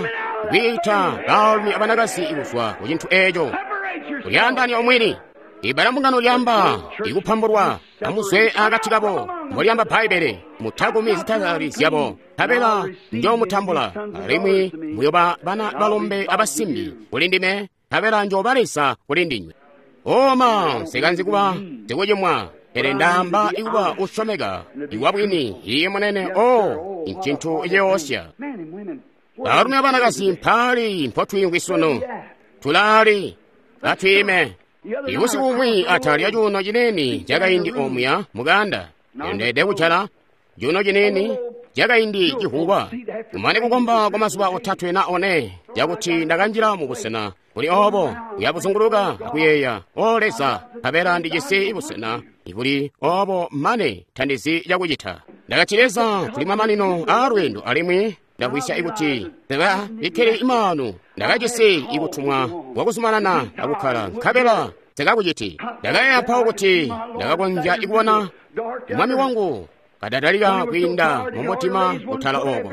kwiita baalumi abanakazi kuzwa ku cintu eeco. Kulyaandaanya omwini. Ibala mbungano lyamba ikupambulwa, amuzwe akati kabo, mbolyamba Bbaibbele, mutakumi zitakali zyabo, nkabela njoomutambula, alimwi muyoba bana balombe abasimbi kuli ndime, nkabela njooba Leza kuli ndinywe. Oma, nsikanzi kuba sikucimwa, pele ndaamba ikuba usyomeka, iwabwini, iye munene, o, ncintu ciyoosya. Baalumi abanakazi mpaali mpotwiimvwi sunu, tulaali, atwiime. Ibusiku bumwi atalya cuuno ciniini cakaindi omuya mukanda, ndeede kujala cuuno ciniini cakaindi civungwa. Kumane kukomba kwa mazuba otatwe na one, cakuti ndakanjila mu busena buli obo, kuyabuzunguluka akuyeeya, O Leza, nkabela ndijisi busena ibuli obo mane tandizi cakucita. Ndakati, Leza, tuli mamanino aalweendo alimwi ndakwisya ikuti ndakabikkile imaanu, ndakajisi ikutumwa kwakuzumanana akukkala, nkabela sikakuciti. Ndakayeeya mpawo kuti ndakakonzya ikubona mwami wangu kadadalika kwiinda mumutima kutala oko.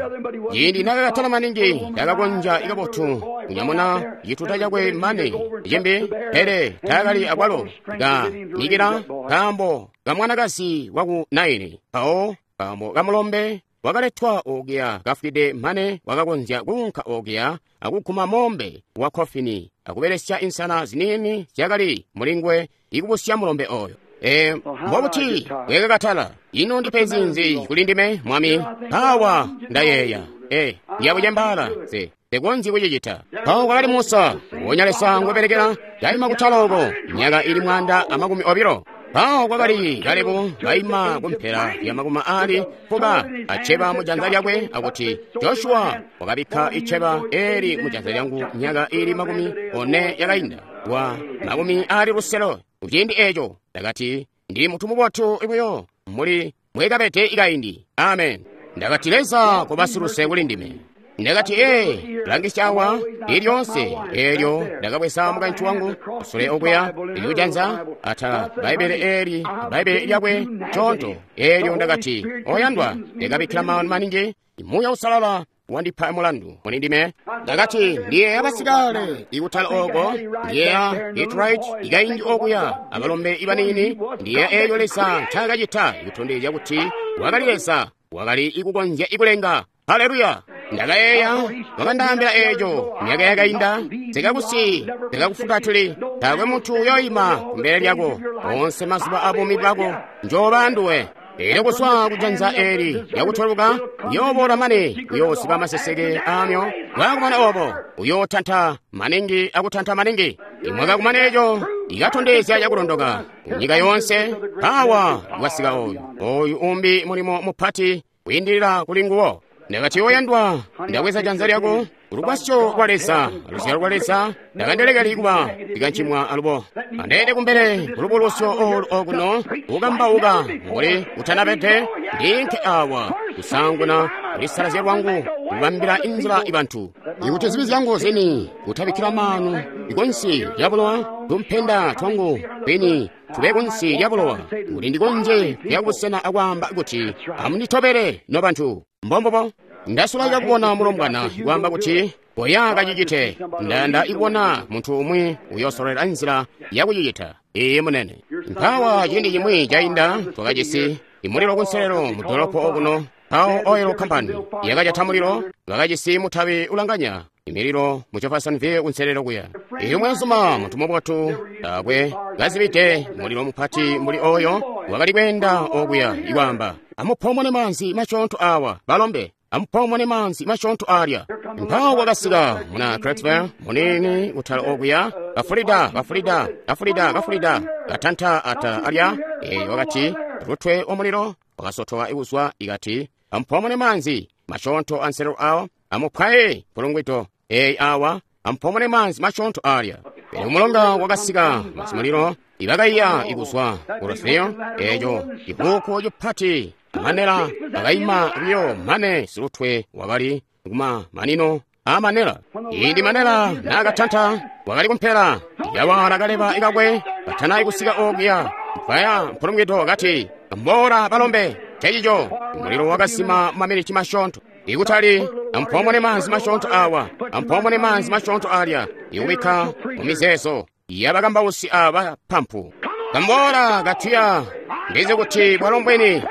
Ciindi nakakatala maningi, ndakakonzya ikabotu kunyamuna cituta cakwe mane cimbi, pele taakali akwalo kanikila nkaambo kamwanakazi waku Naini. Mpawo nkaambo kamulombe wakaletwa okuya kafwide mane wakakonzya kuunka okuya akuguma mombe wa kofini akubelesya insana ziniini zyakali mulingwe ikubusya mulombe oyo. E, mbobuti bwekakatala, ino ndipenzi nzi kuli ndime mwami? Mpawa ndayeeya, e, ndiyabucembaala nse tekonzyi kucicita. Mpawo kwakali Musa, wonya Leza ngwebelekela, kaima kutala oko myaka ili mwanda amakumi obilo. Mpawo kwakali Kalebu kaima kumpela ya makumi aali fuka aceba mujanza lyakwe akuti, Joshua wakabikka iceba eli mujanza lyangu myaka ili makumi one yakainda wa makumi aali lusele. Kuciindi eeco ndakati, ndili mutu mubotu buyo muli mwekabede ikaindi. Amen. Ndakati, Leza kobasiluse kuli ndime. Ndakati, ee, langisya awa lilyoonse eelyo ndakabweza mukaintu wangu kusule okuya ilikujanza atala Bbaibbele eeli Bbaibbele lyakwe conto. Eelyo ndakati, oyandwa, ndikabikkila maanu maningi, Muuya Uusalala wandipa mulandu muli ndime. Ndakati, ndiyeeya basikale ikutala oko, ndiyeeya Detroit ikaindi okuya abalombe ibaniini, ndiyeeya eelyo Leza ncaakacita ikutondezya kuti wakali Leza, wakali ikukonzya ikulenga. Haleluya! Ndakayeeya wakandaambila eeco myaka yakainda, sikakusi sikakufutatuli, taakwe muntu uyoyima kumbele lyako onse mazuba abuumi bwako, njooba nduwe. Eelyo kuzwa kujanza eeli lyakutweluka uyooboola mane uyoosiba maseseke aamyo. Bwakumana obo uyootanta maningi akutanta maningi. Imwaka kumana eeco ikatondezya cakulondoka kunyika yoonse. Mpawa wasika oyu oyu umbi mulimo mupati kwiindilila kuli nguwo. Ndakati, oyandwa, ndabweza janza lyako kulugwasyo lwa Leza, luzyalo lwa Leza, ndakandelekeli kuba ndikancimwa alubo. Andeende kumbele kulubulusyo olu okuno kukambauka mbuli kutanabede, ndiinke awa kusanguna kulisalazya lwangu kubambila inzila ibantu. Ikuti zibi zyangu zini kutabikkila maanu ikunsi lya bulowa, tumpenda twangu kwini tube kunsi lya bulowa, kuti ndikonzye kuya kubusena akwaamba kuti, amunditobele nobantu. Mbombobo ndasulaika kubona mulombwana kwaamba kuti koya kacicite. Ndayanda ikubona muntu umwi uyosololera nzila yakucicita. Iye munene. Mpawa ciindi cimwi cainda twakajisi imulilo kunselelo mu dolopo okuno. Mpawo Oil Company yakajata mulilo, bakajisi mutabi ulanganya imililo mu Jeffersonville kunselelo kuya. Iyo mwenzuma muntu mubotu taakwe kazibide mulilo mupati mbuli oyo wakali kweenda okuya ikwaamba, amupomone manzi masyoonto awa balombe, amupomone manzi masyoonto alya. Mpawo kwakasika muna Clarksville munini kutala okuya, kafulida kafulida kafulida kafulida katanta atala alya. Eyo wakati lutwe omulilo wakasotoka ikuzwa ikati, amupomone manzi masyoonto anselelo awo, amupwaye mpulungwito eyi awa, amupomone manzi masyoonto alya. Pele umulonga wakasika basimulilo ibakaiya ikuzwa ku Rosville, eeco cikuku cipati manela akaima buyo mane silutwe wakali kuma manino amanela. Ciindi manela naakatanta wakali kumpela yawala kaleba ikakwe katana ikusika okuya. Mpaya mpulungwito kati, mbola balombe, Ncencico mulilo wakasima maminiti masyoonto. Ikutali ampomone maanzi masyoonto awa, ampomone maanzi masyoonto alya, ikubikka mu mizeezo yabakambausi aba pampu. Kamboola katuya, ndizi kuti bwalo mbwini.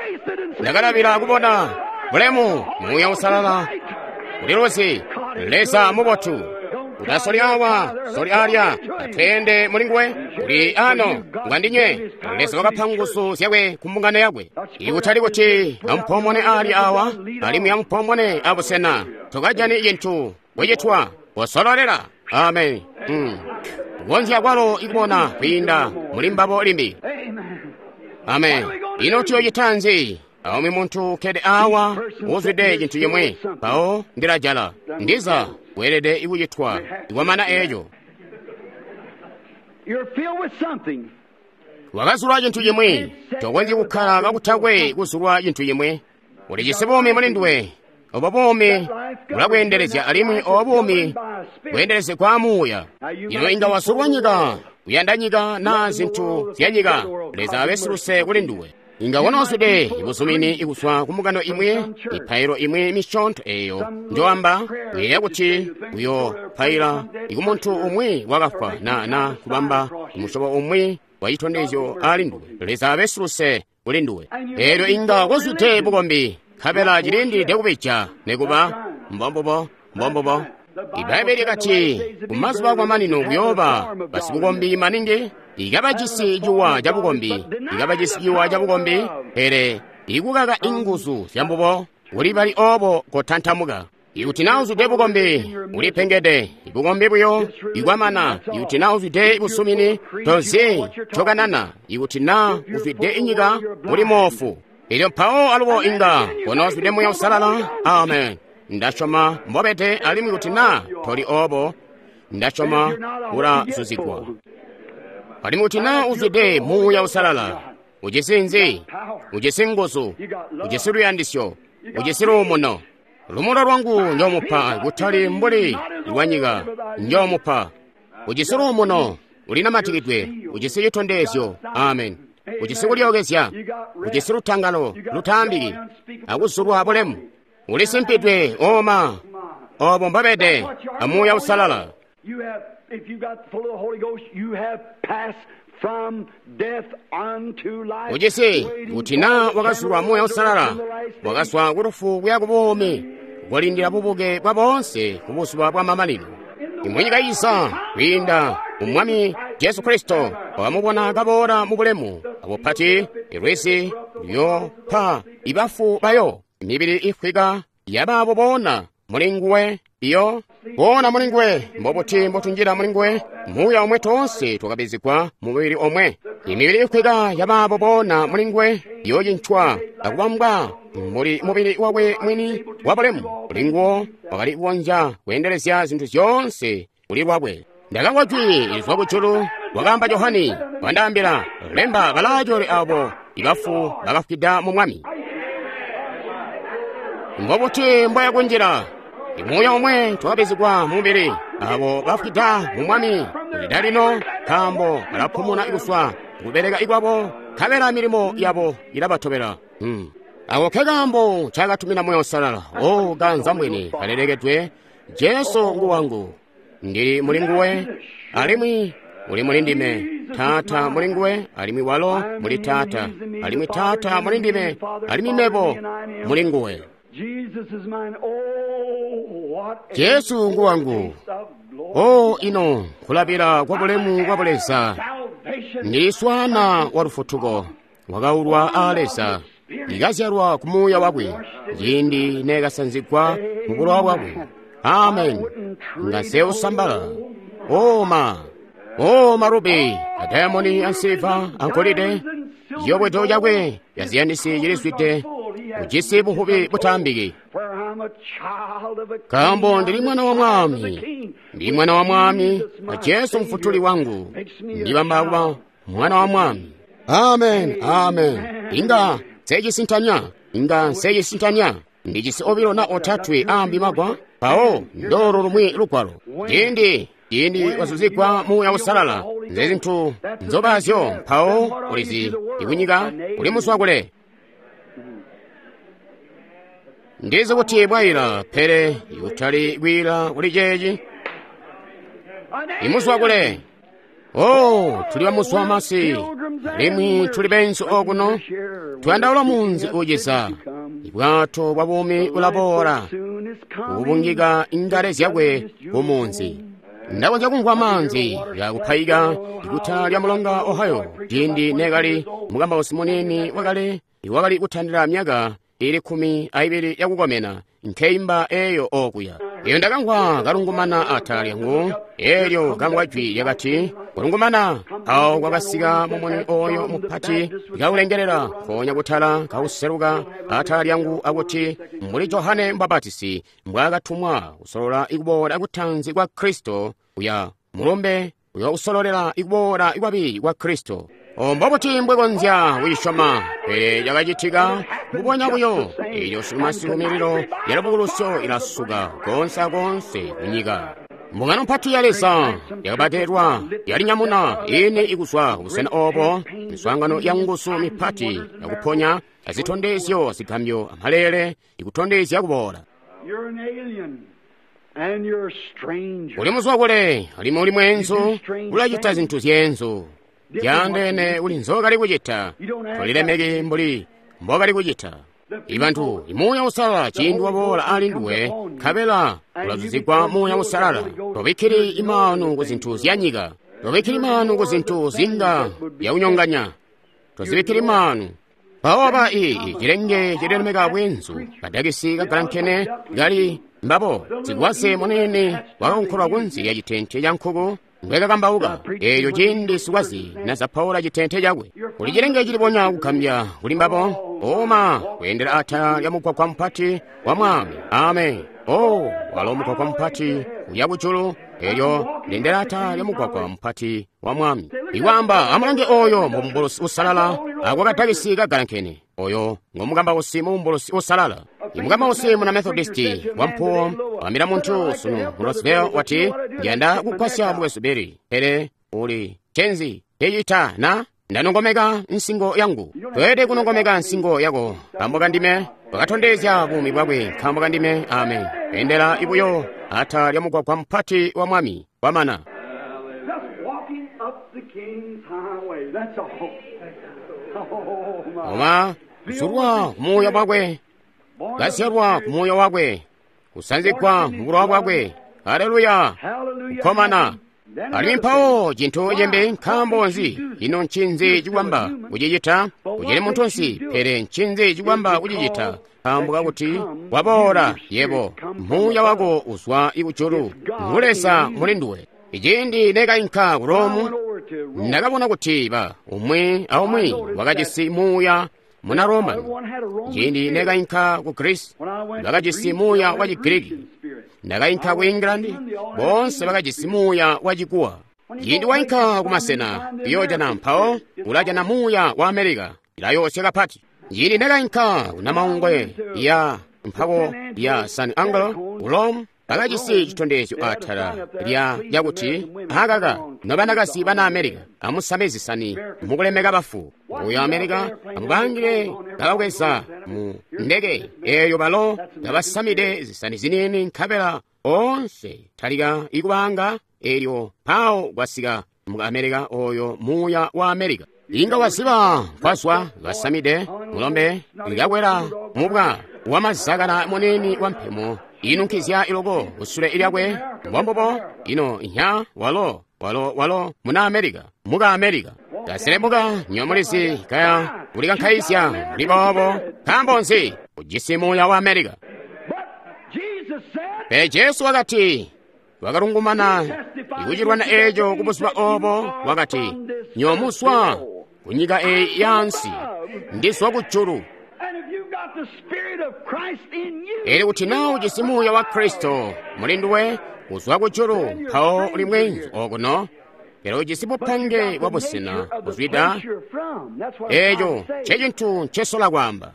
Ndakalabila kubona bulemu Muuya Uusalala uliluzi. Leza mubotu. Utasoli awa, soli alya, atweende mulinguwe, uli ano, ngwandinywe. Leza wakapa nguzu zyakwe ku mbungano yakwe. Ikutali kuti ampomone alya awa, alimwi ampomone abusena. Tokajani cintu kucitwa, kusololela. Amen. Mm. Kukonzya kwalo ikubona kwiinda muli mbabo limbi. Amen. Ino tuyocita nzi? Aumwi muntu ukkede awa uzwide cintu cimwi, mpawo ndilajala. Ndiza weelede ikucitwa ikwamana eeco. Wakazulwa cintu cimwi, tokonzyi kukkala kakutakwe kuzulwa cintu cimwi. Ulijisi buumi muli nduwe. Obo buumi bulakweendelezya alimwi obo buumi bweendelezegwa muuya. Ino inga wazulwa nyika, kuyanda nyika naa zintu zya nyika, Leza abe siluse kuli nduwe. Inga wonoozwide ibuzumini ikuzwa ku mbungano imwi, mipailo imwi misyoonto eeyo njoamba, uyeeya kuti uyopaila ikumuntu umwi wakafwa na na kubamba musyobo umwi wa citondezyo ali nduwe. Leza abe siluse kuli nduwe. Eelyo inga kozwide bukombi, nkabela cilindilide kubija nikuba mbombubo mbombubo. Ibbaibele lyakati kumazuba akwamanino kuyooba basibukombi maningi, ikabajisi ciwa cabukombi, ikabajisi ciwa cabukombi, pele ikukaka inguzu zyambubo, kuli bali obo kotantamuka. Ikuti naa uzwide bukombi, ulipengede, bukombi buyo ikwamana. Ikuti naa uzwide busumini, tozi ncokanana. Ikuti naa uzwide inyika, uli moofu. Elyo mpawo alubo inga konoozwide Muuya Uusalala. Amen. Ndasyoma mbobede, alimwi kuti naa toli obo, ndasyoma ulazuzigwa. Alimwi kuti naa uzwide Muuya Uusalala, ujisi nzi? Ujisi nguzu, ujisi luyandisyo, ujisi luumuno. Lumulo lwangu njoomupa, kutali mbuli lwanyika njoomupa. Ujisi luumuno, ulinamatikidwe, ujisi citondezyo. Amen. Ujisi kulyookezya, ujisi lutangalo lutaambiki, akuzulwa bulemu. Ulisimpidwe oma, obo mbobede a Muuya Uusalala. Ujisi kuti naa wakazulwa Muuya Uusalala, wakazwa ku lufu kuya ku buumi, kulindila bubuke bwa boonse ku buzuba bwa mamanino. Imunyika iza kwiinda mu Mwami Jesu Kristo, wakamubona kaboola mu bulemu abupati, ilwizi luyopa ibafu bayo, mibili ifwika yabaabo boona muli nguwe iyo boona muli nguwe. Mbobuti mbotunjila muli nguwe? Muuya omwe toonse twakabizigwa mu mubili omwe. Imibili ifwika yabaabo boona muli nguwe iyocincwa akubambwa muli mubili wakwe mwini wa bulemu. Kuli nguwo wakali kukonzya kweendelezya zintu zyoonse kuli lwakwe. Ndakamvwa jwi lizwa kujulu, wakaamba Johani, wandaambila, lemba balaajole abo ibafu bakafwida mu Mwami. Mbobuti mbwaya kunjila? Imuuya omwe twakabizigwa mu mubili, abo bafwida mu Mwami kulida lino, nkaambo balapumuna kuzwa kubeleka ikwabo, nkabela milimo yabo ilabatobela. Hmm. Ako ke kaambo ncaakatumina Muuya Uusalala. O kanza mwini kalelekedwe, Jesu ngu wangu, ndili muli nguwe, alimwi uli muli ndime. Taata muli nguwe, alimwi walo muli Taata, alimwi Taata muli ndime, alimwi mebo muli nguwe. Jesu ngu wangu. O ino kulabila kwa bulemu kwa Buleza, ndili swana wa lufutuko, wakaulwa a Leza, ikazyalwa ku Muuya wakwe, ciindi nekasanzigwa mu bulowa bwakwe. Amen. Nga seusambala. Oma. O marubi, adayamoni ansiliva angolide, ciyobwedo cakwe yaziyandisi cilizwide, ujisi buhubi butaambiki. Nkaambo ndili mwana wa mwami, ndili mwana wa mwami, na Jesu mfutuli wangu, ndibamba kuba mwana wa mwami. Amen, amen. Inga nsecisintanya, inga nsecisintanya. Ndijisi obilo na otatwe ambi magwa, mpawo ndolo lumwi lugwalo. Ciindi ciindi wazuzigwa Muuya Uusalala, nze zintu nzobazyo, mpawo ulizi ikunyika uli muzwa kule. Ndizi kuti bwaila, pele ikutali kwiila kuli ceeci. Imuzwa kule. Oh, tuli bamuzwa masi, alimwi tuli benzu okuno. Tuyandaula munzi uciza. Ibwato bwa buumi bulaboola, kubungika ingale zyakwe ku munzi. Ndakonzya kumvwa maanzi yakupayika ikuta lya mulonga Ohio ciindi nekali mukambausi munini wakale iwakali kutandila myaka ili kkumi aibili yakukomena nkeimba eyo okuya. Iyo ndakamvwa kalungumana atala lyangu, elyo kamvwa jwi lyakati, kulungumana. Awo kwakasika mumuni oyo mupati kaulengelela nkoonya kutala kauseluka atala lyangu akuti, mbuli Johane Mbapatisi mbwaakatumwa kusolola ikuboola kutanzi kwa Kristo, uya mulumbe uya kusololela ikuboola kwabili kwa Kristo. Mbobuti mbwekonzya kuyisyoma? Pele cakacitika mbubonya buyo. Elyo masiku mililo ya lubukulusyo ilasuka koonse akoonse kunyika. Mbungano mpati ya Leza yakabadelwa yalinyamuna ine ikuzwa kubusena obo, miswaangano ya nguzu mipati yakuponya azitondezyo zigambyo amalele ikutondezya kuboola. Uli muzwa kule, alimwi uli mwenzu, ulacita zintu zyenzu zyaandeene uli nzokali kucita, tolilemeki mbuli mbokali kucita. Ibantu, imuuya usalala ciindi waboola ali nduwe, nkabela ulazuzigwa muuya usalala. Tobikkili imaanu ku zintu zya nyika, tobikkili maanu ku zintu zinga yakunyonganya, tozibikkili maanu. Mpawo ba ii cilenge cilelemeka bwenzu, kadakisi kagalankene kali mbabo, sikwaze munene wakakonkolwa kunsi lya citente ca nkuku mbwekakambauka. Eeyo ciindi sikwaze nazapaula citente cakwe, kuli cilenge cilibonya kugambya kuli mbabo, oma kweendela atala lya mugwagwa mupati wa mwami. Amen. Oh, walo mugwagwa mupati uya kujulu, elyo ndendela atala lya mugwagwa mupati wa mwami. Ikwamba amulange oyo mubumbulusi usalala akwakadakisi kagalankene, oyo ngomukambausi mubumbulusi usalala. Imukambausi muna Methodisti wampuwo wambila muntu sunu mu Roseville wati, ndiyanda kugwasya mukwesu Billy, pele uli cenzi tecita na ndanongomeka nsingo yangu. Toyede kunongomeka nsingo yako nkambo kandime. Wakatondezya buumi bwakwe nkambo kandime. Amen. Endela ibuyo ata lya mugwagwa mpati wa mwami wamana. Oma kusulwa kumuuya bwakwe, kazyalwa kumuuya wakwe, kusanzigwa mubulowa bwakwe. Haleluya! Kukomana. Alimwi mpawo cintu cimbi, nkaambo nzi? Ino ncinzi cikwamba kucicita? Kucili muntu nsi, pele ncinzi cikwamba kucicita? Nkaambo kakuti waboola yebo, muuya wako uzwa ikujulu, ngu Leza muli nduwe. Iciindi nekainka ku Romu, ndakabona kuti ba umwi aumwi wakajisi muuya muna Roman. Ciindi nekainka ku Greece, bakajisi muuya wa Chigiriki. Ndakainka ku England, boonse bakajisi muuya wa Chikuwa. Ciindi wainka ku masena, uyoojana mpawo ulajana muuya wa Amerika, ilayoosya kapati. Ciindi nekainka ku Namaungwe ya mpawo ya San Angelo ku Rome, bakajisi citondezyo atala lya lyakuti akaka nobanakazi bana Amerika amusame zisani mukulemeka bafu. Uyo Amerika amubangile kabakweza mu ndeke eyo balo kabasamide zisani zinini, nkabela onse talika ikubanga elyo pawo kwasika mu Amerika oyo muuya wa Amerika. Inga waziba kwazwa basamide mulombe likakwela mubwa wamazakala munini wa mpemo inunkizya iloko kusule lyakwe mbombobo ino nya walo walo walo muna Amerika muka Amerika kaselemuka nyomulizi kaya kulikankaizya muli boobo. Nkaambo nzi? Ujisi muuya wa Amerika. Pele Jesu wakati wakalungumana ikucilwana eco kubuzuba obo, wakati nyomuswa kunyika eyi yansi, ndizwa kujulu. Elyo kuti naa ujisi muuya wa Kristo muli nduwe uzwa kujulu, mpawo uli mwenzu okuno, pele ujisi bupange bwa busena buzwida. Eco ncecintu ncesola kwaamba.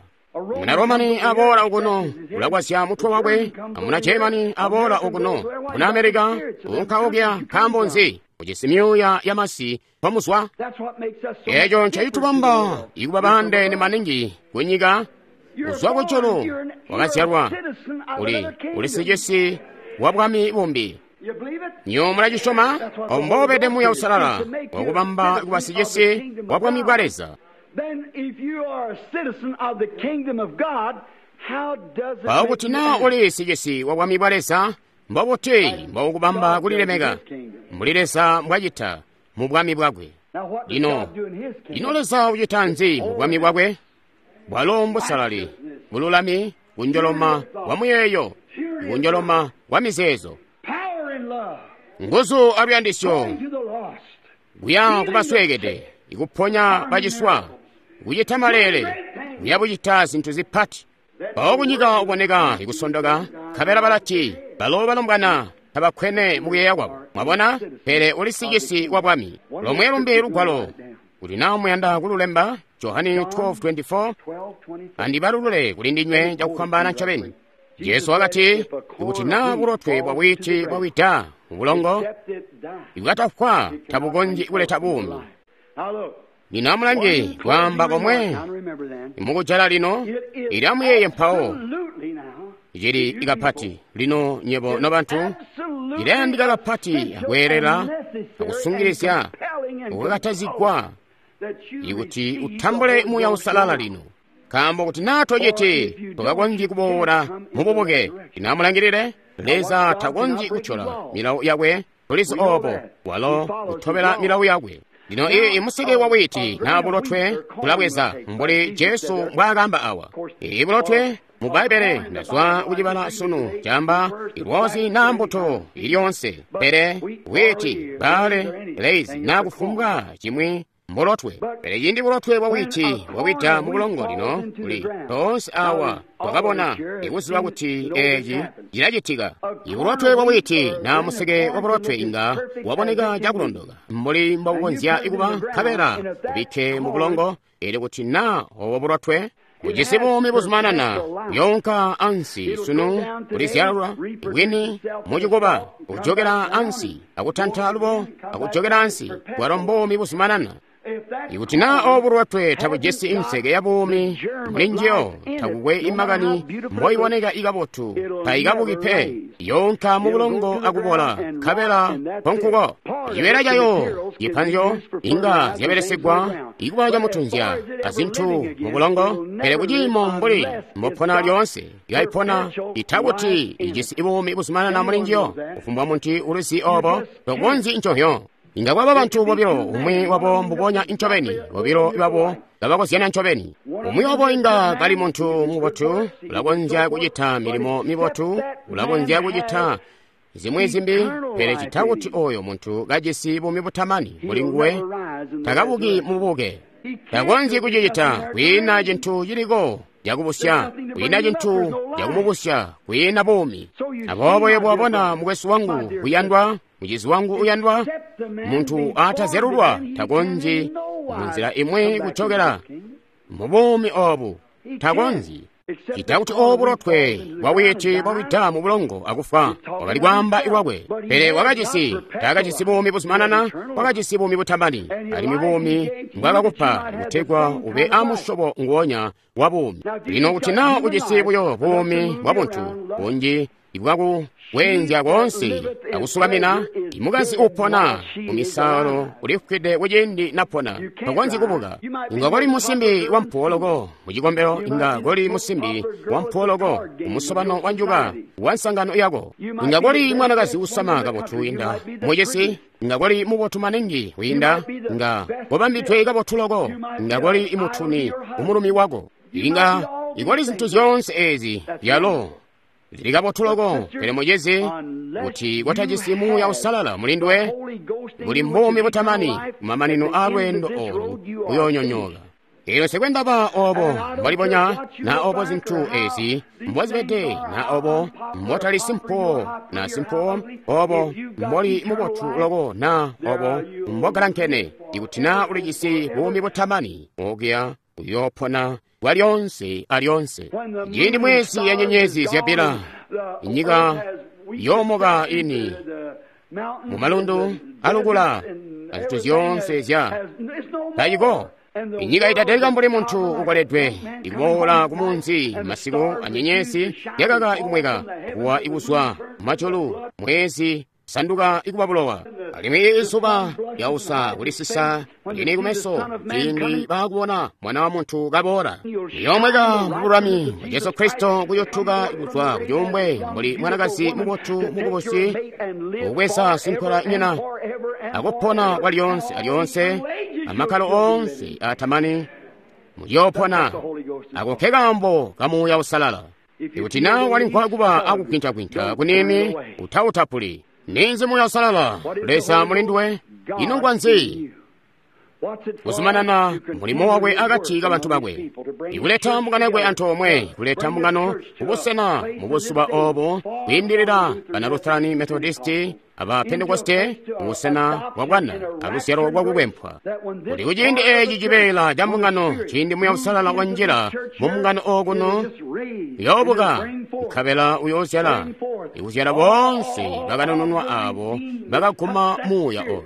Muna Romani aboola okuno ulakwasya mutwe wakwe, amuna Germany aboola okuno, muna Amerika unka okuya. Nkaambo nzi? Ujisi myuuya ya masi pomuzwa. Eco ncecitubamba ikuba baandeene maningi kunyika, Kuzwa kujulu wakazyalwa, uli uli sicisi wa bwami bumbi. Nyo mulacisyoma? Obo mbobede Muuya Uusalala wakubamba kuba sicisi wa bwami bwa Leza. Mpawo kuti naa uli sicisi wa bwami bwa Leza, mbobuti mbokubamba kulilemeka mbuli Leza mbwacita mu bwami bwakwe? Lino, ino Leza ucita nzi mu bwami bwakwe? Bwalo mbusalali, bululami, kunjoloma kwa muyeeyo, kunjoloma kwa mizeezo, nguzu aluyandisyo, kuya kubasweekede, ikuponya baciswa, kucita maleele, kuya bucita zintu zipati. Mpawo kunyika uboneka ikusondoka, nkabela balati balo balombwana tabakkwene mukuyeeya kwabo. Mwabona? Pele uli sicisi wa bwami. Lomwe lumbi lugwalo, kuti naa muyanda kululemba, Johane twelve twenty-four, andibalulule kuli ndinywe cakufwambaana ncobeni. Jesu wakati, kuti naa bulotwe bwa bwiiti bwawida mu bulongo, ibwatafwa tabukonzyi kuleta buumi. Lino amulange kwaamba komwe mukujala lino, ili amuyeeye mpawo cili ikapati lino nyebo nobantu, cilayandika kapati akweelela akusungilizya ukakatazigwa ikuti utambule Muuya Uusalala lino. Nkaambo kuti naa tociti tokakonzyi kuboola mububuke. Lino amulangilile, Leza takonzyi kucyola milawo yakwe, tulizi oobo, walo utobela milawo yakwe. Lino iyi museke wa bwiiti naa bulotwe tulabweza mbuli Jesu mbwaakamba awa. Iyi bulotwe mu Bbaibbele ndazwa kucibala sunu camba ilwozi naa mbuto ilyoonse, pele bwiiti, bbaale, leizi naa kufumbwa cimwi mbulotwe. Pele cindi bulotwe bwa bwiiti bwawida mu bulongo lino kuli toonse awa twakabona ikuziba kuti eeci cilacitika. Ibulotwe bwa bwiiti naa museke wa bulotwe inga waboneka cakulondoka mbuli mbobukonzya kuba, nkabela ubikke mu bulongo, eelyo kuti naa obo bulotwe bujisi buumi buzumanana kuyoonka ansi sunu kulizyalwa bwini mucikuba, kujokela ansi akutanta lubo akujokela ansi, bwalo mbuumi buzumanana. Ikuti naa obu bulotwe tabujisi inseke ya buumi muli njiyo, takukwe imakani mboiboneka ikabotu, taikabuki pe, yoonka mu bulongo akubola, nkabela nkonkuko. Cibeela cayo cipanzyo inga zyabelesegwa ikuba camutunzya azintu mu bulongo, pele kuciimo mbuli mbopona lyoonse ikaipona itakuti ijisi buumi buzumanana muli njiyo. Kufumbwa muntu ulizi obo tokonzyi ncohyo. Inga kwaba bantu bobilo, umwi wabo mbubonya ncobeni, bobilo babo kabakozyana ncobeni. Umwi wabo inga kali muntu mubotu, ulakonzya kucita milimo mibotu, ulakonzya kucita zimwi zimbi, pele cita kuti oyo muntu kajisi buumi butamani muli nguwe, takabuki mubuke. Takonzyi kucicita, kwiina cintu ciliko cakubusya, kwiina cintu cakumubusya, kwiina buumi. Aboobo yebo wabona mukwesu wangu uyandwa, mucizi wangu uyandwa, muntu atazyalulwa takonzyi munzila imwi kujokela mu buumi obu, takonzyi. Cita kuti obu bulotwe bwa bwiiti bwawida mu bulongo akufa, wakali kwaamba lwakwe, pele wakajisi, taakajisi buumi buzumanana, wakajisi buumi butamani, alimwi buumi mbwakakupa kutegwa ube amusyobo nguonya wa buumi. Lino kuti naa ujisi buyo buumi bwa buntu bunji ibwaku kweenzya koonse akusukamina, imukazi upona mumisalo ulifwide kuciindi napona, tokonzyi kubuka. Inga koli musimbi wampuwo loko mucikombelo, inga koli musimbi wampuwo loko kumusobano wa njuka wa nsangano yako, inga koli mwanakazi usama kabotu inda mucisi, inga koli mubotu maningi kwiinda, inga kobambidwe kabotu loko, inga koli imutuni umulumi wako, inga ikoli zintu zyoonse ezi byalo zili kabotu loko. Pele mucizi, kuti kotajisi Muuya Uusalala muli nduwe, buli mbuumi butamani kumamanino a lweendo olu uyoonyonyooka. Eelyo nsikwendaba obo mbolibonya, na obo zintu ezi mbozibede, na obo mbotali simpuwo na simpuwo, obo mboli mubotu loko, na obo mbogalankene, ikuti na ulijisi buumi butamani, okuya uyoopona bwalyonse alyonse. Ciindi mwezi ya nyenyezi zyabila, inyika yoomoka ini mumalundu alukula azintu zyoonse zya tayiko. Inyika itatalika mbuli muntu ukoledwe ikuboola kumunzi masiku anyenyezi yakaka ikumweka kuwa ikuzwa majulu mwezi sanduka ikuba bulowa alimwi izuba lyausa kulisisa lini kumeso ciindi baakubona mwana wa muntu kaboola liyomweka mubululami bwa Jesu Kristo kuyotuka kuzwa kucuumbwe mbuli mwanakazi mubotu mukubusi ukubweza sinkola nyina akupona kwa lyonse alyonse amakkalo onse atamani muyopona ako ke kaambo ka Muuya Usalala. Ikuti na walimvwa kuba akukwintakwinta kunimi utautapuli. Ninzi Muuya Usalala Leza mulinduwe ino ngwanzi kuzumanana mulimo wakwe akati kabantu bakwe ikuleta mbungano yakwe antoomwe kuleta mbungano kubusena mu buzuba obo kwiindilila bana Lutherani Methodisti aba Pentekoste kubusena bwa bwana aluzyalo lwakukwempwa kuti kuciindi eci cibeela ca mbungano ciindi Muuya Usalala wanjila mu mbungano okuno uyoobuka nkabela uyoozyala ikuzyala boonse bakanununwa abo bakaguma Muuya oyo.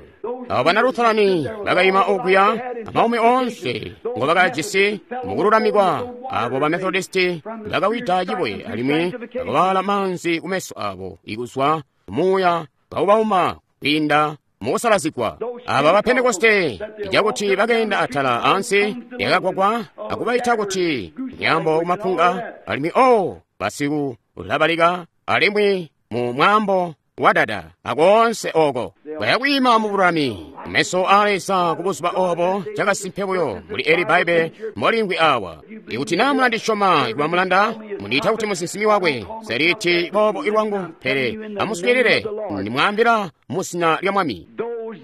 Abo bana Lutherani bakayima okuya amaumi onse ngo bakajisi mukululamikwa abo ba Methodisti bakawida cibuye alimwi bakawala manzi kumeso abo ikuzwa Muuya kawubauma kwiinda mukusalazigwa. Aba ba Pentekoste icakuti bakenda atala ansi yakagwagwa akubaita kuti nyambo kumapunga alimwi o basiku ulabalika alimwi mu mwambo wadada akonse oko bayakwiima mu bululami meso a Leza ku buzuba obo cakasimpe buyo muli eli Baibe molingwi awa. Ikuti na mulandisyoma ikuba mulanda mundiita kuti musinsimi wakwe seliti bobo ilwangu pele amuswiilile ndimwaambila mu zina lya Mwami.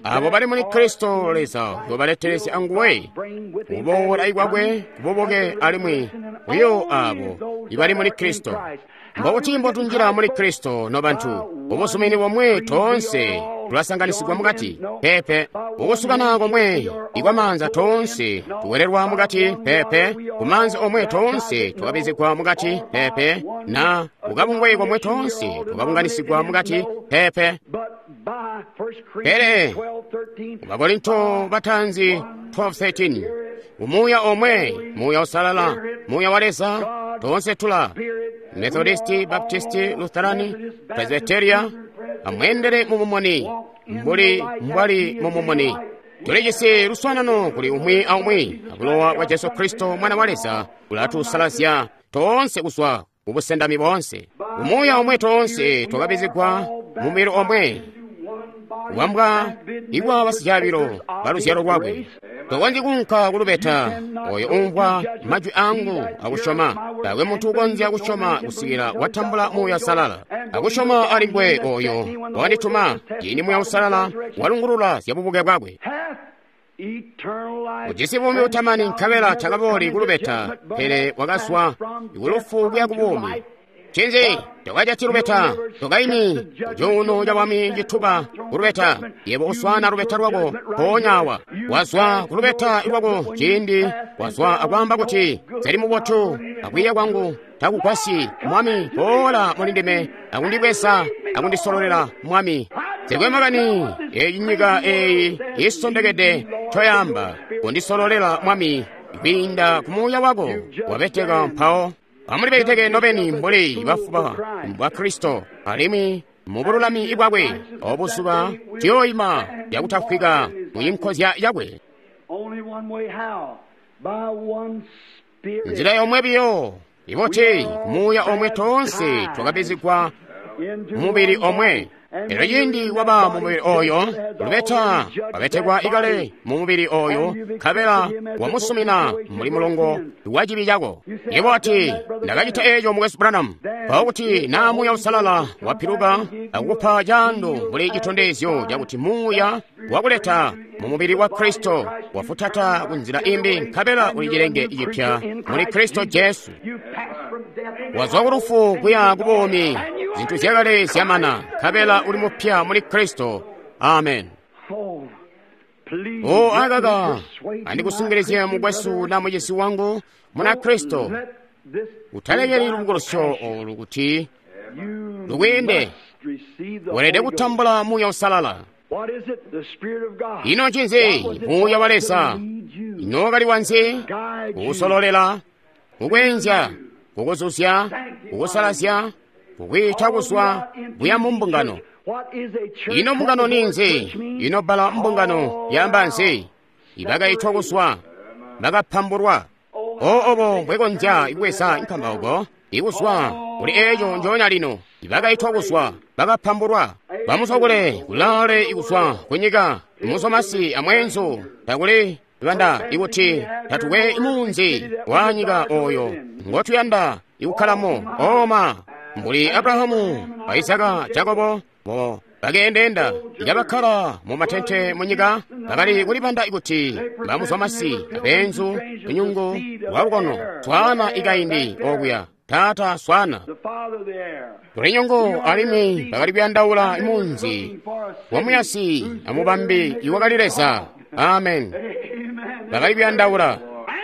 Abo bali muli Kristo Leza uyobaletelezya anguwe kuboola ikwakwe kuboboke alimwi buyo abo ibali muli Kristo. Mbokuti mbotunjila muli Kristo nobantu ubuzumini bomwe tonse tulasanganisigwa mukati pepe ukusukana komwe ikwamanza tonse tuwererwa mukati pepe kumanzi omwe tonse tukabizigwa mukati pepe na kukabungwe komwe tonse tukabunganisigwa mukati pepe. Pele Bakorinto batanzi twelve thirteen umuya omwe Muuya Usalala Muuya wa Leza tonse tula Methodisti, Baptisti, Lutherani, Presbyteria amwendere mu mumoni mbuli mbwali mu mumoni. Tulijisi luswanano kuli umwi aumwi abulowa bwa Jesu Kristo mwana wa Leza ulatusalazya tonse kuzwa kubusendami bonse. Umuya omwe tonse twakabizigwa mu mubili omwe kubambwa ikwa basityabilo ba luzyalo lwakwe. Tokonzyi kunka kulubeta oyo umvwa majwi angu akusyoma. Taakwe muntu ukonzya kusyoma kusikila watambula Muuya Usalala. Akusyoma alingwe oyo wandituma ciindi Muuya Usalala walungulula zya bubuke bwakwe. Ujisi buumi butamani nkabela takabooli kulubeta pele wakazwa kulufu kuya ku buumi. Cinzi tokajati lubeta tokaimi kucuuno ca bwami cituba kulubeta yebo uswana lubeta lwako mpoonya wazwa kulubeta lwako ciindi wazwa akwaamba kuti zali mubotu akwiiya kwangu takugwasyi Mwami boola mulindime akundibweza akundisololela Mwami. Zikwe makani eyi nyika eyi isondekede coyamba kundisololela Mwami kwiinda ku Muuya wako wabeteka mpawo. Amulibeteke nobeni mbuli bafuba bwa Kristo alimwi mubululami bwakwe obuzuba tuyoyima yakutafwika muyinkozya yakwe. Nzila yomwe biyo iboti Muuya omwe tonse twakabizigwa mubili omwe. Elyo ciindi waba mu mubili oyo lubeta wabetekwa ikale mu mubili oyo nkabela wamusumina muli mulongo wa cibi cako. Yebo ati ndakacita eco mukwesu Branham mpawo kuti na Muuya Usalala wapiluka akukupa caando mbuli citondezyo cakuti Muuya wakuleta mu mubili wa Kristo wafutata ku nzila imbi nkabela uli cilenge cipya muli Kristo Jesu. Wazwa ku lufu kuya ku buumi, zintu zyakale zyamana nkabela uli mupya muli Kristo. Amen. O akaka andikusungilizye mukwesu na mucisi wangu muna Kristo, utalekeli lubukulusyo olu kuti lukwiinde. Welede kutambula Muuya Usalala. Ino ncinzi Muuya wa Leza? Ino wakali wanzi? Kukusololela, kukweenzya, kukuzuzya, kukusalazya, kukwiita kuzwa kuya mu mbungano. Ino mbungano ninzi? Ino bbala mbungano yaamba nzi? Ibakaitwa kuzwa, bakapambulwa. O obo mbwekonzya kubweza nkambauko ikuzwa kuli eco njoonya lino. Ibakaitwa kuzwa, bakapambulwa, bamusokole kulaale ikuzwa kunyika, muzomasi amweenzu, takuli banda ikuti tatukwe munzi wa nyika oyo ngotuyanda ikukkalamo. Oma mbuli Abrahamu, Isaka, Jakobo bo bakeendenda ikabakkala mu matente mu nyika, bakali kulibanda ikuti bamuzwamasi abeenzu lunyungu lwa lukono swana ikaindi okuya taata swana lunyungu, alimwi bakali kuyandaula munzi wa muyasi amubambi iwakali Leza. Amen. Bakali kuyandaula.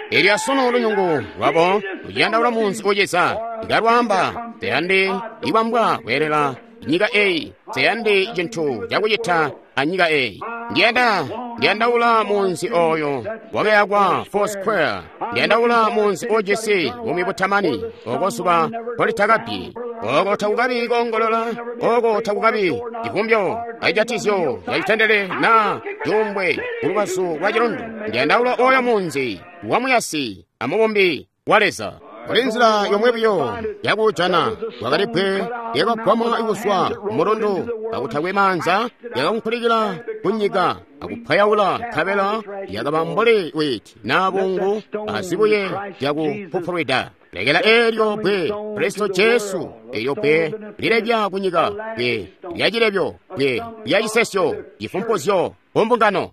Elyo asunu lunyungu lwabo luciyandaula munzi uciza ikalwaamba teyandi iwambwa kweelela nyika eyi, teyandi cintu cakucita anyika eyi. Ndiyanda ndiyandaula munzi oyo wakayakwa Foursquare. Ndiyandaula munzi ujisi bumi butamani, oko zuba politakabbi, oko takukabi koongolola, oko takukabi civumbyo acijatizyo cacitendele na cuumbwe kulubazu lwa cilundu. Ndiyandaula oyo munzi wa muyasi amubumbi wa Leza. Kuli nzila yomwe buyo yakujana, kwakali bbwe lyakagwamwa kuzwa mulundu kakutakwe maanza, lyakakunkulikila kunyika akupwayaula, nkabela lyakaba mbuli witi naa bungu azibuye lyakupupulwida. Lekela eelyo bbwe Kristo Jesu, eelyo bbwe lilebya kunyika, bbwe lyacilebyo, bbwe lyacisesyo, cifumpuzyo kumbungano.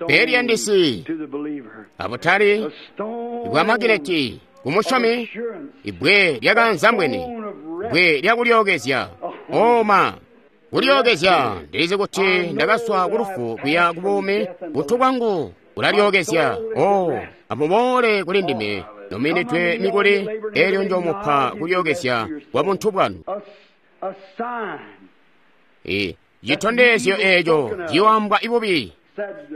Bbwe liyandisi abutali bwa magineti kumusyomi, ibbwe lyakanzambwene, bbwe lyakulyookezya. Oma kulyookezya, ndilizi kuti ndakaswa kulufu kuya kubuumi, buntu bwangu bulalyookezya. O amuboole kuli ndime nominidwe mikuli, eelyo njomupa kulyookezya kwa buntu bwanu. E citondezyo eeco ciyoambwa ibubi,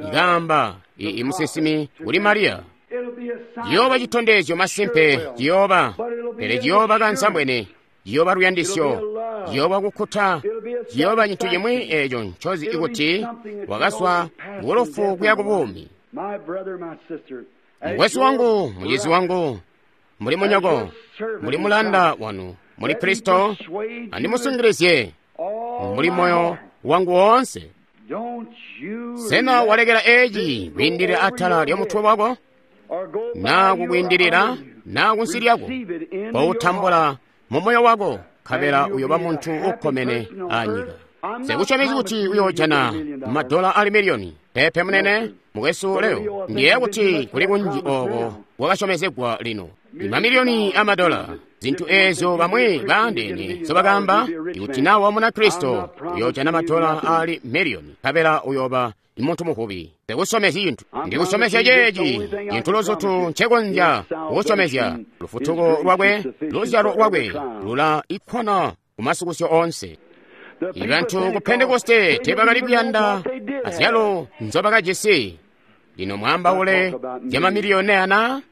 ikaamba imusinsimi kuli Mariya. Ciyooba citondezyo masimpe, ciyooba, pele ciyooba kanzambwene, ciyooba luyandisyo, ciyooba kukkuta, ciyooba cintu cimwi eeco ncozi ikuti wakaswa kulufu kuya kubuumi. Mukwesu wangu, mucizi wangu, muli munyoko, muli mulanda wanu, muli Kristo, andimusungilizye muli moyo wangu woonse. Sena walekela eeci kwiindilila atala lyomutwe wako, naa kukwiindilila naa kunsi lyako? Koutambula mu moyo wako, nkabela uyoba muntu ukkomene anyika. Sikusyomezi kuti uyoojana madola ali miliyoni. Pepe munene, mukwesu leo, ndiyeeya kuti kuli kunji ooko kwakasyomezegwa lino imamiliyoni amadola. Zintu eezyo bamwi baandeene nzobakaamba, ikuti nawe wa Munakristo uyoojana madola ali miliyoni, nkabela uyooba muntu muvubi. Sikusyomezya cintu, ndikusyomezya ceeci cintu luzutu ncekonzya kukusyomezya. Lufutuko lwakwe, luzyalo lwakwe lula ikkwana kumasukusyo oonse. Ibantu ku Pentekoste teebakali kuyanda azyalo nzobakajisi. Lino mwaambaule zyamamiliyoni ana?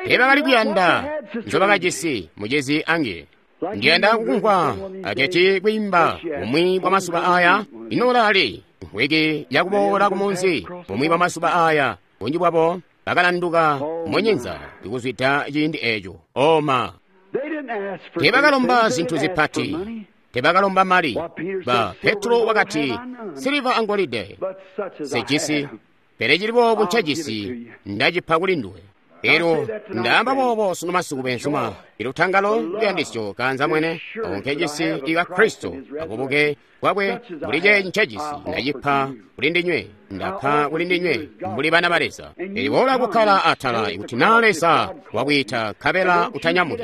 Teebakali kuyanda nzobakajisi. Mucizi ange, ndiyanda kukumvwa aketi kwiimba bumwi bwa masuba aya. Ino ulaali mvwiki yakuboola kumunzi bumwi bwa masuba aya. Bunji bwabo bakalanduka munyinza ikuzwida ciindi eeco. Oma teebakalomba zintu zipati, teebakalomba mali. Ba Petro wakati, siliva angolide sejisi, pele cili boobu ncejisi ndacipa kuli nduwe. Elyo ndaamba boobo sunu masiku beenzuma, ilutangalo luyandisyo kanza mwene ako nkejisi ika Kristo akubuke bwakwe mbuli ceeci ncejisi ndacipa kuli ndinywe, ndapa kuli ndinywe mbuli bana ba Leza. Eliboola kukkala atala ikuti naa Leza wakwiita nkabela utanyamuki.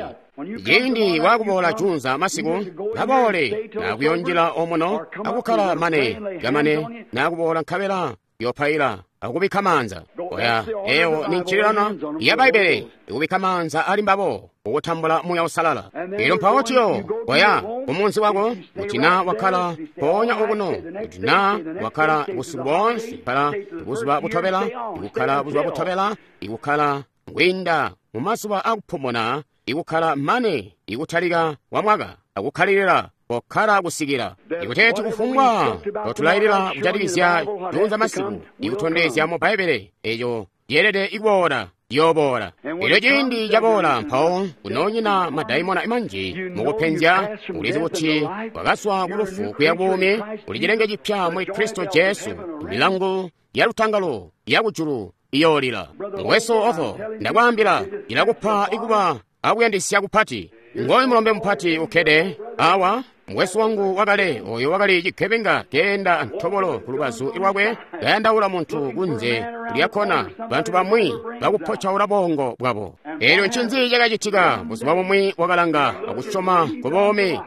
Ciindi wakuboola junza masiku, kaboole nakuyonjila omuno akukkala mane kamane nakuboola nkabela yopaila akubikka maanza. Oya eyo ni ncililano ya Bbaibbele ikubikka maanza ali mbabo kukutambula Muuya Uusalala. Elyo mpawo tiyo koya kumunzi wako, kuti na wakkala mpoonya okuno, kuti na wakkala busiku boonse, kkala buzuba butobela, ikukkala buzuba butobela, ikukkala kwiinda mu mazuba akupumuna, ikukkala mane ikutalika kwa mwaka, akukkalilila kokkala kusikila ikuteeti kufumbwa totulailila kujatikizya juunza masiku ikutondezya mu Bbaibbele eco yeelede ikuboola yooboola. Elyo ciindi caboola mpawo kunoonyina madaimona manji mukupenzya. Ulizi kuti wakazwa ku lufu kuya buumi, uli cilenge cipya muli Kristo Jesu. Milangu ya lutangalo ya kujulu iyoolila. Mukwesu Otho, ndakwaambila, ilakupa ikuba akuyandisya kupati. Ngoyu mulombe mupati ukkede awa, mukwesu wangu wakale oyo wakali cikebenga keenda ntobolo ku lubazu lwakwe, kayandaula muntu kunze lyakkona, bantu bamwi bakupocaula bongo bwabo. Elyo ncinzi cakacitika? Buzuba bumwi wakalanga akusyoma ku buumi,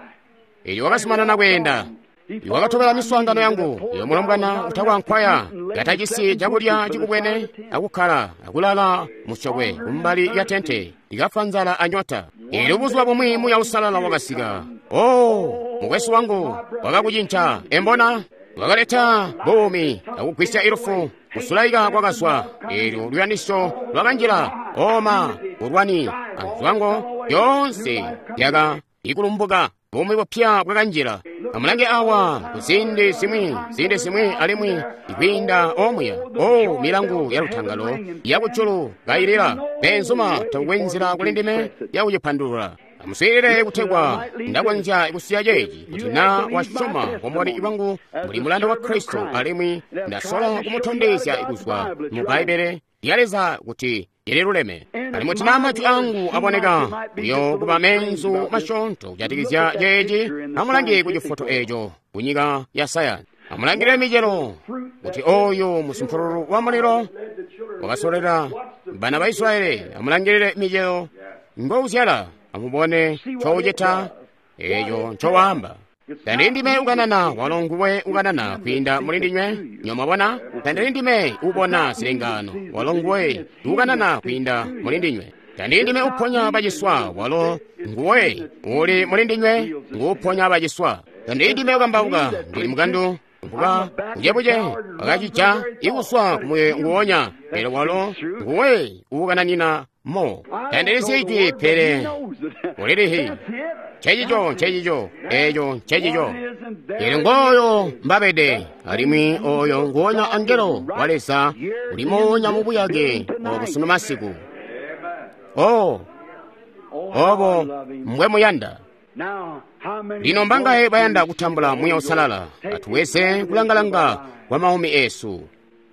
elyo wakazumanana kweenda. Wakatobela miswaangano yangu, iyo mulombwana utakwankwaya, katajisi cakulya cikubwene, akukkala akulala musyokwe kumbali lya tente, likafwa nzala anyota. Elyo buzuba bumwi Muuya Uusalala wakasika. Oh, mukwesu wangu, wakakucinca, embona? Wakaleta buumi, akugwisya ilufu, kusulaika kwakazwa, elyo luyandisyo lwakanjila, oma, bulwani, anzwango, yoonse yaka ikulumbuka. Buumi bupya bwakanjila. Amulange awa kuziindi zimwi, ziindi zimwi alimwi ikwiinda omuya. O milangu ya lutangalo yakujulu kailila. Benzuma takukwe nzila kuli ndime yakucipandulula. Amuswiilile kutegwa ndakonzya kusiya ceeci, kuti na wasyoma bumboni bwangu muli mulanda wa Kristo, alimwi ndasola kumutondezya kuzwa mu Bbaibbele lya Leza kuti lililuleme. Alimwi kuti na majwi angu aboneka uyo kuba menzu masyoonto kujatikizya ceeci, amulange ku cifoto eco ku nyika ya sayansi. Amulangile micelo, kuti oyo musumpululu wa mulilo wakasolera bana ba Israeli. Amulangilile micelo ngouzyala, amubone ncoucita, eco ncowaamba. Tandili ndime ukanana, walo nguwe ukanana kwiinda muli ndinywe. Nyomwabona? Tandili ndime ubona zilengano, walo nguwe ukanana kwiinda muli ndinywe. Tandili ndime uponya baciswa, walo nguwe uli muli ndinywe nguuponya baciswa. Tandili ndime ukambauka, ndili mukandu mbuka bucebuce wakacija ikuswa kumuye nguwonya, pele walo nguwe uukananina mo. Tandilizi ijwi, pele ulilihi. Ncencico, ncencico, eco ncencico. Elyo ngooyo mbabede, alimwi oyo nguwonya angelo wa Leza uli moonya mu buyake obu sunu masiku. Oh, obo mbwe muyanda. Lino mbangaye bayanda kutambula Muuya Uusalala? Atuweze kulangalanga kwa maumi esu.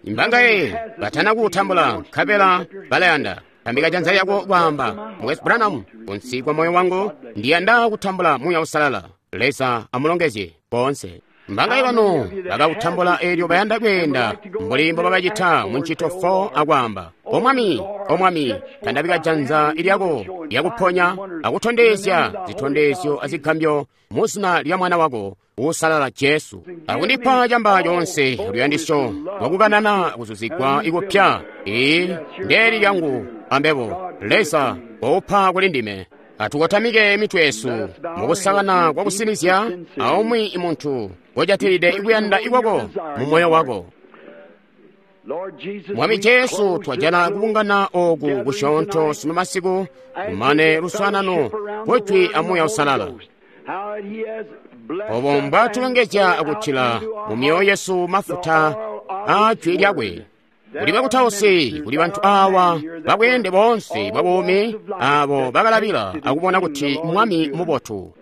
Mbangaye batana kuutambula nkabela balayanda? Tambika janza lyako kwaamba, Mukwesu Branham, kunsi kwa moyo wangu ndiyanda kutambula Muuya Uusalala. Leza amulongezye boonse. Mbangaye bano bakautambula elyo bayanda kweenda mbuli mbo bakacita mu ncito four akwaamba, O Mwami, O Mwami, tandabika janza lyako lyakuponya akutondezya zitondezyo azigambyo mu zina lya Mwana wako Uusalala Jesu, akundipa camba conse luyandisyo lwakukanana kuzuzigwa ikupya. Ii ndeli lyangu ambebo, Leza waupa kuli ndime. Atukotamike mitwe yesu mukusakana kwa kusinizya aumwi muntu ngojatilide ikuyanda ikwako mu moyo wako. Mwami Jesu, twajala kubungana oku kusyoonto sunu masiku, kumane luswaanano kwejwi a Muuya Uusalala. Obo mbwatulongezya akutila mu myoyo yesu mafuta a jwi lyakwe. Kuli bakutausi, kuli bantu awa babweende boonse bwa buumi abo bakalabila akubona kuti Mwami mubotu.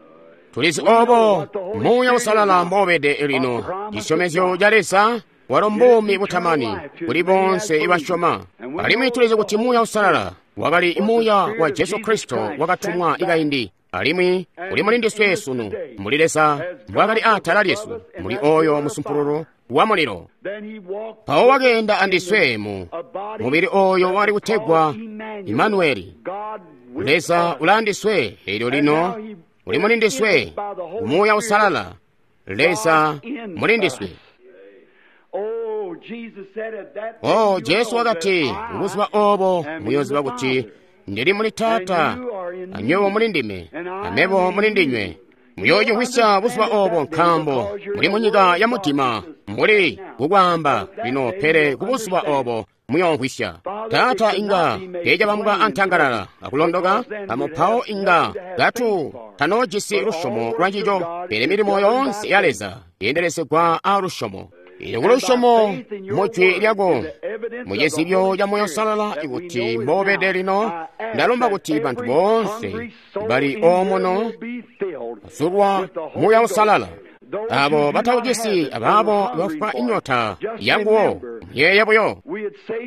Tulizi obo Muuya Uusalala mbobede lino, cisyomezyo ca Leza walo mbuumi butamani kuli bonse ibasyoma. Alimwi tulizi kuti Muuya Uusalala wakali Muuya wa Jesu Kristo wakatumwa ikaindi, alimwi uli muli ndiswe sunu, muli Leza mbwakali atala lyesu, muli oyo musumpululu wa mulilo. Mpawo wakeenda andiswe mu mubili oyo wakali kutegwa Imanueli, Leza ulaandiswe. Elyo lino uli muli ndiswe, Muuya Uusalala, Leza muli ndiswe. Oh, Jesu wakati, buzuba obo muyoziba kuti ndili muli Taata, anywebo muli ndime, amebo muli ndinywe. Muyoocimvwisya buzuba obo nkaambo muli munyika ya mudima, mbuli kukwaamba lino, pele kubuzuba obo muyoomvwisya. Taata inga teecabambwa antangalala akulondoka, amupawo inga katu tanoojisi lusyomo lwancico, pele milimo yoonse ya Leza yeendelezegwa a lusyomo. Eelyo kulusyomo mujwi lyako mucizibyo ca Moyo Uusalala ikuti mbobede lino, ndalomba kuti bantu boonse bali omuno bazulwa Muuya Uusalala, abo batawujisi abaabo bafwa inyota yanguwo, muyeeye buyo.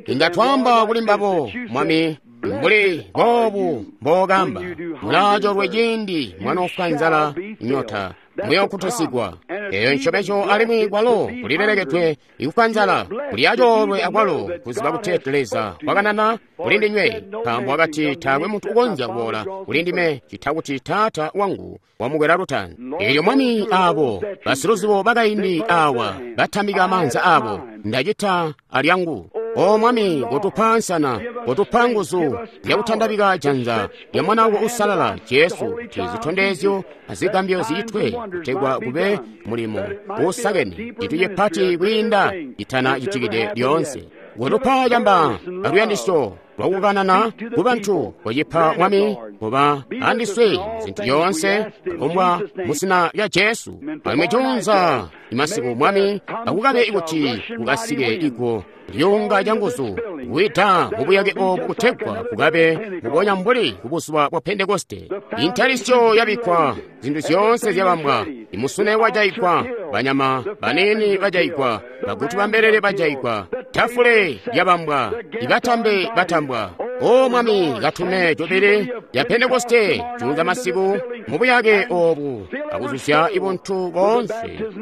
Inga twaamba kuli mbabo, Mwami, mbuli boobu mbookamba, mulaacoolwe ciindi mwanoofwa nzala inyota, muyookutusigwa. Eyo ncobeco alimwi kwalo kulilelekedwe ikufwa nzala, kuli acoolwe akwalo kuziba kuti Leza wakanana kuli ndinywe, nkaambo wakati taakwe muntu ukonzya kuboola kuli ndime cita kuti Taata wangu wamukwela lutaanzi. Eelyo Mwami, aabo basiluzibo bakaindi awa batambika maanza aabo, ndacita alyangu. O Mwami, kotupa nsana, kotupa nguzu zyakutandabika janza lya Mwana wako Uusalala Jesu, kuti zitondezyo azigambyo zicitwe, kutegwa kube mulimo uusakene, cintu cipati kwiinda citana citikide lyoonse. Kotupa camba aluyandisyo lwakukanana ku bantu, kocipa Mwami, kuba andiswe zintu zyoonse kumbwa muzina lya Jesu. Alimwi juunza imasiku Mwami, akukabe kuti kukasike iguwo lyunga canguzu kuwida mubuyake obu kutegwa kukabe mubonya mbuli kubuzuba bwa Pentekoste. Intalisyo yabikkwa, zintu zyoonse zyabambwa, imusune wajaigwa, banyama banini bajaigwa, bagutu bambelele bajaigwa, tafule lyabambwa, ibatambe batambwa. O Mwami, katume jubili ya Pentekoste juunza masiku mubuyake obu akuzuzya ibuntu boonse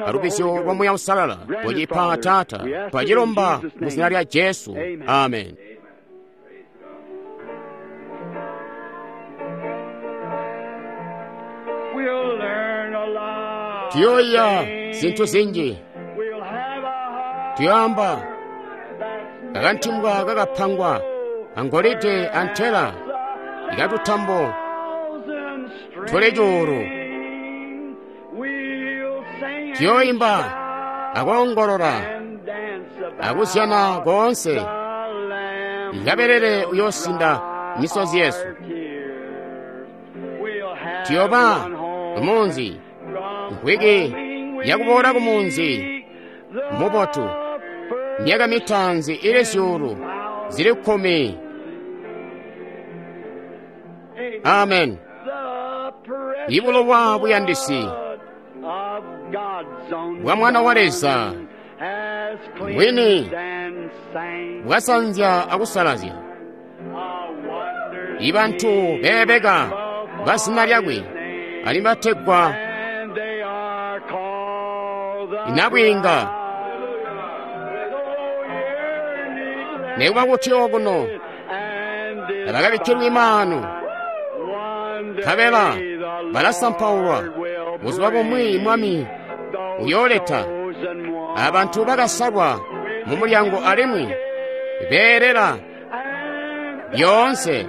alubizyo lwa Muya Uusalala. Kocipa Taata, twacilomba mu zina lya Jesu. Amen. Tuyoiya zintu zinji, tuyoamba kakantimbwa kakapangwa angolide antela ikatutambo tuli cuulu. Tuyoimba akoongolola akuzyana koonse, ikabelele uyoosinda misozi yesu. Tuyoba kumunzi, nkwiki yakuboola kumunzi mubotu, myaka mitaanzi ili zyuulu zili kkumi. Amen. Ibulowa buyandisi bwa Mwana wa Leza mwini bwasanzya akusalazya ibantu beebeka bazina lyakwe alimwi bategwa inabwiinga. Nekuba kuti okuno abakabikkilwa imaanu, nkabela balasampaulwa, buzuba bumwi Mwami uyooleta abantu bakasalwa mu mulyango alimwi beelela lyoonse.